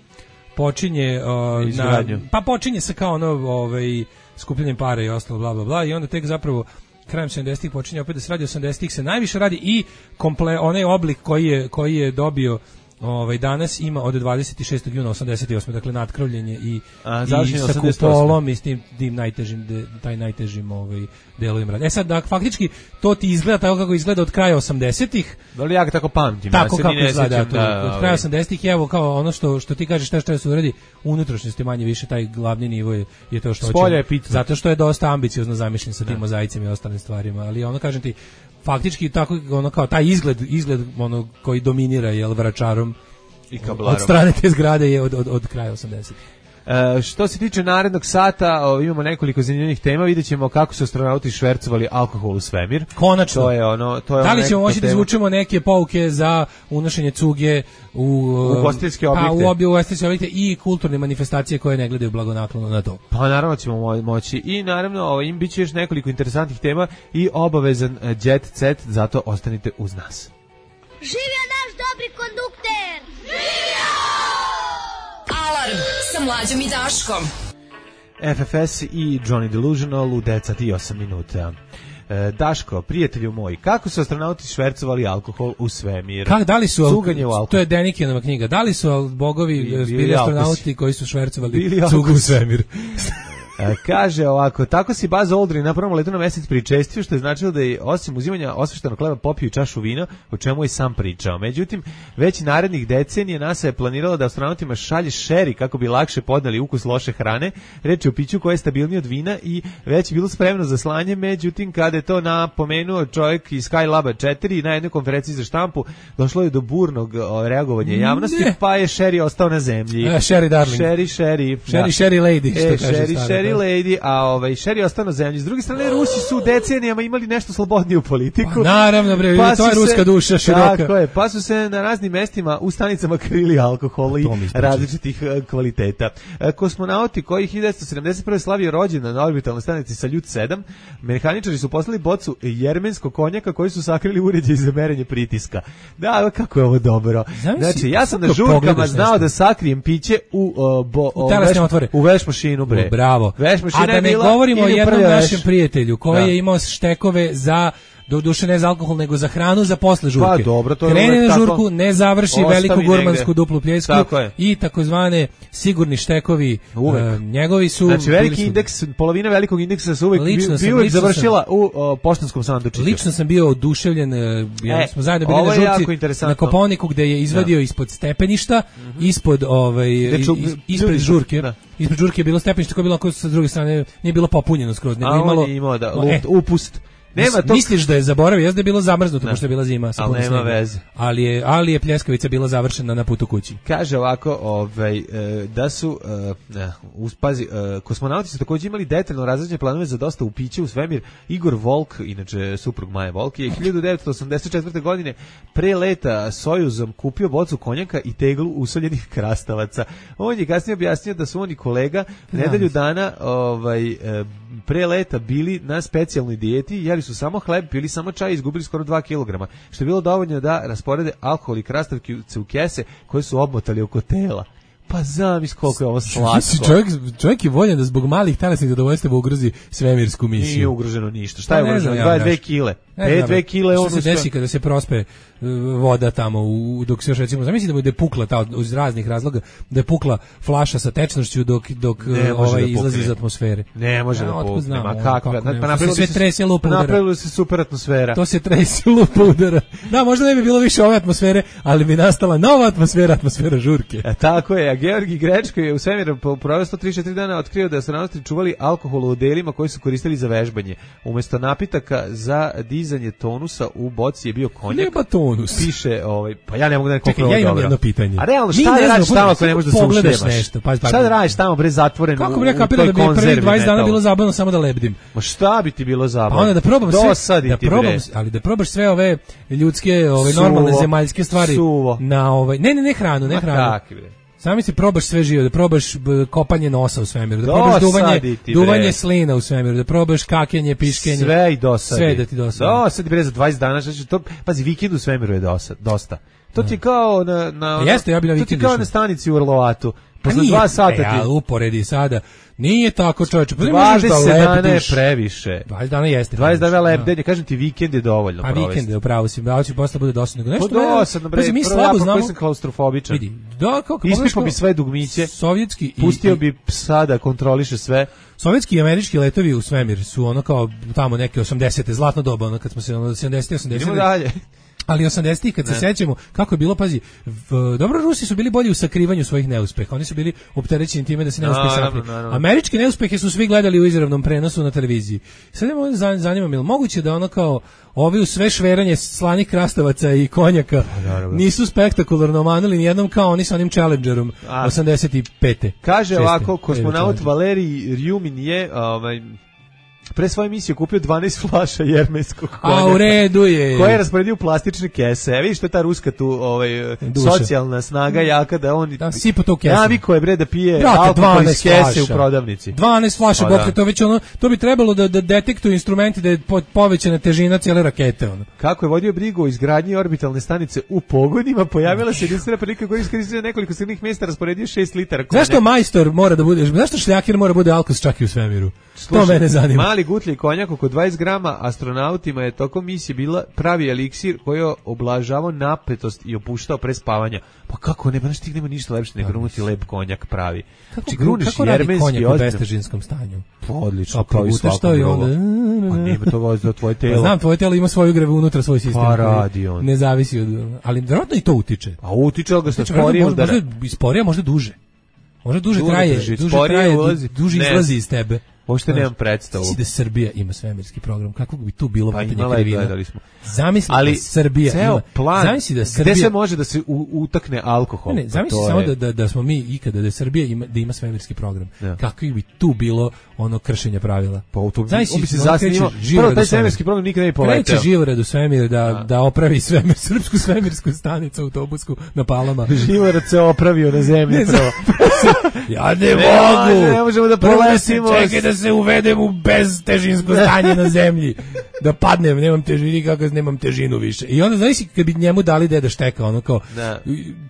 počinje uh, na, pa počinje se kao ono ovaj skupljanjem para i ostalo bla bla bla i onda tek zapravo krajem sedamdesetih počinje opet da se radi, osamdesetih se najviše radi i komple onaj oblik koji je koji je dobio ovaj danas ima od dvadeset šestog juna osamdeset osme. Dakle nadkrovljenje i A, i sa kupolom i s tim, tim najtežim de, taj najtežim ovaj delovima rada. E sad da faktički to ti izgleda tako kako izgleda od kraja osamdesetih. Da li ja ga tako pamtim? Tako ja kako ne izgleda to, da, od kraja osamdesetih evo kao ono što što ti kažeš šta šta se uradi unutrašnjosti manje više taj glavni nivo je, je to što hoće. Zato što je dosta ambiciozno zamišljen sa tim mozaicima i ostalim stvarima, ali ono kažem ti faktički tako ono kao taj izgled izgled ono koji dominira jel Vračarom i kablarom. Od strane te zgrade je od od od kraja osamdesetih. E, što se tiče narednog sata, o, imamo nekoliko zanimljivih tema, videćemo kako su astronauti švercovali alkohol u svemir. Konačno. To je ono, to je da li ono ćemo moći da izvučemo neke pouke za unošenje cuge u ugostiteljske objekte, pa, u obje ugostiteljske objekte i kulturne manifestacije koje ne gledaju blagonaklono na to? Pa naravno ćemo moći i naravno ovo, im biće još nekoliko interesantnih tema i obavezan jet set, zato ostanite uz nas. Živio naš dobri kondukter! Živio! Alarm sa Mlađom i Daškom. F F S i Johnny Delusional u devet i osam minuta. E, Daško, prijatelju moj, kako su astronauti švercovali alkohol u svemir? Kako, da li su, Cuganje u alkohol. To je Denikinova knjiga, da li su bogovi bili, bili astronauti koji su švercovali cugu u svemir? Kaže ovako, tako si Buzz Aldrin na prvom letu na mesec pričestio, što je značilo da je osim uzimanja osveštenog hleba popio i čašu vina, o čemu je sam pričao. Međutim, već narednih decenija NASA je planirala da astronautima šalje šeri kako bi lakše podneli ukus loše hrane. Reč je o piću koje je stabilnije od vina i već je bilo spremno za slanje. Međutim, kada je to napomenuo čovjek iz Skylaba četiri na jednoj konferenciji za štampu, došlo je do burnog reagovanja javnosti, ne. Pa je šeri ostao na zemlji. E, šeri darling. Šeri, šeri. Šeri, šeri lady, što e, kaže šeri, stara, šeri lady, a ovaj šeri ostao na zemlji. S druge strane, Rusi su decenijama imali nešto slobodniju politiku. Pa, naravno, bre, pa to je ruska se, duša široka. Tako je, pa su se na raznim mestima u stanicama krili alkohol i različitih kvaliteta. Kosmonauti koji hiljadu devetsto sedamdeset prve slavio rođendan na orbitalnoj stanici Saljut sedam, mehaničari su poslali bocu jermenskog konjaka koji su sakrili uređaj za merenje pritiska. Da, kako je ovo dobro. Znači, ja sam na žurkama znao da sakrijem piće u uh, bo, u, veš, u veš mašinu, bre. Bravo. Veš mašina. A da ne govorimo o jednom našem prijatelju koji da. je imao štekove za do duše ne za alkohol nego za hranu za posle žurke. Pa dobro, to je krene na žurku, tako, ne završi veliku gurmansku duplu pljesku i takozvane sigurni štekovi uh, njegovi su znači veliki su, indeks, polovina velikog indeksa su uvek bio završila sam, u o, poštanskom sandučiću. Lično sam bio oduševljen, jer e, smo zajedno bili na žurci na Kopaoniku gde je izvadio da. ispod stepeništa, mm-hmm. ispod ovaj ču, is, ispred žurke. Da. Ispred žurke je bilo stepenište koje je bilo ako sa druge strane nije bilo popunjeno skroz, nego imalo imao da luft, upust. Nema tog... Misliš da je zaboravio, jeste da je bilo zamrznuto pošto je bila zima, ali nema snega. Veze. Ali je ali je pljeskavica bila završena na putu kući. Kaže ovako, ovaj da su ne, uspazi kosmonauti su takođe imali detaljno razrađene planove za dosta u piće u svemir. Igor Volk, inače suprug Maje Volk, je hiljadu devetsto osamdeset četvrte. godine pre leta Sojuzom kupio bocu konjaka i teglu usoljenih krastavaca. On je kasnije objasnio da su oni kolega nedelju dana ovaj pre leta bili na specijalnoj dijeti, jeli su samo hleb, pili samo čaj i izgubili skoro dva kilograma, što je bilo dovoljno da rasporede alkohol i krastavke u kese koje su obmotali oko tela. Pa zamisli koliko je ovo slatko. Čovjek, čovjek je voljan da zbog malih telesnih zadovoljstva ugrozi svemirsku misiju. Nije ugroženo ništa. Šta je pa ugroženo? dvadeset dve kile. pet dve kile on što se desi kada se prospe voda tamo u, dok se još recimo zamisli da je pukla ta iz raznih razloga da je pukla flaša sa tečnošću dok dok ovaj da izlazi iz atmosfere. Ne može ja, da pukne. Ma kako? Pa napravilo se trese lupa udara. Napravilo se super atmosfera. To se trese lupa udara. Da, možda ne bi bilo više ove atmosfere, ali bi nastala nova atmosfera, atmosfera žurke. E, tako je. A Georgi Grečko je u svemiru proveo sto trideset četiri dana otkrio da su astronaути čuvali alkohol u odelima koji su koristili za vežbanje. Umesto napitaka za dizanje tonusa u boci je bio konjak. Nema tonus. Piše, ovaj, pa ja ne mogu da nekako Čekaj, ja imam dobro. Jedno pitanje. A realno, šta da radiš tamo ako ne možeš da se ušljemaš? Nešto, pa, šta da radiš tamo, bre, zatvoren kako u, u bre, kapira da bi prvih dvadeset dana bilo zabavno samo da lebdim? Ma šta bi ti bilo zabavno? Pa onda da probam sve, da probam, ali da probaš sve ove ljudske, ove Suvo. normalne zemaljske stvari Suvo. na ovaj, ne, ne, ne hranu, ne hranu. Kaki, bre. Sami si probaš sve živo, da probaš kopanje nosa u svemiru, da probaš duvanje, duvanje slina u svemiru, da probaš kakenje, piškenje. Sve i dosadi. Sve da ti dosadi. Dosadi bre za dvadeset dana, znači to, pazi, vikend u svemiru je dosad, dosta. To ti je kao na, na, a jeste, ja bi na to ti kao na stanici u Orlovatu. Posle dva sata ti... Ja, uporedi sada. Nije tako, čovječe. Pa dvadeset dana je previše. dvadeset dana jeste. dvadeset dana lebdenje, kažem ti, vikend je dovoljno provesti. A vikend je, upravo si, da će posle bude dosadno. Nešto dosadno, bre, mi slabo znamo. Ja sam klaustrofobičan. Vidi, da, kako... Ispipao bi sve dugmiće, sovjetski pustio bi psa da kontroliše sve. Sovjetski i američki letovi u svemir su ono kao tamo neke osamdesete, zlatno doba, ono kad smo se ono sedamdesete osamdesete. Idemo dalje. Ali osamdesetih kad ne. se sećamo kako je bilo, pazi, v, dobro, Rusi su bili bolji u sakrivanju svojih neuspeha, oni su bili opterećeni time da se neuspeh sakrije. Američke neuspehe su svi gledali u izravnom prenosu na televiziji. Sad me zanima, je li moguće da ono kao ovi u sve šveranje slanih krastavaca i konjaka nisu spektakularno omanuli nijednom kao oni sa onim Challengerom A. osamdeset pete. Kaže ovako, kosmonaut Valerij Rjumin je ovaj pre svoje emisije kupio dvanaest flaša jermenskog konjaka. A u redu je. Koje je rasporedio u plastične kese. E, vidiš što je ta ruska tu ovaj, socijalna snaga jaka da on... Da, sipa to kesu. Naviko je bre da pije alkohol iz kese u prodavnici. dvanaest flaša, bokre, to već ono, to bi trebalo da, da detektuju instrumenti da je povećana težina cijele rakete. Ono. Kako je vodio brigu o izgradnji orbitalne stanice u pogonima, pojavila se jedinstvena prilika koja iskoristila nekoliko srednjih mjesta, rasporedio šest litara konjaka. Zašto majstor mora da bude, zašto šljakir mora bude alkos čak i u svemiru? Slušaj, to mene zanima. Mali gutlji konjak oko dvadeset grama, astronautima je tokom misije bila pravi eliksir koji je oblažavao napetost i opuštao pre spavanja. Pa kako ne, pa znaš ti nema ništa lepše nego grunuti lep konjak pravi. Kako, gruniš kako radi konjak u bestežinskom stanju? Pa odlično, kao i svako drugo. Pa nema to vozi do tvoje telo. Pa znam, tvoje telo ima svoju grevu unutra, svoj sistem. Pa radi on. Ne zavisi od... Ali vjerojatno i to utiče. A utiče, ali ga se sporije udara. Možda sporije, možda duže. Možda duže traje, duže traje, duže izlazi iz tebe. Uopšte nemam predstavu. Misli da Srbija ima svemirski program, kako bi tu bilo pa pitanje krivina. Zamisli ali da Srbija ceo ima plan, zamisli da Srbija, gde se može da se u, utakne alkohol. Ne, ne zamisli pa samo je... da, da, da smo mi ikada da Srbija ima, da ima svemirski program. Ja. Kako bi tu bilo ono kršenje pravila. Pa u to bi se zasnimao. Prvo taj svemirski program nikada ne poleteo. Kreće Živorad u svemir da, A. da opravi svemir, srpsku svemirsku stanicu autobusku na Palama. Živorad se opravio na zemlji prvo. Ja ne mogu. Ne možemo da poletimo. Čekaj da se uvedem u beztežinsko stanje na zemlji. Da padnem, nemam težinu, kako nemam težinu više. I onda znači kad bi njemu dali deda šteka, ono kao da.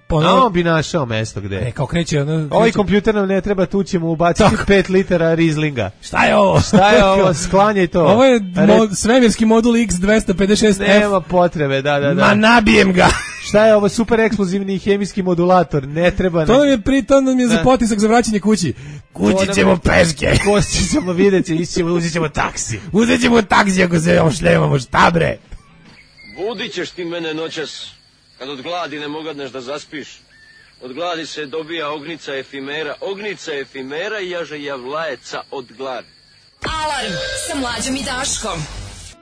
Ono, a on bi našao mesto gde. Ne, kao kreće ono. Kreće... Ovaj kompjuter nam ne treba, tu ćemo ubaciti pet litara Rizlinga. Šta je ovo? Šta je ovo? Sklanjaj to. Ovo je mod, svemirski modul X dvesta pedeset šest F. Nema potrebe, da, da, da. Ma nabijem ga. Šta je ovo super eksplozivni hemijski modulator? Ne treba. To nam je pritom nam je za potisak za vraćanje kući. Kući ćemo peške. Kući ćemo vidjeti, ićemo, uzet ćemo taksi. Uzet ćemo taksi ako se ošljemamo, šta bre? Budit ćeš ti mene noćas, kad od gladi ne mogadneš da zaspiš. Od gladi se dobija ognica efimera, ognica efimera i jaže javlajeca od gladi. Alarm sa Mlađom i Daškom.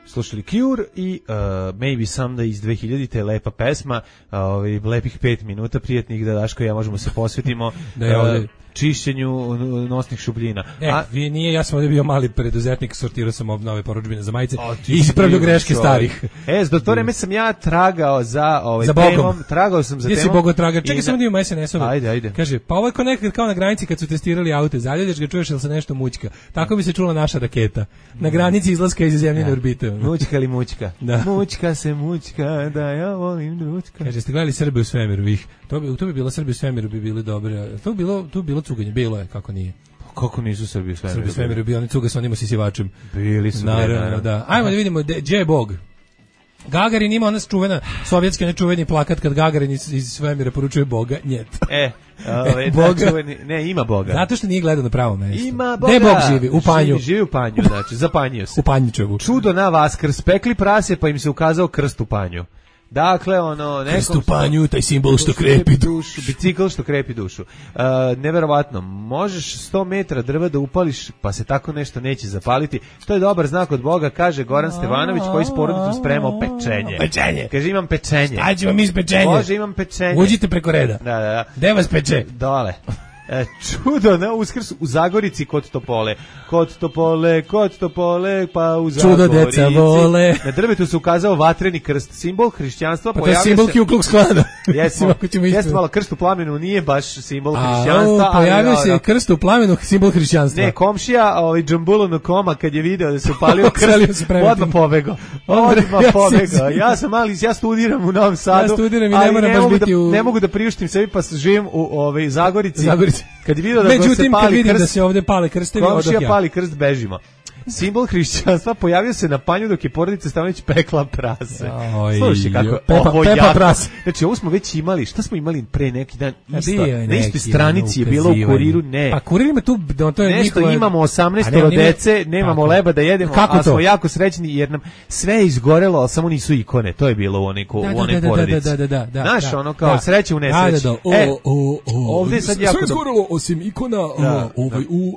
Slušali Cure i uh, Maybe Someday iz dve hiljadite, lepa pesma, uh, lepih pet minuta, prijetnih da Daško i ja možemo se posvetimo. Da je ovdje čišćenju nosnih šupljina. E, A vi nije, ja sam ovdje bio mali preduzetnik, sortirao sam nove porudžbine za majice i ispravljao greške starih. E, do to vreme sam ja tragao za ovaj za temom, tragao sam za temom. Gdje si Bogo traga? Čekaj, samo da imamo es en es-ove. Ajde, ajde. Kaže, pa ovo je kao nekad kao na granici kad su testirali aute, zaljudeš ga, čuješ ili se nešto mućka. Tako bi se čula naša raketa. Na granici izlaska iz zemljine orbite. Mućka ili mućka? Da. Mućka se mućka, da ja volim dručka. Kaže, ste gledali Srbe u svemiru, vih. To bi, to bi bilo Srbe u svemiru, bi bili dobre. To bi bilo, to bi bilo cuganje, bilo je, kako nije. Kako nisu Srbi u svemiru? Srbi u svemiru bio, oni cuga sa onim osisivačem. Bili su. Naravno, naravno. Da. Ajmo da vidimo, gdje je Bog? Gagarin ima ona čuvena, sovjetski nečuveni plakat kad Gagarin iz, iz svemira poručuje Boga, njet. E, ove, Boga. Čuveni, ne, ima Boga. Zato što nije gledao na pravo mesto. Ima Boga. Gde Bog živi? U Panju. Živi, živi u Panju, znači, zapanjio se. U Panjičevu. Čudo na Vaskrs, pekli prase, pa im se ukazao krst u Panju. Dakle, ono... Krst u Panju, taj simbol što krepi dušu. Bicikl što krepi dušu. Uh, neverovatno, možeš sto metara drva da upališ, pa se tako nešto neće zapaliti. To je dobar znak od Boga, kaže Goran Stevanović, koji s porodicom spremao pečenje. Pečenje. Kaže, imam pečenje. Šta ćemo mi s pečenjem? Može, imam pečenje. Uđite preko reda. Da, da, da. Gde vas peče? Dole. E, čudo na Uskrs u Zagorici kod Topole. Kod Topole, kod Topole, pa u Zagorici. Čudo deca vole. Na drvetu se ukazao vatreni krst, simbol hrišćanstva. Pa to je simbol Ku Klux Klana. Jesmo, jesmo malo krst u plamenu, nije baš simbol hrišćanstva. A, pojavio se je krst u plamenu, simbol hrišćanstva. Ne, komšija, ovaj Džambulo Koma, kad je video da se upalio krst, odmah pobegao. Odmah pobegao. Ja sam mali, ja studiram u Novom Sadu. Ja studiram i ne moram baš biti u... Ne mogu da priuštim sebi, pa živim u ovaj Zagorici. Zagorici. Kad je video da Međutim, se pali kad vidim krst, da se ovdje pale krstevi, komšija pali krst, bežimo. Simbol hrišćanstva pojavio se na Panju dok je porodica Stevanović pekla prase. Slušaj kako pepa, ovo pepa jako. Prase. Znači, ovo smo već imali. Šta smo imali pre neki dan? Isto, je na istoj stranici je bilo u Kuriru, ne. Pa Kurir ima tu, to je nešto njihova... imamo osamnaest dece, nemamo leba da jedemo, a smo jako srećni jer nam sve je izgorelo, ali samo nisu ikone. To je bilo u onoj porodici. Da, da, da, da. Znaš, ono kao sreće u nesreći. E, ovdje sad jako... Sve izgorelo osim ikona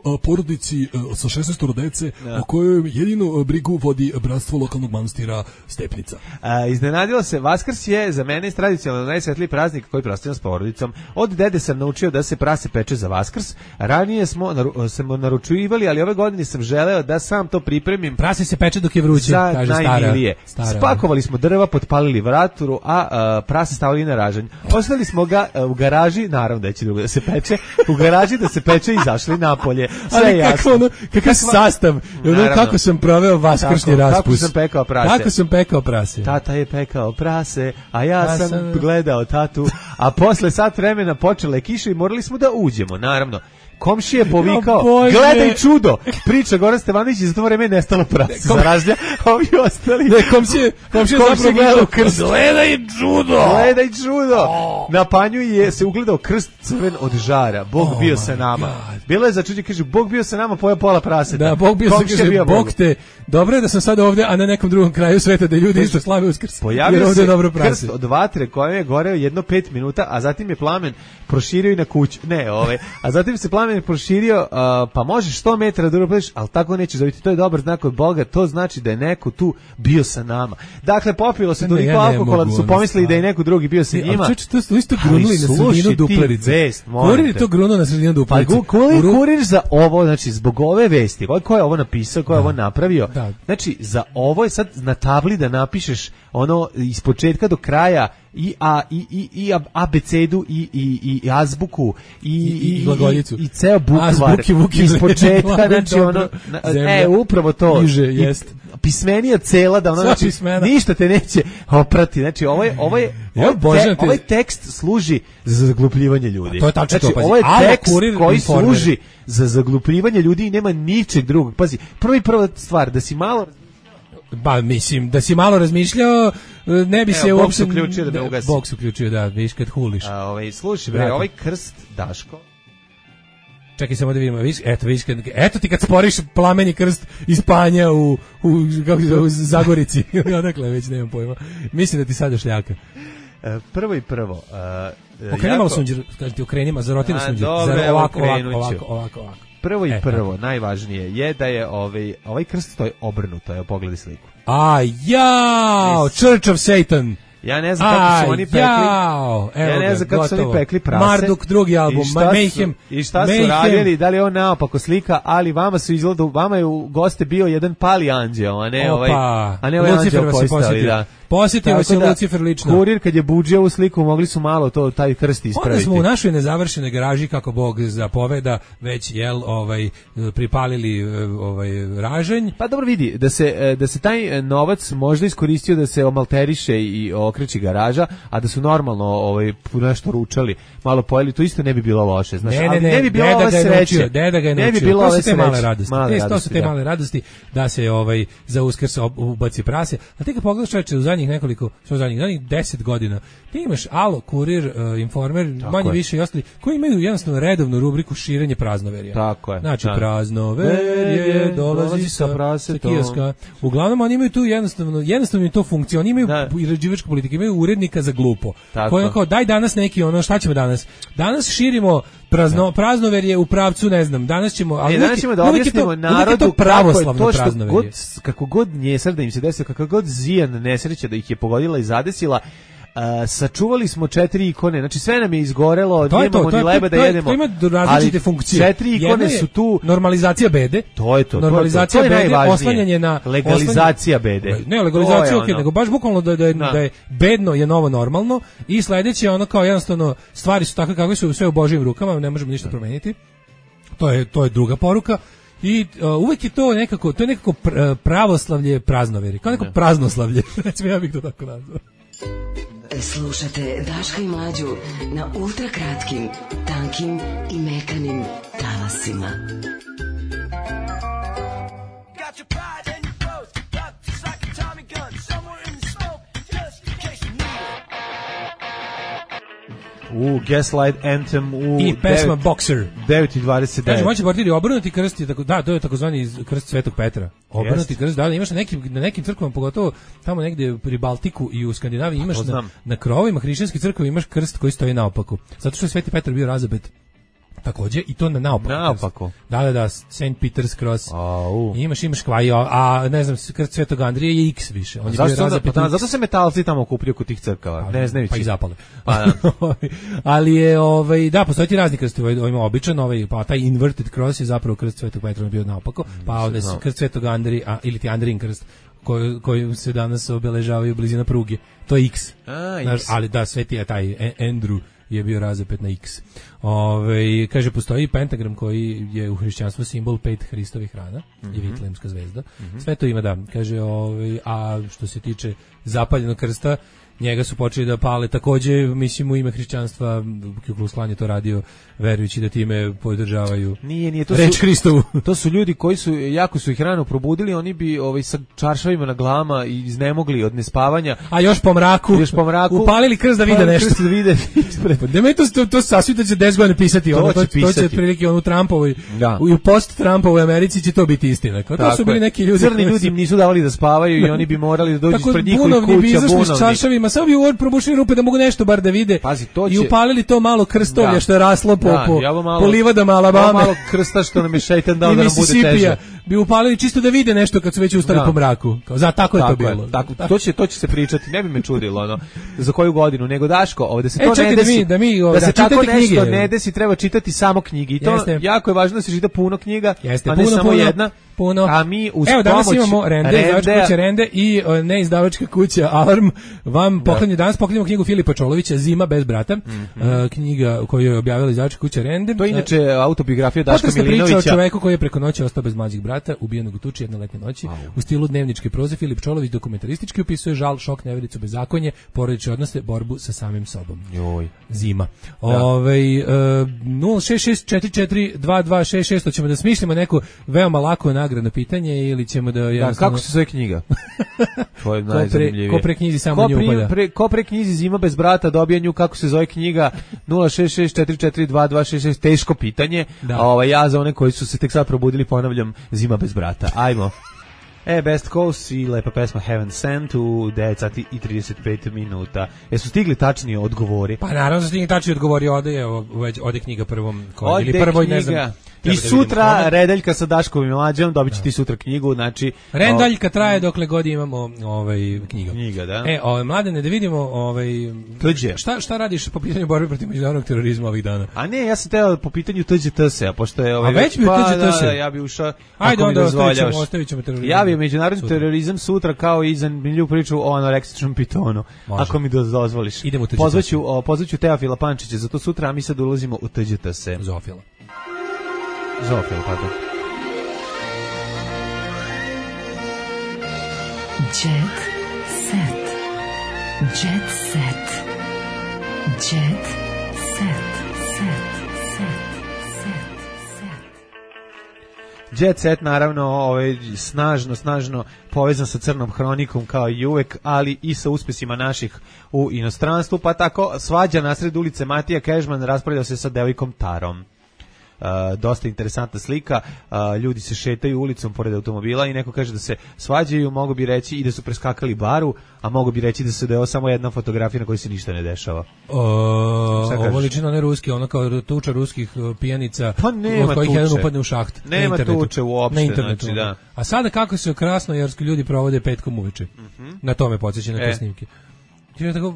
u porodici sa šesnaest dece, o kojoj jedinu brigu vodi bratstvo lokalnog manastira Stepnica. A, iznenadilo se, Vaskrs je za mene tradicionalno najsvetliji praznik koji proslavljam s porodicom. Od dede sam naučio da se prase peče za Vaskrs. Ranije smo naru, smo naručivali, ali ove godine sam želeo da sam to pripremim. Prase se peče dok je vruće, kaže stara. stara. Spakovali smo drva, potpalili vraturu, a, a prase stavili na ražanj. Ostavili smo ga a, u garaži, naravno da će drugo da se peče, u garaži da se peče i izašli napolje. Sve je jasno. Ono, kakav sastav, ono, kako sam proveo vaskršnji raspust. Kako sam pekao prase. Kako sam pekao prase. Tata je pekao prase, a ja, ja sam, sam gledao tatu, a posle sat vremena počela je kiša i morali smo da uđemo, naravno. Komšija je povikao, oh, gledaj čudo, priča Goran Stevanović i za to vreme je nestalo prase. Kom... Za razlja, ovi ostali. Ne, komšije, komšije zapravo gledao krst. Gledaj čudo! Gledaj čudo! Oh. Na Panju je se ugledao krst crven od žara. Bog oh bio sa nama. God. Bilo je začuđe, kaže, Bog bio sa nama, pojao pola praseta. Da, Bog bio sa kaže, Bog te, dobro je da sam sad ovdje, a na nekom drugom kraju sveta da ljudi isto slave Uskrs. Pojavio se dobro krst od vatre koje je goreo jedno pet minuta, a zatim je plamen proširio i na kuću. Ne, ove, a zatim se plamen je proširio, uh, pa možeš sto metara da uropiš, ali tako nećeš dobiti. To je dobar znak od Boga, to znači da je neko tu bio sa nama. Dakle, popilo se toliko ja alkohola da su pomislili da je neko drugi bio sa njima. Ali to su isto grunuli na sredinu duplerice. Kurir je to grunuo na sredinu duplerice. Pa kurir, kurir za ovo, znači zbog ove vesti, ko je ovo napisao, ko je ovo napravio, da. Znači za ovo je sad na tabli da napišeš ono iz početka do kraja i a i i i abecedu i i i azbuku i i glagoljicu i, i ceo bukvar iz početka, znači ono e upravo to Iže, jest. Pismenija cela da ono, znači ništa te neće oprati, znači ovo je ovo je ovaj, te, ovaj tekst služi za zaglupljivanje ljudi. A to je tačno, znači, to, pazi. Ovo je tekst koji informer. služi za zaglupljivanje ljudi i nema ničeg drugog. Pazi, prvi prva stvar da si malo Ba, mislim, da si malo razmišljao, ne bi Evo, se uopšte... Bog se uključio da me ugasi. Bog se uključio, da, viš kad huliš. A, ovaj, slušaj, bre, ovaj krst, Daško... Čekaj samo da vidimo, viš, eto, viš, kad, eto ti kad sporiš plameni krst iz Panja u, u, kako se, u Zagorici, odakle, već nemam pojma. Mislim da ti sad šljaka. E, prvo i prvo... Uh, okreni malo sunđer, kažem ti, okrenima, zaroti na sunđer. Dobre, Zar, ovako, ovako, ovako, ovako, ovako. Prvo i e, prvo, tako. najvažnije je da je ovaj, ovaj krst to je obrnuto, evo pogledaj sliku. A jao, Church of Satan. Ja ne znam kako su oni pekli. Jao, ja ne znam kako su oni pekli prase. Marduk, drugi album, Mayhem. I šta su radili, da li je on naopako slika, ali vama su izgledali, vama je u goste bio jedan pali anđeo, a ne ovaj, a ne ovaj anđeo koji stavili, da. Posjetio se Lucifer lično. Kurir kad je budžio ovu sliku, mogli su malo to taj krst ispraviti. Onda smo u našoj nezavršenoj garaži, kako Bog zapoveda, već jel ovaj pripalili ovaj ražanj. Pa dobro vidi, da se da se taj novac možda iskoristio da se omalteriše i okreći garaža, a da su normalno ovaj nešto ručali, malo pojeli, to isto ne bi bilo loše, znači, ne, ne, ali ne, ne bi bilo ove sreće. Deda ga je naučio. Ne bi bilo ove te male radosti. Male te, radosti, to su te da. male radosti da se ovaj za Uskrs ubaci prase. A ti kad pogledaš čoveče u zadnjih nekoliko, što zadnjih, zadnjih deset godina, ti imaš Alo, Kurir, uh, Informer, tako manje je. Više i ostali, koji imaju jednostavno redovnu rubriku širenje praznoverja. Tako je. Znači, da. Praznoverje dolazi sa, sa kioska. Uglavnom, oni imaju tu jednostavno, jednostavno im to funkcija. Oni imaju i rađivačku politiku, imaju urednika za glupo. Koji je kao, daj danas neki, ono, šta ćemo danas? Danas širimo prazno, praznoverje u pravcu, ne znam, danas ćemo... Ali e, danas ćemo da objasnimo narodu pravoslavno kako, to god, kako god njesar da im se desilo, kako god zijan nesreća da ih je pogodila i zadesila, Uh, sačuvali smo četiri ikone, znači sve nam je izgorelo, to nemamo to, ni leba da to, jedemo. To ima različite funkcije. Četiri ikone su tu. Normalizacija bede. To je to. Normalizacija to je to. To je bede, oslanjanje na legalizacija bede. Ne, legalizacija okej, okay, nego baš bukvalno da da je, da je bedno je novo normalno i sledeće ono kao jednostavno stvari su takve kakve su, sve u Božjim rukama, ne možemo ništa promeniti. To je to je druga poruka. I uh, uvek je to nekako, to je nekako pr, pravoslavlje praznoveri, kao neko praznoslavlje. Recimo ja bih to tako nazvao. Slušate Daška i Mlađu na ultra kratkim, tankim i mekanim talasima. U Gaslight Anthem u i pesma Boxer devet i dvadeset devet. Kaže, moći bortiri obrnuti krst je tako, da, to je takozvani krst Svetog Petra. Obrnuti krst, da, imaš na nekim na nekim crkvama, pogotovo tamo negde pri Baltiku i u Skandinaviji imaš na, na krovovima hrišćanskih crkava imaš krst koji stoji naopako. Zato što je Sveti Petar bio razapet takođe i to na naopako. Naopako. Da, da, da, Saint Peter's Cross. Au. Imaš, imaš kvaj, a ne znam, krst Svetog Andrije je X više. On je bio razapet. Pa, zato se metalci tamo okupljaju kod tih crkava. Pa, ne znajući. Pa i zapale. Pa, da. Ali je, ovaj, da, postoji ti razni krst, ovaj, ima običan, ovaj, pa taj inverted cross je zapravo krst Svetog Petra bio naopako, pa ovde no. krst Svetog Andrije, a, ili ti Andrijin krst, koji, koji se danas obeležavaju blizina pruge. To je X. A, Znaš, X. ali da, Sveti je taj Andrew je bio razapet na X. Ove, kaže, postoji pentagram koji je u hrišćanstvu simbol pet Hristovih rana mm-hmm. i Vitlejemska zvezda. Mm-hmm. Sve to ima, da. Kaže, ove, a što se tiče zapaljenog krsta, njega su počeli da pale takođe, mislim, u ime hrišćanstva, Ku Klux Klan je to radio, verujući da time podržavaju nije, nije, to reč su, Hristovu. To su ljudi koji su, jako su ih rano probudili, oni bi ovaj, sa čaršavima na glama i iznemogli od nespavanja. A još po mraku, još po mraku upalili krst da vide nešto. Krst da vide ispred. Da me to, to, to sasvim da će deset godina pisati. To, ono, će to, pisati. To će prilike ono u Trumpovoj, da. u post-Trumpovoj Americi će to biti istina. Kao, to su bili neki ljudi. Crni ljudi im nisu davali da spavaju i oni bi morali da dođu ispred njihovih kuća. Tako bi izašli s čaršavima, samo bi u probušili rupe da mogu nešto bar da vide. Pazi, to će... I upalili to malo krstolje da. Što je raslo po, da, po, malo, po livadama Alabame. Malo krsta što nam je šejtan dao da nam bude teže. Bi upalili čisto da vide nešto kad su već ustali da. Po mraku. Kao, za, tako, tako je to bilo. Je, tako, to, će, to će se pričati, ne bi me čudilo ono, za koju godinu, nego Daško, ovde se e, to ne desi, da, mi, da, mi, da, da se tako nešto knjige. Ne desi, treba čitati samo knjige. I to Jeste. Jako je važno da se čita puno knjiga, Jeste, a ne puno, samo puno, jedna. Puno. A mi uz Evo, danas pomoć imamo Rende, izdavačka kuća Rende i uh, neizdavačka kuća Alarm. Vam poklanju, danas poklanjamo knjigu Filipa Čolovića, Zima bez brata. Mm-hmm. Uh, knjiga koju je objavila izdavačka kuća Rende. To je inače autobiografija Daška Milinovića. Priča o čoveku koji je preko noći ostao bez mlađih brata, ubijenog u tuči jedne letnje noći. Wow. U stilu dnevničke proze Filip Čolović dokumentaristički opisuje žal, šok, nevericu, bezakonje, porodične odnose, borbu sa samim sobom. Joj. Zima. Da. Ovaj uh, nula šest šest četiri četiri dva dva šest šest, hoćemo da smislimo neko veoma lako nagradno pitanje ili ćemo da jednostavno... Da, kako se zove knjiga? To je najzanimljivije. Ko pre knjizi samo nju upada. Pre, ko pre knjizi Zima bez brata dobija nju, kako se zove knjiga? nula šest šest četiri četiri dva dva šest šest, teško pitanje. Da. A ovaj, ja za one koji su se tek sad probudili ponavljam Zima bez brata. Ajmo. E, Best Coast i lepa pesma Heaven Sent u devet sati i trideset pet minuta. Jesu stigli tačnije odgovori? Pa naravno su stigli tačnije odgovori, ode, ode knjiga prvom koji, ili prvoj, ne znam. Treba I da vidimo sutra kome. Redeljka sa Daškom i Mlađom, dobit će ti sutra knjigu, znači... Rendaljka traje dokle god imamo ovaj, knjiga. Knjiga, da. E, ovaj, Mladene, da vidimo... Ovaj, Tuđe. Šta, šta radiš po pitanju borbe protiv međunarodnog terorizma ovih dana? A ne, ja sam teo po pitanju T Đ T S, a pošto je... Ovaj, A već bi pa, T Đ T S? Da, da, ja bi ušao... Ajde, onda ostavit ćemo, dozvoljavaš. ostavit ćemo terorizam. Ja bi međunarodni Sutra. terorizam sutra kao i zanimljivu priču o anoreksičnom pitonu. Može. Ako mi dozvoliš. Idemo u T Đ T S. Pozvaću, o, pozvaću Teofila Pančića, zato sutra, a mi sad ulazimo u T Đ T S. Zofila. Zofila, pardon. Jet set. Jet set. Jet set. Set. Set. Set. Jet Set, naravno, ovaj, snažno, snažno povezan sa Crnom hronikom kao i uvek, ali i sa uspesima naših u inostranstvu, pa tako svađa nasred ulice Matija Kežman raspravljao se sa devojkom Tarom. Uh, dosta interesantna slika, uh, ljudi se šetaju ulicom pored automobila i neko kaže da se svađaju, mogu bi reći i da su preskakali baru, a mogu bi reći da se da je ovo samo jedna fotografija na kojoj se ništa ne dešava. O, ovo liči na ne ruski, ono kao tuča ruskih uh, pijanica, pa nema od kojih tuče. jedan upadne u šaht. Nema tuče uopšte, na internetu. Znači, da. A sada kako se krasnojarski ljudi provode petkom uveče. Mm-hmm. Na tome podsjeća na te e. snimke. Je tako,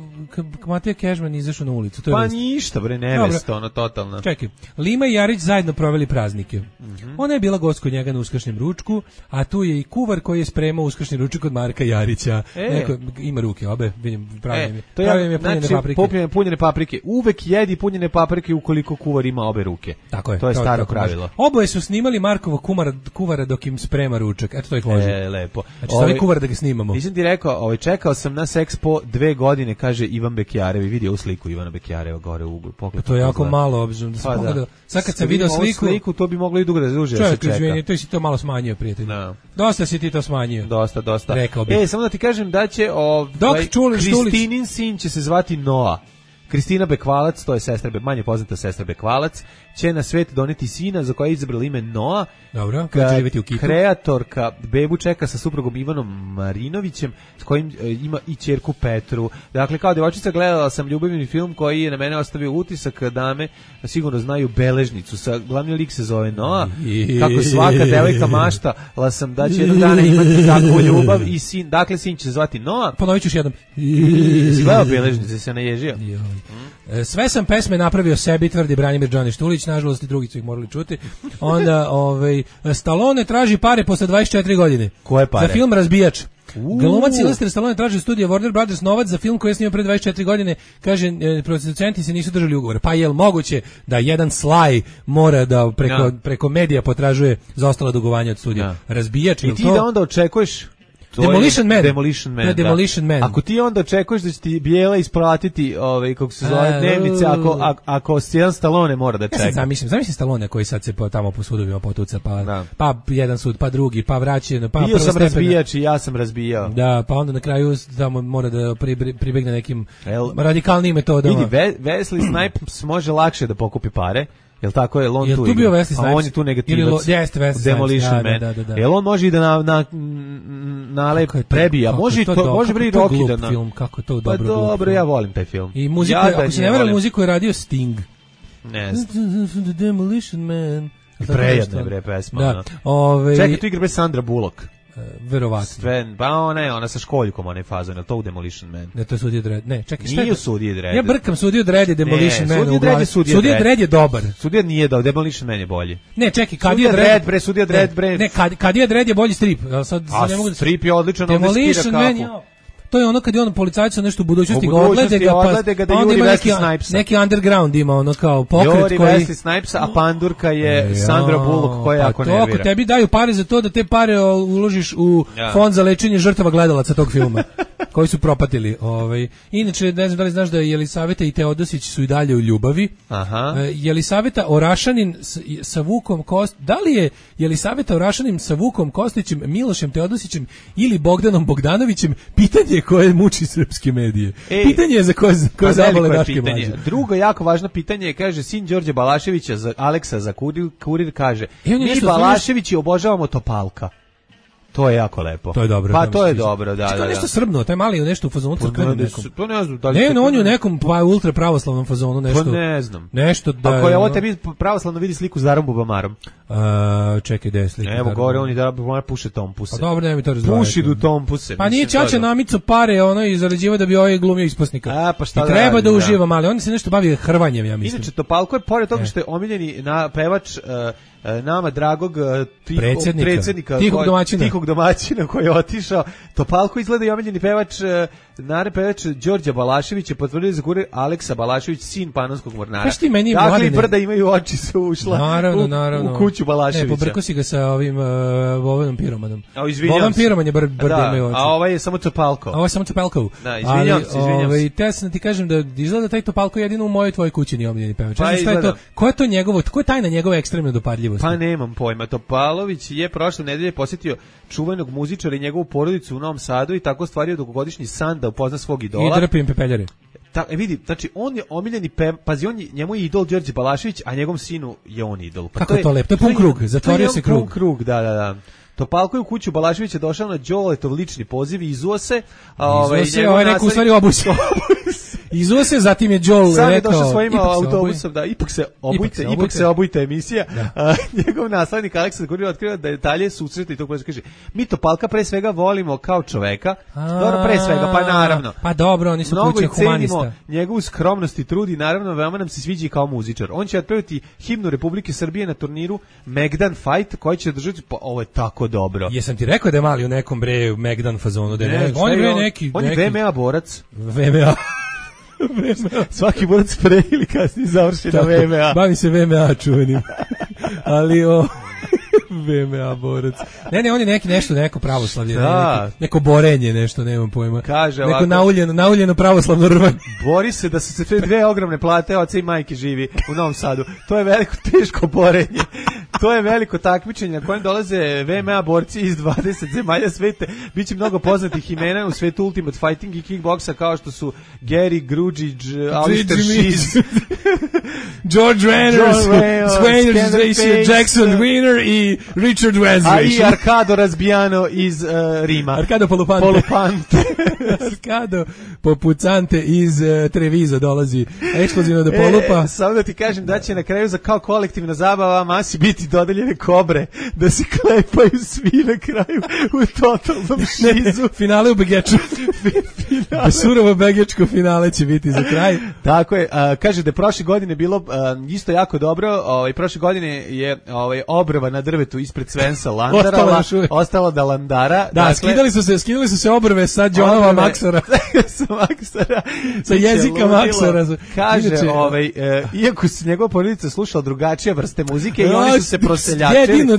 Matija Kežman izašao na ulicu. To je pa vest. ništa, bre, nevesta, ono totalno. Čekaj, Lima i Jarić zajedno proveli praznike. Mm-hmm. Ona je bila gost kod njega na uskršnjem ručku, a tu je i kuvar koji je spremao uskršnji ručak od Marka Jarića. E. Neko, ima ruke, obe, vidim, pravim E, je. to je, Pravim je punjene znači, paprike. Punjene, punjene paprike. Uvek jedi punjene paprike ukoliko kuvar ima obe ruke. Tako je. To je to staro tako pravilo. Može. Oboje su snimali Markovog kumara, kuvara dok im sprema ručak. Eto, to ih loži. E, lepo. Znači, ovaj kuvar da ga snimamo. Nisam ti rekao, ovaj, čekao sam na Sexpo dve godine, kaže Ivan Bekjarevi. Vidio u sliku Ivana Bekjareva gore u uglu. Pa to je jako gleda. malo, obzirom da sam Pa, pogledao. da. Sad kad sam video sliku, sliku, to bi moglo i dugo razduže da se čovjek, čeka. izvini, to si to malo smanjio, prijatelj. No. Dosta si ti to smanjio. Dosta, dosta. Rekao bih. E, samo da ti kažem da će ovaj, Dok čuli, Kristinin sin će se zvati Noa. Kristina Bekvalac, to je sestra, manje poznata sestra Bekvalac, će na svet doneti sina za koje je izabrala ime Noa. Dobro, kada će živjeti u Kitu. Kreatorka bebu čeka sa suprugom Ivanom Marinovićem, s kojim e, ima i ćerku Petru. Dakle, kao djevojčica gledala sam ljubavni film koji je na mene ostavio utisak, dame sigurno znaju Beležnicu. Sa glavni lik se zove Noa. Kako svaka devojka maštala sam da će jednog dana imati takvu ljubav i sin, dakle sin će se zvati Noa. Ponovit ću još jednom. Si gledao Beležnice, se naježio? Mm. Sve sam pesme napravio sebi, tvrdi Branimir Đani Štulić, nažalost i drugi su ih morali čuti. Onda, ovaj, Stallone traži pare posle dvadeset četiri godine. Koje pare? Za film Razbijač. Glumac Sylvester Stallone traži studija Warner Brothers novac za film koji je snimio pre dvadeset četiri godine. Kaže, e, producenti se nisu držali ugovora. Pa je li moguće da jedan Sly mora da preko, ja. preko medija potražuje zaostala dugovanja od studija? Ja. Razbijač. I ti to? da onda očekuješ Demolition Man. Demolition Man. Da. Demolition Man. Ako ti onda očekuješ da će ti Bijela isplatiti, ovaj kako se zove, dnevnice, ako ako, ako Stan Stallone mora da čeka. Ja zamislim, zamislim Stallone koji sad se po, tamo po sudovima potuca, pa da. pa jedan sud, pa drugi, pa vraćen, pa bio sam razbijač i ja sam razbijao. Da, pa onda na kraju tamo mora da pribegne nekim El, radikalnim metodama. Vidi, Ve, Wesley Snipes može lakše da pokupi pare. Jel tako je, on jel tu, tu bio Wesley Snipes? A on je tu negativac. Jeste Wesley Demolition Snipes. Man. Da, da, da, da. Jel on može i da na, na, nalep prebija? Može i to, to može bre i Rocky da na... film, kako je to pa dobro. dobro, ja volim taj film. I muziku, ja, ako se ne vera, muziku je radio Sting. Ne znam. The Demolition Man. Prejedne bre pesma. Da. Ove... Čekaj, tu igra bez Sandra Bullock. Uh, verovatno. Sve, pa ona je, ona sa školjkom, onaj fazon, je to u Demolition Man? Ne, to je Sudija Dredd. Ne, čekaj, šta je? Nije u Sudiji Dredd. Ja brkam Sudiju Dredd i Demolition Man u glavi. Sudija Dredd je dobar. Sudija nije dobar, Demolition Man je bolji. Ne, čekaj, Kadija Dredd, bre, Sudija Dredd, bre. Ne, Kadija Dredd je bolji strip. Sad A ne mogu da strip je odličan, on Demolition Man je to je ono kad je on policajcu nešto u budućnosti ga odglede ga, pa, ga da pa onda ima neki, Snipesa. neki underground ima ono kao pokret Juri koji... Wesley Snipesa, a pandurka je ja, Sandra Bullock koja pa jako to, nervira. Ako tebi daju pare za to da te pare uložiš u ja. fond za lečenje žrtava gledalaca tog filma koji su propatili. Ovaj. Inače, ne znam da li znaš da Jelisaveta i Teodosić su i dalje u ljubavi. Aha. Jelisaveta Orašanin sa Vukom Kost... Da li je Jelisaveta Orašanin sa Vukom Kostićem, Milošem Teodosićem ili Bogdanom Bogdanovićem? Pitanje koje muči srpske medije. Ej, pitanje je za koje, za koje zabole daške mlađe. Drugo jako važno pitanje je, kaže, sin Đorđe Balaševića, za Aleksa za kurir, kurir kaže, e, mi Balaševići obožavamo Topalka. To je jako lepo. To je dobro. Pa to je dobro, da, da. Što nešto srbno, taj mali u nešto u fazonu crkvenom nekom. To ne znam da li. Ne, no, on je u nekom pa ultra pravoslavnom fazonu nešto. Pa ne znam. Nešto da. Ako je ovo tebi pravoslavno vidi sliku s Darom Bubamarom. Uh, čekaj, da je slika. Evo gore on i Dar Bubamar puše tompuse. Pa dobro, ne mi to razdvajati. Puši du tompuse. Pa nije ćaća namico pare, ono i zarađiva da bi ovaj glumio isposnika. A pa šta I da treba radi, da uživa mali, on se nešto bavi hrvanjem, ja mislim. Inače Topalko je pored toga što je omiljeni na pevač uh, nama dragog uh, tiho, predsjednika, predsjednika tihog koji, domaćina. tihog domaćina koji je otišao. Topalko izgleda i omiljeni pevač, uh, naravno pevač Đorđa Balašević je potvrdio za kurir Aleksa Balašević, sin panonskog mornara. Kaži ti meni, dakle, mladine, i brda imaju oči su ušla naravno, u, naravno. u kuću Balaševića. Ne, pobrko si ga sa ovim uh, Vovenom Piromanom. A izvinjam Vovan Piroman je br, brda da, imaju oči. A ovaj je samo Topalko. A ovaj je samo Topalko. Da, izvinjam se, izvinjam ovaj, se. te sam ti kažem da izgleda taj Topalko jedino u mojoj tvojoj kući nije omiljeni pevač. Pa šta je to? Ko je to njegovo? Ko je tajna njegove ekstremne dopadljivosti? Pa nemam pojma. Topalović je prošle nedelje posjetio čuvenog muzičara i njegovu porodicu u Novom Sadu i tako stvario dugogodišnji san da upozna svog idola. I drpim pepeljare. Ta, e, vidi, znači on je omiljeni pe, pazi, on je, njemu je idol Đorđe Balašević, a njegovom sinu je on idol. Pa kako to je to lepo? To je pun krug, zatvorio se krug. Pun krug, da, da, da. Topalko je u kuću Balaševića došao na Đoletov lični poziv i izuo se. A ovaj, izuo se, ovaj rekao u stvari obus. Izuo se, zatim je Joel sam rekao... Sam je došao svojim autobusom, da, ipak se obujte, ipak se obujte, ipak se obujte emisija. A, njegov naslednik Aleksa Gurija otkriva da detalje susreta i to koje kaže, mi Topalka pre svega volimo kao čoveka, dobro pre svega, pa naravno. Pa dobro, oni su kuće humanista. Mnogo njegovu skromnost i trud i naravno veoma nam se sviđa i kao muzičar. On će otpevati himnu Republike Srbije na turniru Megdan Fight koji će držati, pa ovo je tako dobro. Jesam ti rekao da je mali u nekom bre Megdan fazonu, da je ne, on je bre neki... On je V M A borac. V M A. Svaki borac pre ili kasnije završi na V M A. Bavi se V M A čuvenim. Ali o... V M A borac. Ne, ne, on je neki nešto, neko pravoslavlje, da. neki, neko borenje, nešto, nemam pojma. Kaže neko ovako, nauljeno, nauljeno pravoslavno rvanje. Bori se da su se te dve ogromne plate oca i majke živi u Novom Sadu. To je veliko teško borenje. To je veliko takmičenje na kojem dolaze V M A borci iz dvadeset zemalja sveta. Biće mnogo poznatih imena u svetu Ultimate Fighting i kickboksa kao što su Gary Grujić, Alistair Shiz, George Reynolds, Swain Jackson Wiener i Richard Wesley. A i Arkado Razbijano iz uh, Rima. Arkado Polupante. Polupante. Arkado Popucante iz uh, Treviza dolazi ekskluzivno do Polupa. E, samo da ti kažem da će na kraju za kao kolektivna zabava masi biti dodeljene kobre, da se klepaju svi na kraju u totalnom šizu. Finale u Begeču. Surovo begečko finale će biti za kraj. Tako je. A, kaže da je prošle godine bilo a, isto jako dobro. Ovaj prošle godine je ovaj obrva na drvetu ispred Svensa Landara, ostala, ostala da Landara. Da, dakle, skidali su se, skidali su se obrve sa Johnova Maksara. sa Maksara. Sa jezika Maksara. Kaže, Inače, ovaj e, iako se njegova porodica slušala drugačije vrste muzike i oni su se proseljačili. Jedino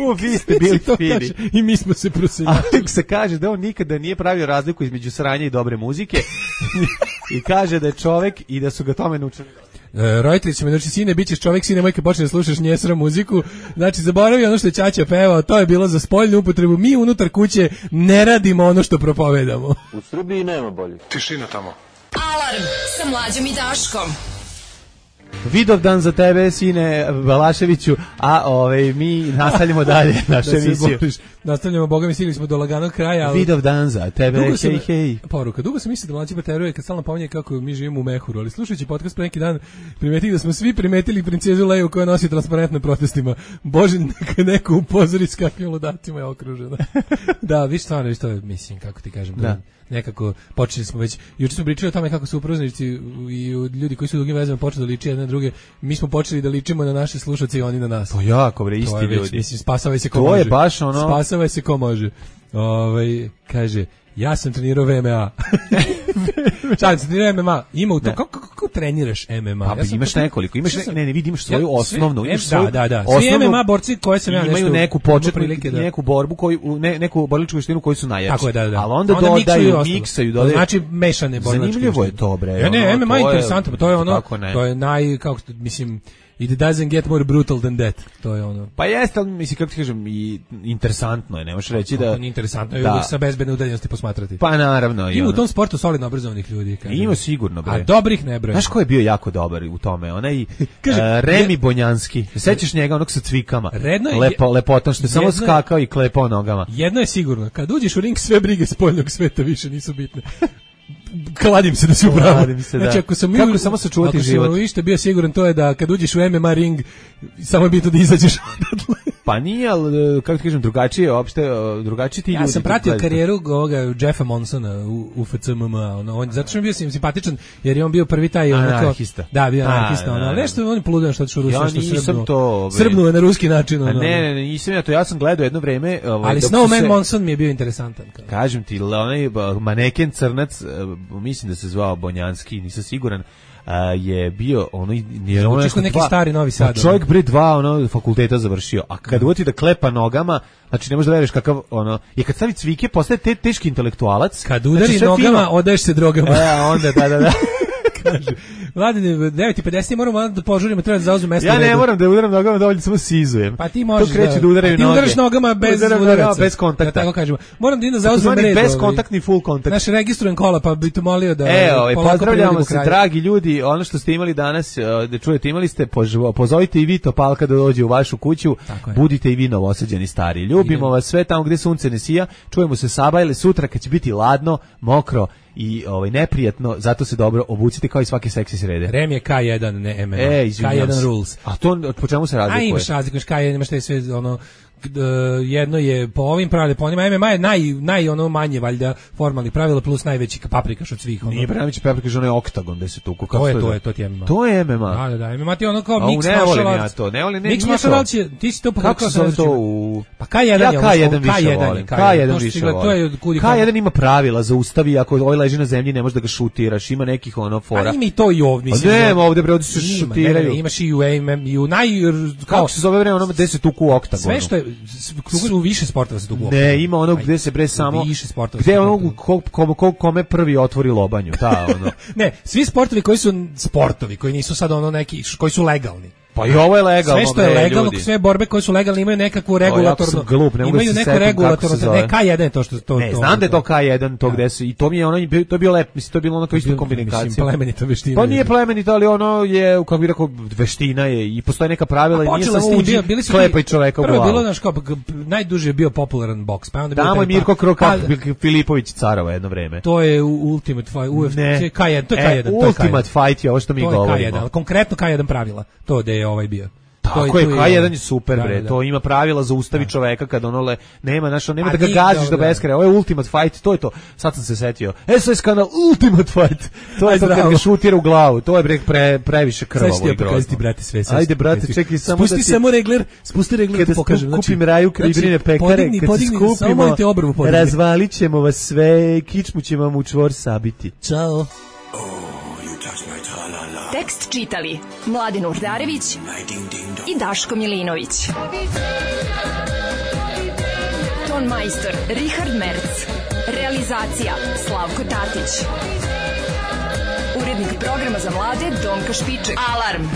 U, vi ste bili fini. I mi smo se proseljačili. Ali se kaže da on nikada nije pravio razliku između sranja i dobre muzike. I kaže da je čovek i da su ga tome naučili. E, roditelji će me znači, sine, bit ćeš čovjek, sine moj, kad počne da slušaš njesra muziku. Znači, zaboravi ono što je ćaća pevao, to je bilo za spoljnu upotrebu. Mi unutar kuće ne radimo ono što propovedamo. U Srbiji nema bolje. Tišina tamo. Alarm sa Mlađom i Daškom. Vidovdan za tebe, sine Balaševiću, a ovaj mi nastavljamo dalje našu da emisiju. Boliš, nastavljamo, boga mi stigli smo do laganog kraja. Ali... Vidovdan za tebe, hej, hej. Poruka, dugo sam mislio da Mlađi bateruje kad stalno pominje kako mi živimo u mehuru, ali slušajući podcast pre neki dan primetili da smo svi primetili princezu Leju koja nosi transparent na protestima. Bože, neka neko upozori s kakvim ludatima je okružena. Da, vi stvarno, vi što mislim, kako ti kažem, da. Nekako počeli smo već, juče smo pričali o tome kako su uproznici i ljudi koji su u drugim vezama počeli da liče jedne na druge. Mi smo počeli da ličimo na naše slušaoce i oni na nas. To jako bre, isti ljudi. Već, mislim, spasavaj se ko to može. To je baš ono. Spasavaj se ko može. Ovaj kaže, ja sam trenirao V M A. Čak se trenira M M A. Ima u to kako, kako treniraš M M A? Pa ja imaš to, nekoliko, imaš sam, ne, ne, vidi, imaš svoju ja, osnovnu, sve, imaš svoju. Da, da, da. Osnovnu, svi M M A borci koji se ja nešto imaju neku početnu prilike, da. neku borbu koju ne, neku borilačku veštinu koju su najjači. Tako je, da, da. Al onda, onda dodaju, miksaju, dodaju. Znači mešane borilačke. Zanimljivo je to, bre. Ja ne, M M A interesantno, to je ono, to to je naj kako mislim It doesn't get more brutal than that. To je ono. Pa jeste, ali mislim, kako ti kažem, i interesantno je, ne možeš reći da... To nije interesantno, da. je sa bezbedne udaljenosti posmatrati. Pa naravno. Ima u tom sportu solidno obrazovanih ljudi. Kaže. Ima sigurno, bre. A dobrih ne bre. Znaš ko je bio jako dobar u tome? Onaj kaže, uh, Remi je... Bonjanski. Sećaš njega, onog sa cvikama? Redno je... Lepo, lepotan, što je samo skakao i klepao nogama. Jedno je sigurno, kad uđeš u ring, sve brige spoljnog sveta više nisu bitne. Kladim se da si upravo. Znači, ako sam kako u, samo sačuvati život. Ako sam ište bio siguran, to je da kad uđeš u M M A ring, samo je bitno da izađeš odatle. Pa nije, ali, kako ti kažem, drugačije, uopšte, drugačije ti ja ljudi. Ja sam pratio karijeru ovoga Jeffa Monsona u, u F C M M A, ono, on, zato što mi bio simpatičan, jer je on bio prvi taj... Anarhista. Ono, da, bio anarhista, ono, ali nešto on je poludan što otišao u Rusiju, ja što nisam to... Srbnuo je na ruski način. Ono, ne, ne, ne, nisam ja to, ja sam gledao jedno vreme... Ovaj, ali Snowman se, Monson mi je bio interesantan. Kao. Kažem ti, onaj maneken crnac, mislim da se zvao Bonjanski, nisam siguran, Uh, je bio ono je ono neki dva, stari Novi Sad. Čovjek bre dva ono fakulteta završio, a kad uvoti da klepa nogama, znači ne možeš da veruješ kakav ono, je kad stavi cvike postaje te, teški intelektualac. Kad udari znači, nogama, fino, odaješ se drogama. E, onda da da da. Kaže, Vladine, devet i pedeset moramo da požurimo, treba da zauzmemo mesto. Ja ne redu. Moram da udaram nogama, dovoljno samo sizujem. Pa ti možeš to kreće da, da udaraju ti noge. Ti udaraš nogama bez udaraca. Bez kontakta. Da tako kažemo. Moram da idem da zauzmem red. Bez kontaktni full kontakt. Naš registrujem kola, pa bih te molio da... Evo, pozdravljamo se, dragi ljudi. Ono što ste imali danas, da čujete, imali ste, pozovite i vi Topalka da dođe u vašu kuću. Budite i vi novosađeni stari. Ljubimo vas sve tamo gde sunce ne sija. Čujemo se Saba ili sutra kad će biti ladno, mokro i ovaj neprijatno, zato se dobro obucite kao i svake seksi srede. Rem je K jedan, ne M M A. E, K jedan rules. A to po čemu se razlikuje? A imaš razliku, K jedan imaš te sve ono jedno je po ovim pravilima, po onima M M A je naj, naj ono manje valjda formalnih pravila plus najveći paprikaš od svih. Ono. Nije najveći paprikaš, ono je oktagon gde se tuku. To je, to je, to ti je M M A. To je M M A. Da, da, da, M M A ti je ono kao mix martial arts. Ne volim ja to, ne volim, ne, mix martial arts, ti si to pokazao. Kako se to u... Pa K jedan ja K jedan više volim. K jedan više volim. K jedan ima pravila, zaustavi, ako ovaj leži na zemlji ne možeš da ga šutiraš, ima nekih ono fora. A ima i to i ovdje. Ne, ovdje bre, ovdje se šutiraju. Imaš i u M M A, i u naj... Kako se zove bre, ono gde se tuku u oktagonu. Sve što je... U više sportova se tuku. Ne, ima ono gde se bre samo više sportova. Gde ono ko, ko, ko, kome prvi otvori lobanju, ta ono. Ne, svi sportovi koji su sportovi, koji nisu sad ono neki, koji su legalni. Pa i ovo je legalno. Sve što je legalno, sve borbe koje su legalne imaju nekakvu regulatornu. Glup, imaju neku regulatornu, ne K jedan je to što to. Ne, znam da je to K jedan, to gde se i to mi je ono to je bio lep, mislim to je bilo ono kao isto kombinacija. Mislim plemenita veština. Pa nije plemenita, ali ono je kako bih rekao veština je i postoje neka pravila i nije samo uđi klepa i čoveka u glavu. Prvo bilo naš kao najduže je bio popularan boks, pa onda bio tamo je Mirko Krokak Filipović carova jedno vreme. To je Ultimate Fight, U F C K jedan, to je K jedan, to je Ultimate Fight je ovo što mi govorimo. To je K jedan, konkretno K jedan pravila. To da je ovaj bio. Tako je, K jedan je super, bre, da, da. To ima pravila za ustavi da. Čoveka kad ono le, nema, znaš, nema da ga gaziš do beskraja, ovo je Ultimate Fight, to je to, sad sam se setio, S O S kanal Ultimate Fight, to je to kad ga šutira u glavu, to je bre, pre, previše krvavo i grozno. Ti, brate, sve, ajde, brate, čekaj samo spusti da ti... Spusti samo regler, spusti regler da ti pokažem. Kada kupim Raju Kribrine pekare, podigni, kad podigni, se skupimo, razvalit ćemo vas sve, kičmu ćemo vam u čvor sabiti. Ćao. Tekst čitali Mladin Urdarević i Daško Milinović. Ton majstor Richard Merc. Realizacija Slavko Tatić. Urednik programa za mlade Donka Špiček. Alarm!